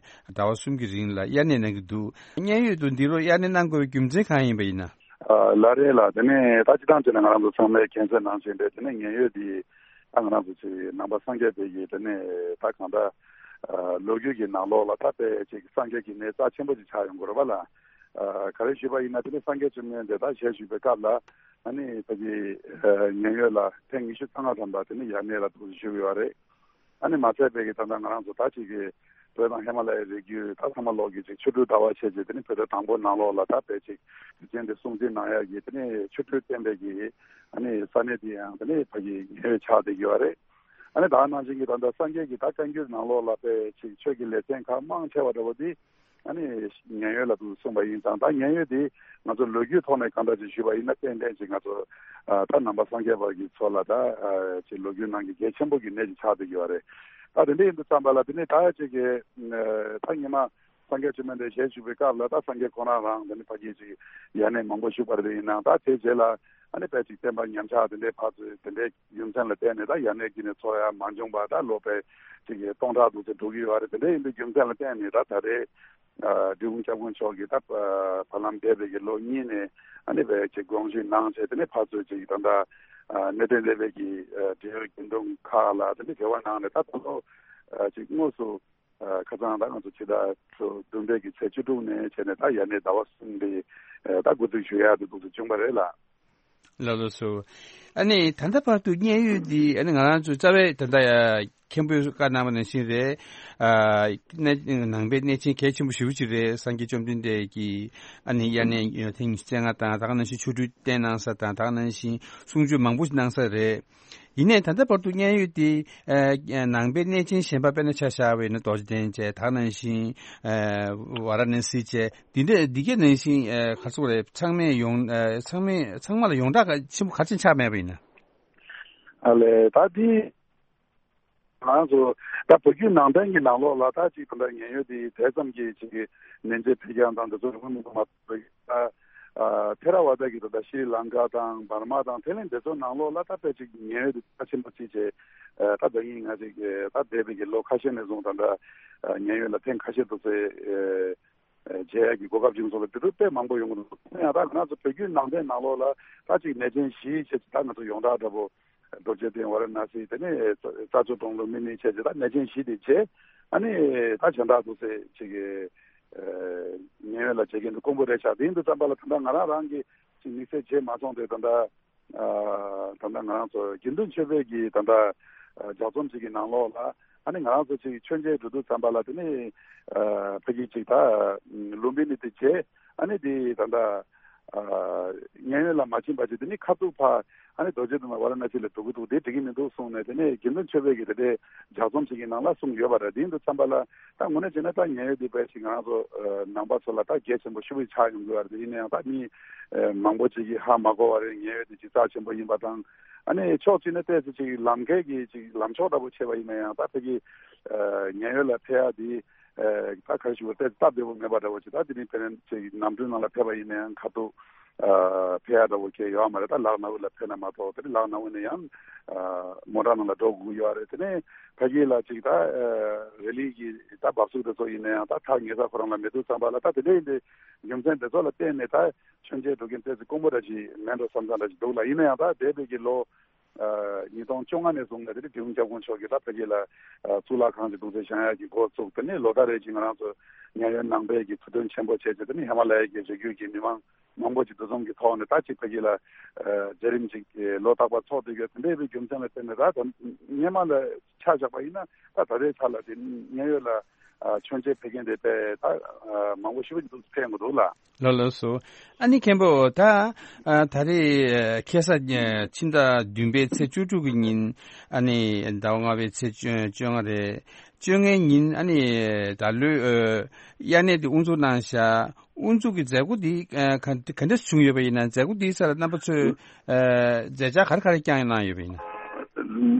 ཟླ་བ་གསུམ་གྱི་རིང་ལ་དབྱར་གནས་གནང་གི་འདུག་མཉན་ཡོད་དུ་འདི་ལོ་དབྱར་གནས་གནང་དགོས་པའི་རྒྱུ་མཚན་གང་ཡིན་པ་ཡིན་ན། ཨ་ལགས་རེད་ལགས། དེ་ནས་ད་སྤྱིར་བཏང་བྱས་ན་ང་རང་ཚོ་ཚང་མས་མཁྱེན་གསལ་ནང་བཞིན་རེད། དེ་ནས་མཉན་ཡོད་འདི་ད་ང་རང་ཚོ་ཅིག་ནང་པ་སངས་རྒྱས་པའི་གི་དེ་ནས་ད་གང་ལྟར་ཨ་ལོ་རྒྱུས་ཀྱི་ནང་ལོགས་ལ་ད་དཔེ་ཅིག་སངས་རྒྱས་ཀྱི་གནས་རྩ་ཆེན་པོ་ཅིག་ཆགས་ཡོང་གི་རེད་པ་ལགས། ཨ་ག་རེ་ཞུས་པ་ཡིན་ན་དེ་ནས་སངས་རྒྱས་བཅོམ་ལྡན་འདས་ད་ཞལ་བཞུགས་པའི་སྐབས་ལ་ཨ་ནི་ཕ་གི་ཨ་མཉན་ཡོད་ལ་ཐེངས་ཉི་ཤུ་རྩ་ལྔ་ཐམ་པ་དེ་ནས་དབྱར་གནས་ལ་འདུག་སེ་བཞུགས་ཡོད་རེད། ཨ་ནི་མ་ཚད་པའི་གི་ད་ལྟ་ང་རང་ཚོ་ད་ཅིག་གི་བོད་དང་ཧི་མ་ལ་ཡའི་རི་རྒྱུད་ད་ཚང་མ་ལོག་གི་ཅིག་ཆོ་འཕྲུལ་དར་བ་བྱས་རྗེས་དེ་ནི་བོད་ཟླ་དང་པོ་ནང་ལོགས་ལ་ད་དཔེ་ཅིག་དུས་ཆེན་དེ་སྲུང་བརྩི་གནང་ཡག་གི་དེ་ནི་ཆོ་འཕྲུལ་བསྟན་པའི་གི་ཨ་ནི་ས་གནས་དེ་ཡང་དེ་ནི་ཕ་གི་མཉན་ཡོད་ཆགས་བསྡད་ཀྱི་ཡོད་རེད། ཨ་ནི་ད་ནང་བཞིན་གྱི་ད་ལྟ་སངས་རྒྱས་ཀྱི་ད་བཀའ་འགྱུར་ནང་ལོགས་ལ་དཔེ་ཅིག་ཆོས་ཀྱི་ལེ་ཚན་ཁག་མང་ཆེ་བ་འདྲ་བོ་དེ་ཨ་ནི་མཉན་ཡོད་ལ་འདུག་གསུངས་པ་ཡིན་ཙང་ད་མཉན་ཡོད་དེ་ང་ཚོ་ལོ་རྒྱུས་ཐོག་ནས་གང་འདྲ་ཅིག་ཞུས་པ་ཡིན་ན་ཏན་ཏན་ཅིག་ང་ཚོ་ཨ་ད་ནང་པ་སངས་རྒྱས་པ་གི་ཚོ་ལ་ད་ཨ་ཅིག་ལོ་རྒྱུས་ནང་གི་གལ་ཆེན་པོ་གི་གནས་ཅིག་ཆགས་བསྡད་ཀྱི་ཡོད་རེད། ད་དེ་འདྲ་ཡིན་དུས་ཙམ་པ་ལ་དེ་ནས་ད་ཅིག་གི་ཨ་ད་ཉི་མ་སངས་རྒྱས་བཅོམ་ལྡན་འདས་ཞལ་བཞུགས་པའི་སྐབས་ལ་ད་སངས་རྒྱས་ཁོ་རང་རང་དེ་ནི་ཕ་གི་ཅིག་དབྱར་གནས་མང་པོ་བཞུགས་པ་རེད། ཡིན་ནའང་ད་དེ་རྗེས་ལ་ཨ་ནི་དཔེ་ཅིག་བསྟན་པ་ཉམས་ཆག་དེ་འདྲའི་ཕར་ཚུར་དེ་འདྲའི་རྒྱུ་མཚན་ལ་བརྟེན་ནས་ད་དབྱར་གནས་ཀྱི་ནས་ཚོགས་ཡ་མ་བྱུང་བ་ད་ལོ་དཔེ་ཅིག་གི་སྟོང་ཕྲག་འདུག་ཚེ་འགྲོ་གི་ཡོད་རེད། དེ་འདྲ་ཡིན་པའི་རྒྱུ་མཚན་ལ་བརྟེན་ནས་ད་ད་རེས་ཨ་འབྲི་གུང་སྐྱབས་མགོན་མཆོག་གིས་ད་ཨ་བར་ལམ་འདས་པའི་གི་ལོ་གཉིས་ནས་ཨ་ནི་དཔེ་ཅིག་དགོངས་ཞུ་གནང་བྱས་དེ་ནས་ཕར་ཚུར་ཅིག་ད་ལྟ་ཨ་གནས་བརྟན་སྡེ་པའི་གི་ཨ་འབྲེལ་ཡོད་དགེ་འདུན་ཁག་ལ་དེ་འདྲ་འབྲེལ་བ་གནང་ནས་ད་ད་ལོ་ཨ་ཅིག་དངོས་སུ་ཨ་ཁ་སང་ད་ང་ཚོ་ཕྱི་ཟླ་བདུན་པའི་གི་ཚེས་བཅུ་དྲུག་ནས་བྱས་ནས་ད་ཡར་ནས་ཟླ་བ་གསུམ་པའི་ཨ་ད་འགོ་འཛུགས་ཞུ་ཡག་དེ་འདུག་སེ་བྱུང་བ་རེད་ལགས། ལགས་ལགས་སོ། ཨ་ནི་ད་ལྟ་བར་དུ་མཉན་ཡོད་འདི་ཨ་ནི་ང་རང་ཚོ་རྩ་བའི་ད་ལྟ་ཡ་མཁན་པོས་བཀའ་གནང་བ་ནང་བཞིན་རེད། ཨ་གནས་ནང་པའི་གནས་ཆེན་གལ་ཆེན་པོ་ཞེ་པོ་ཅིག་རེད། སངས་རྒྱས་བཅོམ་ལྡན་འདས་ཀྱིས་ཨ་ནི་དབྱར་གནས་ཐེངས་ཉི་ཤུ་རྩ་ལྔ་དང་ད་ག་ནང་བཞིན་ཆོ་འཕྲུལ་བསྟན་གནང་ས་དང་ད་ག་ནང་བཞིན་གསུང་ཆོས་མང་པོ་ཞིག་གནང་ས་རེད། ཡིན་ནའི་ད་ལྟ་བར་དུ་མཉན་ཡོད་དེ་ཨ་ནང་པའི་གནས་ཆེན་གཞན་པ་དཔེར་ན་ཆ་བཞག་པ་ཡིན་ན་རྡོ་རྗེ་གདན་བཅས་ད་ག་ནང་བཞིན་ཨ་ཝཱ་ར་ཎ་སི་བཅས་འདི་འདྲ་འདི་གའི་ནང་བཞིན་ཨ་ག་ཚོད་རེད། ཚང་མས་ཡོང་ཨ་ཚང་མས་ཚང་མ་ལ་ཡོངས་གྲགས་ཆེན་པོ་ག་ཚོད་ཆགས་མེད་པ་ཡིན་ན། ཨ་ལས་ད་འདི་ང་ཚོ་ད་བོད་བརྒྱུད་ནང་བསྟན་གྱི་ནང་ལོགས་ལ་ད་ཅིག་ད་ལྟ་མཉན་ཡོད་དེ་དེ་ཙམ་གྱི་ཅིག་གི་མཉེན་ཆས་འཕེལ་རྒྱས་དང་དེ་ཚོ་ཡོང་མི་འདུག་མ་གཏོགས་ད་ཨ་ཐེ་ར་ཝ་ད་གི་ད་ལྟ་ཤྲི་ལང་ཀ་དང་འབར་མ་དང་དེ་ལས་དེ་ཚོ་ནང་ལོགས་ལ་ད་དཔེ་ཅིག་མཉན་ཡོད་དེ་རྩ་ཆེན་པོ་ཅིག་བྱས་ཨ་ད་ད་ཡིན་ང་ཅིག་ད་འདས་པའི་གི་ལོ་ཁ་ཤས་ནས་བཟུང་ད་ལྟ་ཨ་མཉན་ཡོད་ལ་ཐེངས་ཁ་ཤས་འདུག་སེ་ཨ། བྱེད་ཡག་གི་གོ་སྐབས་བྱུང་སོང་ལ་དེ་ཚོ་དཔེ་མང་པོ་ཡོང་གི་འདུག་ཡང་ད་ང་ཚོ་བོད་བརྒྱུད་ནང་བསྟན་ནང་ལོགས་ལ་ད་ཅིག་གནས་ཆེན་བཞི་བྱས་ད་ང་ཚོ་ཡོངས་གྲགས་འདྲ་པོ་རྡོ་རྗེ་གདན་ཝཱ་ར་ཎ་སི་དེ་ནས་རྩ་མཆོག་སྤྲང་ལུང་མི་ནི་བྱས་ད་གནས་ཆེན་བཞི་དེ་བྱས་ཨ་ནི་ད་གཞན་དག་འདུག་སེ་ཅིག་ཉེ་བའི་ལ་བྱེད་མཁན་དུ་དཀོན་པོ་རེད་ཤག་དེ་ཡིན་དུས་ཙམ་པ་ལ་ད་ལྟ་ང་རང་རང་གི་ཅིག་དམིགས་བསལ་བྱས་མ་སོང་དེ་ད་ལྟ། ཨ་ད་ལྟ་ང་རང་ཚོ་དགེ་འདུན་ཆོས་པའི་གི་ད་ལྟ་ཨ་ལྗགས་རྩོམ་ཞིག་གི་ནང་ལོགས་ལ་ཨ་ནི་ང་རང་ཚོ་ཅིག་མཆོད་མཇལ་འགྲོ་དུས་ཙམ་པ་ལ་དེ་ནི་ཨ་ཕ་གི་ཅིག་ད་ལུམ་བི་ནི་དེ་བྱས་ཨ་ནི་དེ་ད་ལྟ་ཨ་མཉན་ཡོད་ལ་མ་ཕྱིན་པ་ཅིག་དེ་ནི་ཁ་ཐུག་ཕ་ཨ་ནི་རྡོ་རྗེ་གདན་ཝཱ་ར་ཎ་སི་ལ་འགྲོ་གི་འདུག་དེ་འགྲིག་གི་མི་འདུག་གསུངས་ནས་དེ་ནི་དགེ་འདུན་ཆོས་པའི་གི་དེ་འདྲའི་ལྗགས་རྩོམ་ཞིག་གི་ནང་ལ་གསུངས་ཡོད་པ་རེད། དེ་ཡིན་དུས་ཙམ་པ་ལ། ད་དངོས་གནས་བྱས་ན་ད་མཉན་ཡོད་འདི་དཔེ་ཞིག་ང་རང་ཚོ་ཨ་ནང་པ་ཚོ་ལ་ད་གལ་ཆེན་པོ་ཞེ་པོ་ཆགས་ཡོང་གི་ཡོད་རེད། ཡིན་ན་ཡང་ད་མི་ཨ་མང་པོ་ཅིག་གིས་ཧ་མ་གོ་བ་རེད། མཉན་ཡོད་འདི་ཅིག་རྩ་ཆེན་པོ་ཡིན་པ་དང་ཨ་ནི་ཕྱོགས་གཅིག་ནས་བལྟས་ཚེ་ཅིག་ལམ་ཁའི་གི་ཅིག་ལམ་ཕྱོགས་འདྲ་པོ་ཕྱེ་བ་ཡིན་ན་ཡང་ད་ཕ་གི་ཨ་མཉན་ཡོད་ལ་ཕེབས་ཡ་འདི་ཨ་ད་ག་རེ་ཞུ་དགོས་རེད། སྟབས་བདེ་པོ་མེད་པ་འདྲ་པོ་ཅིག་ད་དེ་རིང་ཕེབས་ནས་ཅིག་གནམ་གྲུའི་ནང་ལ་ཕེབས་པ་ཡིན་ན་ཡང་ཁ་ཐུག་ཨ་ཕེབས་ཡ་འདྲ་པོ་གལ་ཡོད་མ་རེད། ད་ལག་ནང་ལ་ཕེབས་ན་མ་གཏོགས་དེ་རིང་ལག་ནང་ནས་ཡང་ཨ་མོ་ཊ་ནང་ལ་འགྲོ་དགོས་ཀྱི་ཡོད་རེད། དེ་ནས་ཕ་གི་ལ་ཅིག་ད་ཨ་རི་ལི་གི་ད་འབབ་ཚུགས་དེ་ཚོ་ཡིན་ན་ཡང་ད་ཐག་ཉེ་ས་ཁོ་རང་ལ་མེད་དུས་ཙམ་པ་ལ་ད་དེ་འདྲ་ཡིན་དུས་རྒྱུ་མཚན་དེ་ཚོ་ལ་བརྟེན་ནས་ད་མཆོད་མཇལ་འགྲོ་མཁན་ཏོག་ཙམ་དཀོན་པོ་འདྲ་ཅིག་མེད་འགྲོ་བསམ་ས་འདྲ་ཅིག་འདུག་ལ། ཡིན་ན་ཡང་ད་འདས་པའི་གི་ལོ་ཨ་ཉིས་སྟོང་བཅོ་ལྔ་ནས་བཟུང་ནས་དེ་ནས་འབྲི་གུང་སྐྱབས་མགོན་མཆོག་གིས་ད་ཕ་གི་ལ་ཨ་གཙུག་ལག་ཁང་ཅིག་འདུག་སེ་བཞེངས་ཡག་གི་འགོ་བཙུགས། དེ་ནས་ལོ་ལྟར་རེ་བཞིན་ང་རང་ཚོ་མཉན་ཡོད་ནང་པའི་གི་ཐུགས་འདུན་ཆེན་པོ་བྱས་བྱས་དེ་ནས་ཧི་མ་ལ་ཡའི་གི་རི་རྒྱུད་ཀྱི་མི་མང་མང་པོ་ཅིག་འདུ་འཛོམས་ཀྱི་ཐོག་ནས་ད་ཅིག་ཕ་གི་ལ་ཨ་མཛད་རིམ་ཅིག་ཨ་ལོ་རྟག་པར་འཚོགས་བསྡད་ཡོད། དེ་འདྲའི་བའི་རྒྱུ་མཚན་ལ་བརྟེན་ནས་ད་ད་སྔོན་མ་ལ་ཆ་བཞག་པ་ཡིན་ན་ད་ད་ལྟའི་ཆ་ལ་དེ་མཉན་ཡོད་ལ་ ཨ་མཆོད་མཇལ་ཕེབས་མཁན་དེ་དཔེ་ད་ཨ་མང་པོ་ཞེ་པོ་ཅིག་འདུག་ཕེབས་ཡོང་གི་འདུག་ལགས། ལགས་ལགས་སོ། ཨ་ནི་མཁན་པོ་ད་ཨ་ད་རེས་ཨ་ཁ་སང་ཨ་ཕྱི་ཟླ་བདུན་པའི་ཚེས་བཅུ་དྲུག་གི་ཉིན་ཨ་ནི་ཟླ་བ་ལྔ་པའི་ཚེས་བཅོ་བཅོ་ལྔ་རེད། བཅོ་ལྔའི་ཉིན་ཨ་ནི་ད་ལོའི་ཨ་དབྱར་གནས་དེ་དབུ་འཛུགས་གནང་བཞག་དབུ་འཛུགས་ཀྱི་མཛད་སྒོ་འདི་ཨ་ག་ག་འདྲ་བྱུང་ཡོད་པ་ཡིན་ན། མཛད་སྒོ་འདིའི་སར་རྣམ་པ་ཚོས་ཨ་མཛད་འཆར་ག་རེ་ག་རེ་བསྐྱངས་གནང་ཡོད་པ་ཡིན་ན།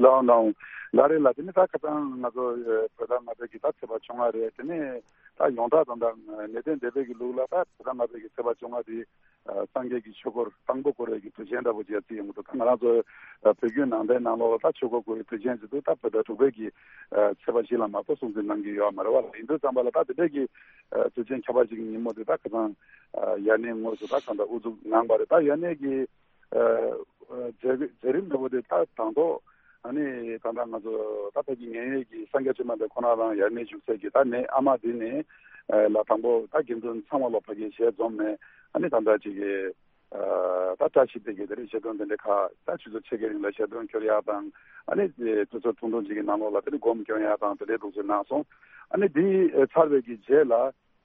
ལགས་ལགས་ལགས་རེད་ལགས། དེ་ནི་ད་ཁ་སང་ང་ཚོ་ཨ་བོད་ཟླ་ལྔ་པའི་གི་ད་ཚེས་པ་བཅོ་ལྔ་རེད། དེ་ནས་ད་ཡོངས་གྲགས་དང་ད་ནད་ལྡན་འདས་པའི་གི་ལུགས་ལ་ད་བོད་ཟླ་ལྔ་པའི་གི་ཚེས་པ་བཅོ་ལྔ་དེ་ཨ་སངས་རྒྱས་ཀྱི་ཆོས་འཁོར་དང་པོ་བསྐོར་བའི་གི་དུས་ཆེན་འདྲ་པོ་ཅིག་བརྩི་ཡོང་གི་འདུག་ད་ང་རང་ཚོ་ཨ་བོད་བརྒྱུད་ནང་བསྟན་ནང་ལོགས་ལ་ད་ཆོས་འཁོར་བསྐོར་བའི་དུས་ཆེན་ཟེར་དུས་ད་བོད་ཟླ་དྲུག་པའི་གི་ཨ་ཚེས་པ་བཞི་ལ་མ་གཏོགས་སྲུང་བརྩི་གནང་གི་ཡོད་མ་རེད་བ། ཡིན་དུས་ཙམ་པ་ལ་ད་དེ་འདྲའི་གི་ཨ་དུས་ཆེན་ཁྱད་པར་ཅིག་གི་ཉིན་མོ་དེ་ད་ཁ་སང་ཨ་དབྱར་གནས་དངོས་སུ་ད་གང་ལྟར་དབུ་འཛུགས་གནང་བ་རེད། ད་དབྱར་གནས་ཀྱི་ཨ་ཨ་མཛད་མཛད་རིམ་འདྲ་པོ་དེ་ད་དང་ཐོག་ཨ་ནི་ད་ལྟ་ང་ཚོ་ད་ཕ་གི་མཉན་ཡོད་ཀྱི་སངས་རྒྱས་བཅོམ་ལྡན་འདས་ཁོ་ན་རང་དབྱར་གནས་བཞུགས་སའི་གི་ད་གནས་ཨ་མ་དེ་ནས་ཨ་ལ་དང་པོ་ད་དགེ་འདུན་ཚང་མ་ལོ་ཕ་གི་ཞལ་འཛོམས་ནས་ཨ་ནི་ད་ལྟ་ཅིག་གི་ཨ་ད་བཀྲ་ཤིས་པའི་གི་དེ་རིང་ཞལ་འདོན་དེ་འདྲའི་ཁག་ད་ཆུ་ཚོད་ཕྱེད་ཀའི་རིང་ལ་ཞལ་འདོན་སྐྱོར་ཡག་དང་ཨ་ནི་དུས་ཚོད་ཐུང་ཐུང་ཅིག་གི་ནང་ལོགས་ལ་དེ་ནི་སྒོམ་སྐྱོན་ཡག་དང་དེ་འདྲའི་ཐུགས་སུ་གནང་སོང་། ཨ་ནི་དེ་ཚར་བའི་གི་རྗེས་ལ།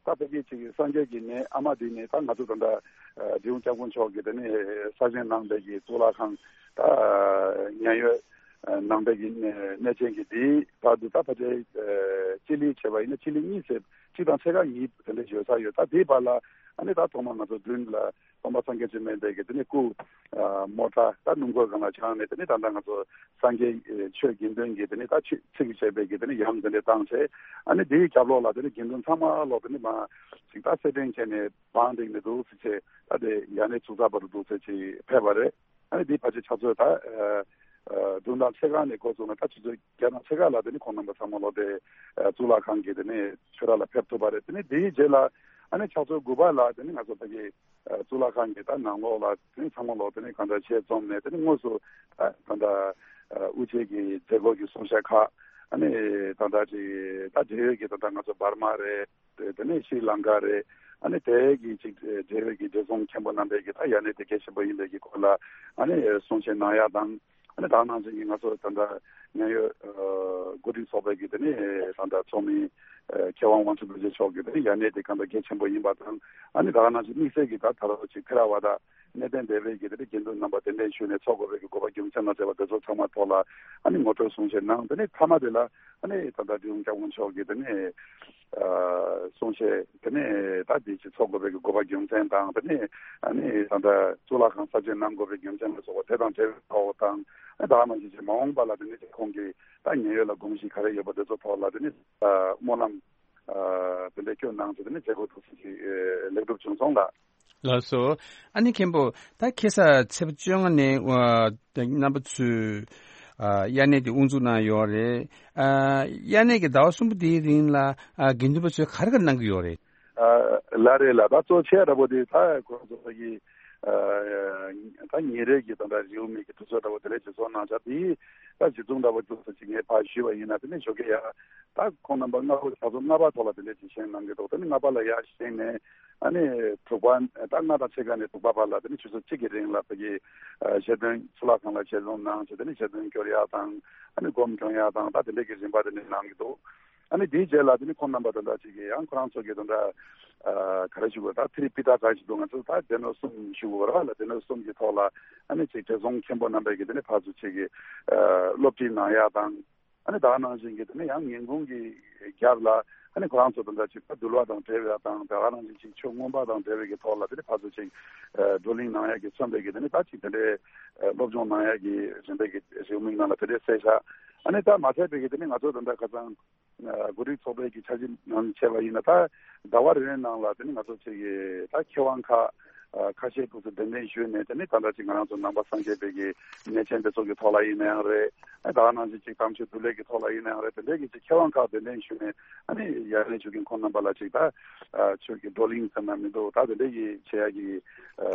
ད་ཕ་གི་ཅིག་སངས་རྒྱས་ཀྱི་གནས་ཨ་མ་དེ་ནས་ད་ང་ཚོ་ད་ལྟ་ཨ་འབྲི་གུང་སྐྱབས་མགོན་མཆོག་གིས་དེ་ནས་གསར་བཞེངས་གནང་པའི་གི་གཙུག་ལག་ཁང་ད་མཉན་ཡོད་ཨ་གནང་པའི་གི་གནས་གནས་ཆེན་གྱི་དེའི་བར་དུ་ད་ཕལ་ཆེར་ཨ་སྤྱི་ལེ་བྱས་པ་ཡིན་ན་སྤྱི་ལེ་གཉིས་ཟེར་གཅིག་དང་ཕྱེད་ཀ་གཉིས་དེ་འདྲ་ཡོད་ས་ཡོད། ད་དེའི་བར་ལ་ཨ་ནི་ད་ཐོག་མར་ང་ཚོ་མདུན་ལ་སྟོན་པ་སངས་རྒྱས་བཅོམ་ལྡན་འདས་ཀྱི་དེ་ནས་སྐུ་ཨ་མོ་ཊ་ད་སྣུམ་འཁོར་སྒང་ལ་བཅངས་ནས་དེ་ནས་ད་ལྟ་ང་ཚོ་སངས་རྒྱས་ཨེ་ཆོས་དགེ་འདུན་གྱི་དེ་ནས་ད་ཆོས་ཚིག་བྱས་པའི་གི་དེ་ནས་ཡང་དེ་འདྲ་བཏང་བྱས། ཨ་ནི་དེའི་རྒྱབ་ལོགས་ལ་དེ་ནས་དགེ་འདུན་ཚང་མ་ལོག་དེ་ནས་མ་ཅིག་ད་སེར་ཕྲེང་བྱས་ནས་བང་བསྒྲིགས་ནས་འདུག་ཟེར་བྱས། ད་དེ་ཡར་གནས་ཚུགས་ཚར་བར་དུ་འདུག་ཟེར་བྱས་ཕེབས་པ་རེད། ཨ་ནི་དེའི་ཕལ་ཆེར་ཕྱག་ཚོད་ད་ཨ་ཨ་བདུན་དང་ཕྱེད་ཀ་ནས་འགོ་བཙུགས་ནས་ད་ཆུ་ཚོད་བརྒྱད་དང་ཕྱེད་ཀ་ལ་དེ་ནས་ཁོང་རྣམ་པ་ཚང་མ་ལོག་དེ་ཨ་གཙུག་ལག་ཁང་གི་དེ་ནས་ཆོས་ར་ལ་ཕེབས་ཐུབ་པ་རེད། དེ་ནས་དེའི་རྗེས་ལ་ཨ་ནི་ཕྱག་ཚོད་དགུ་པ་ལ་དེ་ནས་ང་ཚོ་ཕ་གི་གཙུག་ལག་ཁང་གི་ད་ནང་ལོགས་ལ་དེ་ནས་ཚང་མ་ལོག་དེ་ནས་གང་ལྟར་ཞལ་འཛོམས་ནས་དེ་ནས་དངོས་སུ་ད་ད་ལྟ་དབུ་འབྱེད་ཀྱི་མཛད་སྒོ་གི་གསུང་བཤད་ཁག་ཨ་ནི་ད་ལྟ་ཅིག་ད་འབྲེལ་ཡོད་ཀྱི་ད་ལྟ་ང་ཚོ་འབར་མ་རེད། དེ་ནས་ཤྲི་ལང་ཀ་རེད། ཨ་ནི་དེ་གི་ཅིག་འབྲེལ་ཡོད་ཀྱི་བགྲེས་སོང་མཁན་པོ་རྣམ་པས་ཀྱི་ད་ཡ་ནས་དེ་གལ་ཆེན་པོ་ཡིན་པའི་གི་སྐོར་ལ་ཨ་ནི་གསུང་བཤད་གནང་ཡག་དང་། ཨ་ནི་ད་ནང་བཞིན་གྱི་ང་ཚོ་ད་ལྟ་ཉེན་ཡོད་འགོ་ཁྲིད་ཚོགས་པའི་གི་དེ་ནས་ད་ལྟ་ཚོགས་མི་མཁས་དབང་དབང་ཕྱུག་རྡོ་རྗེ་མཆོག་གིས་དེ་ནས་ཡ་ནས་དེ་གང་ལྟར་གལ་ཆེན་པོ་ཡིན་པ་དང་། ཨ་ནི་ད་ག་ནང་བཞིན་དམིགས་བསལ་གྱི་ད་ད་རོགས་ཅིག་ཐེ་ར་ཝ་ད་གནས་བརྟན་སྡེ་པའི་གི་དེ་ནས་དགེ་འདུན་རྣམ་པ་གདན་འདྲེན་ཞུས་ནས་ཚོགས་དགོས་པའི་གི་དགོས་པ་རྒྱུ་མཚན་མ་བྱས་པ་དེ་ཚོ་ཚང་མ་ཐོག་ལ་ཨ་ནི་ངོ་སྤྲོད་གསུང་བཤད་གནང་། དེ་ནས་མཐའ་མ་དེ་ལ་ཨ་ནི་ད་ལྟ་འབྲི་གུང་སྐྱབས་མགོན་མཆོག་གིས་དེ་ནས་ཨ་གསུང་བཤད་དེ་ནས་ད་དེ་ཅིག་ཚོགས་དགོས་པའི་གི་དགོས་པ་རྒྱུ་མཚན་དང་། དེ་ནས་ཨ་ནི་ད་ལྟ་གཙུག་ལག་ཁང་གསར་བཞེངས་གནང་དགོས་པའི་རྒྱུ་མཚན་ལ་སོགས་པ་དེ་དང་འབྲེལ་བའི་ཐོག་དང་། ཨ་ད་ག་ནང་བཞིན་ཅིག་མ་འོངས་པ་ལ་དེ་ནས་ཅིག་ཁོང་གིས་ད་ཉེན་ཡོད་ལ་དགོངས་གཞི་ག་རེ་ཡོད་པ་དེ་ཚོ་ཐོག་ལ་དེ་ནས་ཨ་སྨོན་ལམ་ཨ་དེ་འདྲ་སྐྱོན་གནང་བྱས་དེ་ནས་མཛད་སྒོ་ཐུགས་སུ་ཅིག་ཨ་ལེགས་གྲུབ་བྱུང་སོང་ལགས། ལགས་སོ། ཨ་ནི་མཁན་པོ་ད་ཁ་སང་ཚེས་པ་བཅོ་ལྔ་ནས་ཨ་རྣམ་པ་ཚོས་ཨ་དབྱར་གནས་དེ་དབུ་འཛུགས་གནང་ཡོད་རེད། ཨ་དབྱར་གནས་ཀྱི་ཟླ་བ་གསུམ་པོ་དེའི་རིང་ལ་ཨ་དགེ་འདུན་པ་ཚོས་ག་རེ་ག་རེ་གནང་གི་ཡོད་རེད། ཨ་ལགས་རེད་ལགས། ད་གཙོ་ཆེ་འདྲ་པོ་དེ་ད་ཁོ་རང་ཚོ་ཕ་གི་ཨ་ད་ཉིན་རེ་གི་ད་ལྟ་རེའུ་མིག་གི་དུས་ཚོད་འདྲ་པོ་དེ་ལས་ཅིག་བཟོ་གནང་བྱ་དེ་ད་གཞི་བཟུང་འདྲ་པོ་ཅིག་ཅིག་ངས་ཕར་ཞུས་པ་ཡིན་ན། དེ་ནས་ཞོགས་ཀས་ཡ་ད་ཁོང་རྣམ་པ་སྔ་པོ་ཕྱག་ཚོད་ལྔ་པ་ཐོག་ལ་དེ་འདྲས་ཅིག་བཞེངས་གནང་གི་འདུག་དེ་ནས་ལྔ་པ་ལ་ཡར་བཞེངས་ནས་ཨ་ནི་དྲུག་པ་ད་ལྔ་དང་ཕྱེད་ཀ་ནས་དྲུག་པ་བར་ལ་དེ་ནས་ཆུ་ཚོད་གཅིག་གི་རིང་ལ་ཕ་གི་ཨ་ཞལ་འདོན་གཙུག་ལག་ཁང་ལ་ཞལ་འཛོམས་གནང་བྱས་དེ་ནས་ཞལ་འདོན་སྐྱོར་ཡག་དང་ཨ་ནི་སྒོམ་སྐྱོན་ཡག་དང་ད་དེ་འདྲས་ཀྱི་རིམ་པ་དེ་འདྲས་གནང་གི་འདུག་ཨ་ནི་དེའི་རྗེས་ལ་དེ་ནི་ཁོང་རྣམ་པ་དེ་འདྲ་ཅིག་གིས་ཡང་ཁོ་རང་ཚོ་གི་དེ་འདྲ་ཨ་ག་རེ་ཞུ་དགོས། ད་ཐི་རི་པི་ཊ་ག་ཞིག་འདུག་ང་ཚོ་ད་སྡེ་སྣོད་གསུམ་ཞུ་དགོས་ར་ལ། སྡེ་སྣོད་གསུམ་གྱི་ཐོག་ལ་ཨ་ནི་ཅིག་བགྲེས་སོང་མཁན་པོ་རྣམ་པས་ཀྱི་དེ་ནི་ཕར་ཚུར་ཅིག་གི་ཨ་སློབ་ཁྲིད་གནང་ཡག་དང་། ཨ་ནི་ད་ག་ནང་བཞིན་གྱི་དེ་ནི་ཡང་ཉིན་གུང་གི་རྒྱབ་ལ་ཨ་ནི་ཁོ་རང་ཚོ་དེ་འདྲ་ཅིག་ད་འདུལ་བ་དང་འབྲེལ་བ་དང་། ད་ག་ནང་བཞིན་ཅིག་ཆོས་མངོན་པ་དང་འབྲེལ་བའི་གི་ཐོག་ལ་དེ་ནི་ཕར་ཚུར་ཅིག་ཨ་བགྲོ་གླེང་གནང་ཡག་གི་མཚོན་པའི་གི་དེ་ནི་ད་ཅིག་དེ་འདྲའི་ཨ་སློབ་སྦྱོང་གནང་ཡག་གི་རིམ་པའི་གི་རེའུ་མིག་ནང་ལ་དེ་འདྲའི་གསལ་བཞག་ཨ་ནི་ད་མ་ཚད་པའི་གི་དེ་ནི་ང་ཚོ་དེ་འདྲ་ཁ་སང་ཨ་འགོ་ཁྲིད་ཚོགས་པའི་གི་འཆར་གཞི་ནང་བྱས་པ་ཡིན་ན། ད་ཟླ་བ་རེ་རེའི་ནང་ལ་དེ་ནི་ང་ཚོ་ཅིག་གི་ད་མཁས་དབང་ཁག་ཨ་ཁ་ཤས་ཁོ་ཚོ་གདན་འདྲེན་ཞུས་ནས་དེ་ནི་ད་ལྟ་ཅིག་ང་རང་ཚོ་ནང་པ་སངས་རྒྱས་པའི་གི་གནས་ཆེན་དེ་ཚོ་གི་ཐོག་ལ་ཡིན་ན་ཡང་རེད། ཨ་ད་ག་ནང་བཞིན་ཅིག་དམ་ཆོས་འདུལ་ལེགས་ཀྱི་ཐོག་ལ་ཡིན་ན་ཡང་རེད། དེ་འདྲའི་གི་ཅིག་མཁས་དབང་ཁག་གདན་འདྲེན་ཞུས་ནས་ཨ་ནི་ཡར་ལས་ཞུ་མཁན་ཁོང་རྣམ་པ་ལ་ཅིག་ད་ཨ་ཆོས་ཀྱི་བགྲོ་གླེང་ཟེར་ན་མི་འདུག་ད་དེ་འདྲའི་གི་བྱེད་ཡག་གི་ཨ་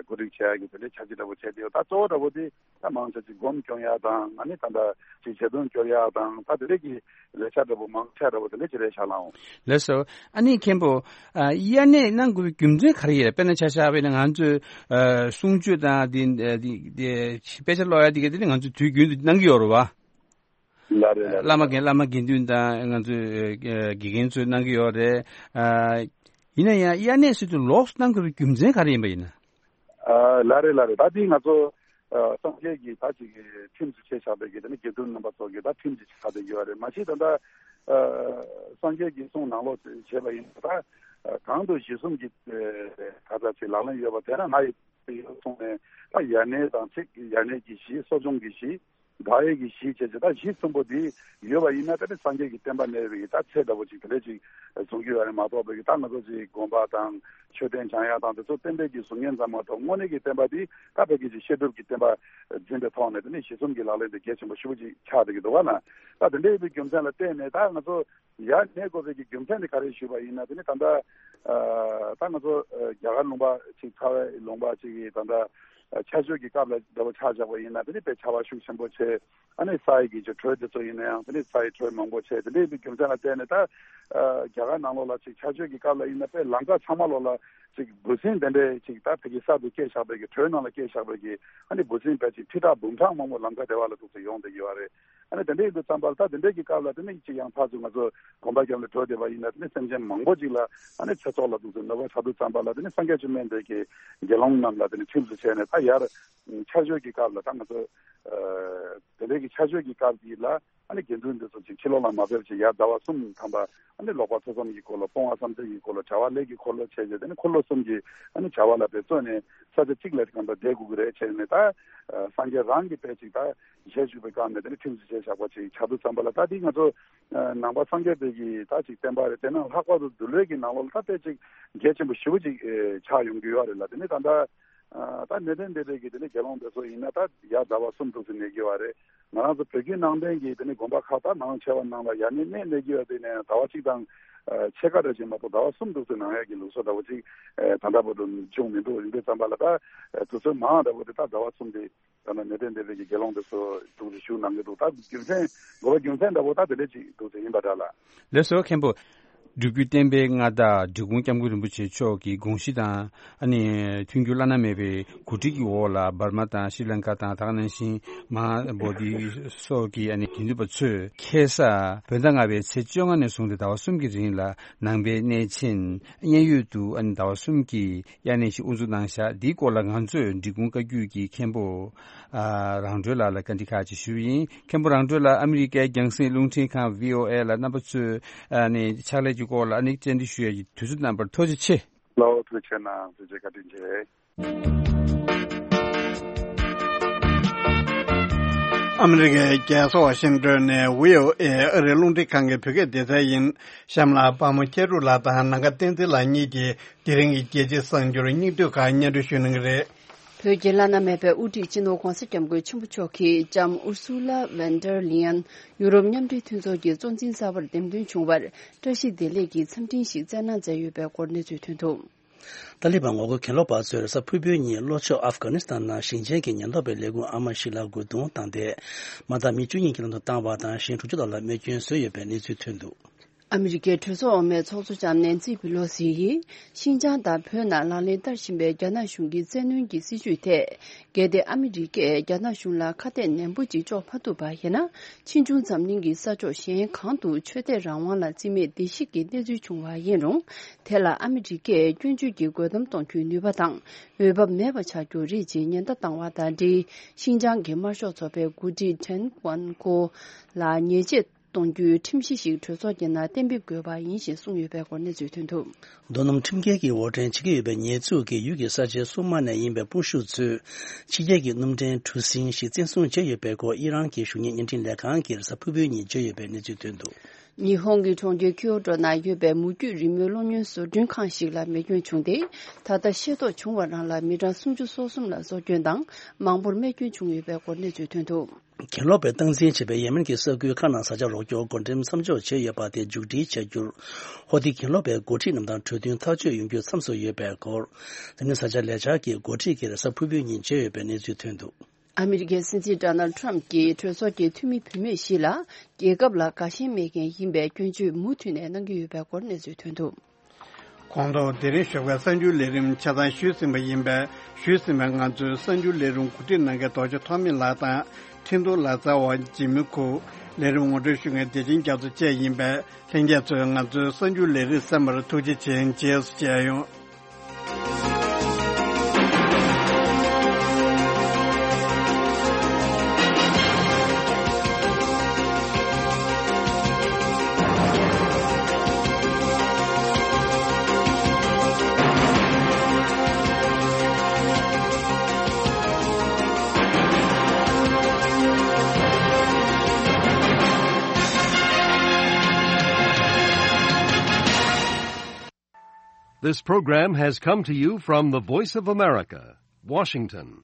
གོ་སྒྲིག་བྱེད་ཡག་གི་དེ་འདྲའི་འཆར་གཞི་འདྲ་པོ་བྱས་ཏེ་ཡོད། ད་གཙོ་བོ་འདྲ་པོ་དེ་ད་མང་ཆེ་ཅིག་སྒོམ་སྐྱོན་ཡག་དང་། ཨ་ནི་ད་ལྟ་ཅིག་ཞལ་འདོན་སྐྱོར་ཡག་དང་། ད་དེ་འདྲའི་གི་ལས་འཆར་འདྲ་པོ་མང་ཆེ་འདྲ་པོ་དེ་འདྲ་ཅིག་རེད་ཤག་ལགས། ལགས་སོ། ཨ་ནི་མཁན་པོ་ཨ་དབྱར་གནས་གནང་དགོས་པའི་རྒྱུ་མཚན་ག་རེ་ཡོད། དཔེར་ན་ཆ་བཞག་པ་ཡིན་ན་ང་ཚོས་ཨ་གསུང་ཆོས་དང་དེ་དེ་དེ་དཔེ་ཆ་ཀློག་ཡག་དེ་ག་དེ་ནི་ང་ཚོས་དུས་རྒྱུན་དུ་གནང་གི་ཡོད་རེད་བ། ལགས་རེད་ལགས་རེད། བླ་མ་དགེ་བླ་མ་དགེ་འདུན་དང་ང་ཚོའི་ཨ་དགེ་རྒན་ཚོས་གནང་གི་ཡོད་རེད། ཨ་ཡིན་ན་ཡང་དབྱར་གནས་ཟེར་དུས་ལོགས་སུ་གནང་དགོས་པའི་རྒྱུ་མཚན་ག་རེ་ཡིན་པ་ཡིན་ན། ཨ་ལགས་རེད་ལགས་རེད། ད་འདི་ང་ཚོ་ཨ་སངས་རྒྱས་ཀྱི་ད་ཅིག་ཁྲིམས་སུ་བྱས་བཞག་པའི་གི་དེ་ནི་དགེ་འདུན་རྣམ་པ་ཚོ་གི་ད་ཁྲིམས་ཀྱི་ཆགས་བསྡད་ཡོད་རེད། མ་གཞི་ད་ལྟ་ཨ་སངས་རྒྱས་ཀྱི་གསུང་ནང་ལོགས་བྱས་པ་ཡིན་ན་ད་ཨ་གང་དུ་གཞི་གསུམ་གྱི་ཨ་ག་ཚ་ཅིག་ལག་ལེན་ཡོད་པ་དེ་ན་ང་ཡི་ཡོད་གསུངས་ནས་ད་དབྱར་གནས་དང་ཚིག་དབྱར་གནས་ཀྱི་གཞི་གསོ་སྦྱོང་གི་གཞི་བདག་ཡས་ཀྱི་གཞི་བྱས་བྱས་ད་གཞི་གསུམ་པོ་འདི་ཡོད་པ་ཡིན་ན་ད་ནི་སངས་རྒྱས་ཀྱི་བསྟན་པ་གནས་པའི་ད་ཚད་ལྟ་བུ་ཅིག་དེ་འདྲ་ཅིག་བཟུང་རྒྱུ་ཡོད་རེད་མ་གཏོགས་པའི་ད་ང་ཚོ་ཅིག་དགོན་པ་དང་མཆོད་རྟེན་བྱང་ཡག་དང་དེ་ཚོ་བསྟན་པའི་གི་གཟུགས་བརྙན་ཙམ་མ་གཏོགས་དངོས་གནས་ཀྱི་བསྟན་པ་འདི་ད་བོད་ཀྱི་ཅིག་བཤད་སྒྲུབ་ཀྱི་བསྟན་པ་འཛིན་པའི་ཐོག་ནས་དེ་ནི་གཞི་གསུམ་གྱི་ལག་ལེན་དེ་གལ་ཆེན་པོ་ཞེ་པོ་ཅིག་ཆགས་བསྡད་ཀྱི་འདུག་བ་ན། ད་དེ་འདྲ་ཡིན་པའི་རྒྱུ་མཚན་ལ་བརྟེན་ནས་ད་ང་ཚོ་ཡར་གནས་དགོས་པའི་གི་རྒྱུ་མཚན་དེ་ག་རེ་ཞུས་པ་ཡིན་ན་དེ་ནི་ད་ལྟ་ཨ་ད་ང་ཚོ་ཨ་རྒྱ་གར་ལུང་པ་ཅིག་ཚ་བའི་ལུང་པ་ཅིག་གི་ད་ལྟ་ཨ་ཆར་ཞོད་ཀྱི་སྐབས་ལ་འདྲ་བོ་ཆ་བཞག་པ་ཡིན་ན་དེ་ནི་དཔེ་ཆར་པ་ཤུགས་ཆེན་པོ་བྱས། ཨ་ནི་ས་ཡི་གི་ཅིག་དྲོད་དེ་ཚོ་ཡིན་ན་ཡང་དེ་ནི་ས་ཡི་དྲོད་མང་པོ་བྱས། དེ་འདྲ་ཡིན་པའི་རྒྱུ་མཚན་ལ་བརྟེན་ནས་ད་ཨ་རྒྱ་གར་ནང་ལོགས་ལ་ཅིག་ཆར་ཞོད་ཀྱི་སྐབས་ལ་ཡིན་ན་དཔེ་ལམ་ཁ་ཚང་མ་ལོགས་ལ་ཅིག་འབུ་སྲིན་དེ་འདྲའི་ཅིག་ད་ཕ་གི་གསར་དུ་སྐྱེས་བཞག་པའི་གི་དྲོད་ནང་ལ་སྐྱེས་བཞག་པའི་གི་ཨ་ནི་འབུ་སྲིན་དཔེ་ཅིག་ཁྲི་ཕྲག་འབུམ་ཕྲག་མང་པོ་ལམ་ཁ་དེ་བ་ལ་འདུག་སེ་ཡོང་བསྡད་ཡོད་རེད། ཨ་ནི་དེ་འདྲ་ཡིན་དུས་ཙམ་པར་ད་དེ་འདྲའི་གི་སྐབས་ལ་དེ་ནི་ཅིག་ཡང་ཕར་ཚུར་ང་ཚོ་གོམ་པ་བརྒྱབ་ནས་འགྲོ་བསྡད་པ་ཡིན་ན་དེ་ནི་སེམས་ཅན་མང་པོ་ཅིག་ལ་ཨ་ནི་ཚེ་སྲོག་ལ་འདུག་སེ་གནོད་པ་ཆགས་དུས་ཙམ་པ་ལ་དེ་ནི་སངས་རྒྱས་བཅོམ་ལྡན་འདས་ཀྱིས་དགེ་སློང་རྣམས་ལ་དེ་ནི་ཁྲིམས་སུ་བྱས་ནས་ད་ཡར་ཆར་ཞོད་ཀྱི་སྐབས་ལ་ད་ང་ཚོ་ཨ་དེ་འདྲའི་གི་ཆར་ཞོད་ཀྱི་སྐབས་ཀྱི་ལ་ཨ་ནི་དགེ་འདུན་འདི་ཚོ་ཅིག་ཕྱི་ལོགས་ལ་མ་ཕེབས་ཅིག་ཡར་ཟླ་བ་གསུམ་ཐམ་པ་ཨ་ནི་ལོག་པ་ཐོས་བསམ་གྱི་འཁོར་ལོ་སྤོང་བ་བསམ་གཏན་གྱི་འཁོར་ལོ་བྱ་བ་ལས་ཀྱི་འཁོར་ལོ་བྱས་རྗེས་དེ་ནི་འཁོར་ལོ་གསུམ་གྱི་ཨ་ནི་བྱ་བ་ལ་འབད་བརྩོན་ནས་ས་ཆ་གཅིག་ལ་གང་ལྟར་བསྡད་དགོས་ཀྱི་རེད་བྱས་ནས་ད་ཨ་སངས་རྒྱས་རང་གི་དཔེ་ཅིག་ད་ཞལ་བཞུགས་པའི་སྐབས་ནས་དེ་ནི་ཁྲིམས་སུ་བྱས་བཞག་པ་ཅིག་ཆགས་དུས་ཙམ་པ་ལ་ད་འདི་ང་ཚོ་ཨ་ནང་པ་སངས་རྒྱས་པའི་གི་ད་ཅིག་བསྟན་པ་རེད། དེ་ནང་ལྷག་པར་དུ་འདུལ་བའི་གི་ནང་ལོགས་ལ་ད་དཔེ་ཅིག་གལ་ཆེན་པོ་ཞེ་པོ་ཅིག་ཨེ་ཆགས་ཡོང་གི་ཡོད་རེད་ལ། དེ་ནི་ད་ལྟ་ཨ་ད་གནས་བརྟན་སྡེ་པའི་གི་དེ་ནི་དགེ་སློང་དེ་ཚོ་ཡིན་ན་ད་ཡར་ཟླ་བ་གསུམ་འདུག་སེ་གནས་ཀྱི་ཡོད་རེད། ང་རང་ཚོ་བོད་བརྒྱུད་ནང་བསྟན་གྱི་དེ་ནི་དགོན་པ་ཁག་ད་མང་ཆེ་བ་ནང་ལ་ཡར་གནས་གནས་གནས་ཀྱི་ཡོད་དེ་ནས་ཟླ་བ་གཅིག་དང་ཨ་ཕྱེད་ཀ་འདྲ་ཅིག་མ་གཏོགས་ཟླ་བ་གསུམ་འདུག་སེ་གནང་ཡག་གི་ལུགས་སྲོལ་འདྲ་བོ་ཅིག་ཨ་ད་ལྟ་བར་དུ་བྱུང་མི་འདུག་ཡིན་པའི་ཙམ་པ་ལ་ད་ཨ་དུས་ཚོད་མང་འདྲ་བོ་དེ་ད་ཟླ་བ་གསུམ་དེ་ད་ནི་གནས་བརྟན་སྡེ་པའི་གི་དགེ་སློང་དེ་ཚོ་འདུག་སེ་བཞུགས་གནང་གི་འདུག་ད་རྒྱུ་མཚན་དགོས་པ་རྒྱུ་མཚན་འདྲ་བོ་ད་དེ་འདྲ་ཅིག་འདུག་སེ་ཡིན་པ་འདྲ་ལ། ལགས་སོ་མཁན་པོ། སྒྲུབ་བརྒྱུད་བསྟན་པའི་མངའ་བདག་འབྲི་གུང་སྐྱབས་མགོན་རིན་པོ་ཆེ་མཆོག་གི་དགོངས་གཞི་དང་ཨ་ནི་མཐུན་འགྱུར་བླ་ན་མེད་པའི་གོ་སྒྲིག་གི་འོག་ལ་འབར་མ་དང་ཤྲི་ལང་ཀ་དང་ད་ག་ནང་བཞིན་མ་ཧཱ་བོ་དྷི་སོགས་ཀྱི་ཨ་ནི་དགེ་འདུན་པ་ཚོས་ཁ་སང་བོད་ཟླ་ལྔ་པའི་ཚེས་བཅོ་ལྔ་ནས་བཟུང་སྟེ་ཟླ་བ་གསུམ་གྱི་རིང་ལ་ནང་པའི་གནས་ཆེན་མཉན་ཡོད་དུ་ཨ་ནི་ཟླ་བ་གསུམ་གྱི་དབྱར་གནས་ཤིག་དབུ་འཛུགས་གནང་བཞག་འདིའི་སྐོར་ལ་ང་ཚོས་འབྲི་གུང་བཀའ་བརྒྱུད་ཀྱི་མཁན་པོ་ཨ་རང་གྲོལ་ལགས་ལ་བཀའ་འདྲི་ཁག་ཅིག་ཞུས་པ་ཡིན། མཁན་པོ་རང་གྲོལ་ལགས་ཨ་མི་རི་ཀའི་རྒྱང་སྲིང་རླུང་འཕྲིན་ཁང་བྷི་ཨོ་ཨེ་ལ་རྣམ་པ་ཚོས་ཨ་ནི་ཕྱག་ལས་ཀྱི་སྐོར་ལ་ཨ་ནི་བཅར་འདྲི་ཞུ་ཡས་ཀྱི་དུས་ཚོད་གནང་བར་ཐུགས་རྗེ་ཆེ། ལགས་ཐུགས་རྗེ་གནང་། ཐུགས་རྗེ་བཀའ་དྲིན་ཆེ། ཨ་མི་རི་ཀའི་རྒྱལ་ས་ཝ་ཤིང་ཏོན་ནས་བྷི་ཨོ་ཨེ་ཨ་རིའི་རླུང་འཕྲིན་ཁང་གི་བོད་སྐད་སྡེ་ཚན་ཡིན། གཤམ་ལ་དཔའ་མོ་སྐྱ་རུ་ལགས་དང་ནམ་མཁའ་བསྟན་འཛིན་ལགས་གཉིས་ཀྱིས་དེ་རིང་གི་རྒྱལ་སྤྱིའི་གསར་འགྱུར་སྙིང་བསྡུས་ཁག་སྙན་སྒྲོན་ཞུ་གནང་གི་རེད། བོད་ཀྱི་བླ་ན་མེད་པའི་དབུ་ཁྲིད་སྤྱི་ནོར་གོང་ས་སྐྱབས་མགོན་ཆེན་པོ་མཆོག་གིས་ལྕམ་ཨུར་སུ་ལ་ཝན་ཏར་ལི་ཡན་ཡུ་རོབ་མཉམ་འབྲེལ་མཐུན་ཚོགས་ཀྱི་གཙོ་འཛིན་གསར་པར་འདེམས་ཐོན་བྱུང་བར་བཀྲ་ཤིས་བདེ་ལེགས་ཀྱི་འཚམས་འཕྲིན་ཞིག་བསྩལ་གནང་མཛད་ཡོད་པའི་སྐོར་གནས་ཚུལ་ཐོན་འདུག་ཏཱ་ལི་བན་ངོ་རྒོལ་གྱེན་ལོག་པ་ཚོས་རེས་གཟའ་ཕུར་བུའི་ཉིན་ལྷོ་ཕྱོགས་ཨབ་གྷ་ནི་སི་ཐན་ནང་ཞིང་ཆེན་གྱི་ཉེན་རྟོག་པའི་ལས་ཁུངས་ཨ་མ་ཞིག་ལ་རྒོལ་རྡུང་བཏང་སྟེ། མ་དག་མི་བཅུ་གཉིས་ཀྱི་ལམ་དུ་བཏང་བ་དང་གཞན་དྲུག་ཅུ་ལྷག་ལ་རྨས་སྐྱོན་བཟོས་ཡོད་པའི་གནས་ཚུལ་ཐོན་འདུག་ཨ་མི་རི་ཀའི་གྲོས་ཚོགས་འོག་མའི་ཚོགས་གཙོ་ལྕམ་ནན་སི་པི་ལོ་སི་ཡིས་ཤིན་ཅང་དང་བོད་ནང་ལག་ལེན་བསྟར་བཞིན་པའི་རྒྱ་ནག་གཞུང་གི་བཙན་གནོན་གྱི་སྲིད་བྱུས་ཐད། གལ་ཏེ་ཨ་མི་རི་ཀས་རྒྱ་ནག་གཞུང་ལ་ཁ་གཏད་ནན་པོ་ཅིག་གཅོག་མ་ཐུབ་པ་ཡིན་ན། ཕྱིས་འབྱུང་འཛམ་གླིང་གི་ས་ཕྱོགས་གཞན་གང་དུ་ཆོས་དད་རང་དབང་ལ་བརྩི་མེད་བརྡལ་བཤིག་གི་གནས་ཚུལ་བྱུང་བ་ཡིན་རུང་། དེ་ལ་ཨ་མི་རི་ཀས་སྐྱོན་བརྗོད་ཀྱིས་རྒོལ་གཏམ་གཏོང་རྒྱུའི་ནུས་པ་དང་འོས་བབ་མེད་པ་ཆགས་རྒྱུ་རེད་ཅེས་ཉེན་བརྡ་བཏང་བ་དང་འབྲེལ། ཤིན་ཅང་གི་དམར་ཤོག་ཚོགས་པའི་འགོ་ཁྲིད་ཁྲེན་ཝན་ཀོ་ལ་ཉེས་ཆད་གཏོང་རྒྱུའི་ཁྲིམས་གཞི་ཞིག་གྲོས་ཚོགས་ཀྱི་ནང་གཏན་འབེབས་དགོས་པ་ཡིན་ཞེས་གསུངས་ཡོད་པའི་སྐོར་གནས་ཚུལ་ཐོན་འདུག་རྡོ་སྣུམ་ཁྲིམས་འགལ་གྱི་དབོར་འདྲེན་བྱེད་ཀྱི་ཡོད་པའི་ཉེས་འཛུགས་ཀྱིས་ཡུལ་གྱི་ས་ཆའི་སྲུང་དམག་ནས་ཡིན་པའི་དཔུང་ཤུག་ཚོས་ཕྱི་རྒྱལ་གྱི་སྣུམ་འདྲེན་གྲུ་གཟིངས་ཤིག་བཙན་བཟུང་བྱས་ཡོད་པའི་སྐོར་ཨི་རན་གྱི་གཞུང་གཉེར་བརྙན་འཕྲིན་ལས་ཁང་གིས་རེས་གཟའ་ཕུར་བུའི་ཉིན་བརྗོད་ཡོད་པའི་གནས་ཚུལ་ཐོན་འདུག་ཉི་ཧོང་གི་གྲོང་ཁྱེར་ཁྱོ་ཏོ་ན་ཡོད་པའི་མུ་ཁྱུད་རི་མོའི་གློག་བརྙན་བཟོ་སྐྲུན་ཁང་ཞིག་ལ་མེ་སྐྱོན་བྱུང་སྟེ། ད་ལྟ་ཤེས་རྟོགས་བྱུང་བ་རང་ལ་མི་གྲངས་སུམ་ཅུ་སོ་གསུམ་ལ་སྲོག་སྐྱོན་དང་མང་པོར་རྨས་སྐྱོན་བྱུང་ཡོད་པའི་སྐོར་གནས་ཚུལ་ཐོན་འདུག་གྱེན་ལོག་པས་སྟངས་འཛིན་བྱས་པའི་ཡེ་མེན་གྱི་ས་ཁུལ་ཁག་ནང་བཟའ་བཅའ་རོགས་སྐྱོར་བགོ་འགྲེམས་མཚམས་འཇོག་བྱས་ཡོད་པ་དེ་མཇུག་སྒྲིལ་བྱ་རྒྱུར། ཧོ་ཏི་གྱེན་ལོག་པའི་འགོ་ཁྲིད་རྣམས་དང་གྲོས་མཐུན་ཐག་གཅོད་ཡོང་རྒྱུ་མཚམས་སུ་ཡོད་པའི་སྐོར། འཛམ་གླིང་ས་ཆ་ལས་འཆར་གྱི་འགོ་ཁྲིད་ཀྱིས་རེས་གཟའ་ཕུར་བུའི་ཉིན་བརྗོད་ཡོད་པའི་གནས་ཚུལ་ཐོན་འདུག་ཨ་མི་རི་ཀའི་སྲིད་འཛིན་ཌོ་ནལ་ཌི་ཊརམ་ཕི་གྱིས་གྲོས་ཚོགས་ཀྱི་འཐུས་མི་བུད་མེད་བཞི་ལ་རྒྱལ་ཁབ་ལ་དགའ་ཞེན་མེད་མཁན་ཡིན་པའི་སྐྱོན་བརྗོད་མུ་མཐུད་ནས་གནང་གི་ཡོད་པའི་སྐོར་གནས་ཚུལ་ཐོན་འདུག་གོང་དུ་དེ་རིང་ཞོགས་ཀའི་གསར་འགྱུར་ལས་རིམ་ཆ་ཚང་ཞུས་ཟིན་པ་ཡིན་པས། ཞུས་ཟིན་པའི་ང་ཚོའི་གསར་འགྱུར་ལས་རིམ་གོ་སྒྲིག་གནང་མཁན་རྡོ་རྗེ་ཐོགས་མེད་ལགས་དང་། འཕྲིན་གཏོང་ལག་རྩལ་བ་འཇིགས་མེད་ཁུ། ལས་རིམ་ངོ་སྤྲོད་ཞུ་མཁན་བདེ་ཆེན་རྒྱ་མཚོ་བཅས་ཡིན་པས། ལྷན་རྒྱས་ཚོས་ང་ཚོའི་གསར་འགྱུར་ལས་རིམ་གསན་པར་ཐུགས་རྗེ་ཆེ། རྗེས་སུ་མཇལ་ཡོང་། This program has come to you from the Voice of America, Washington.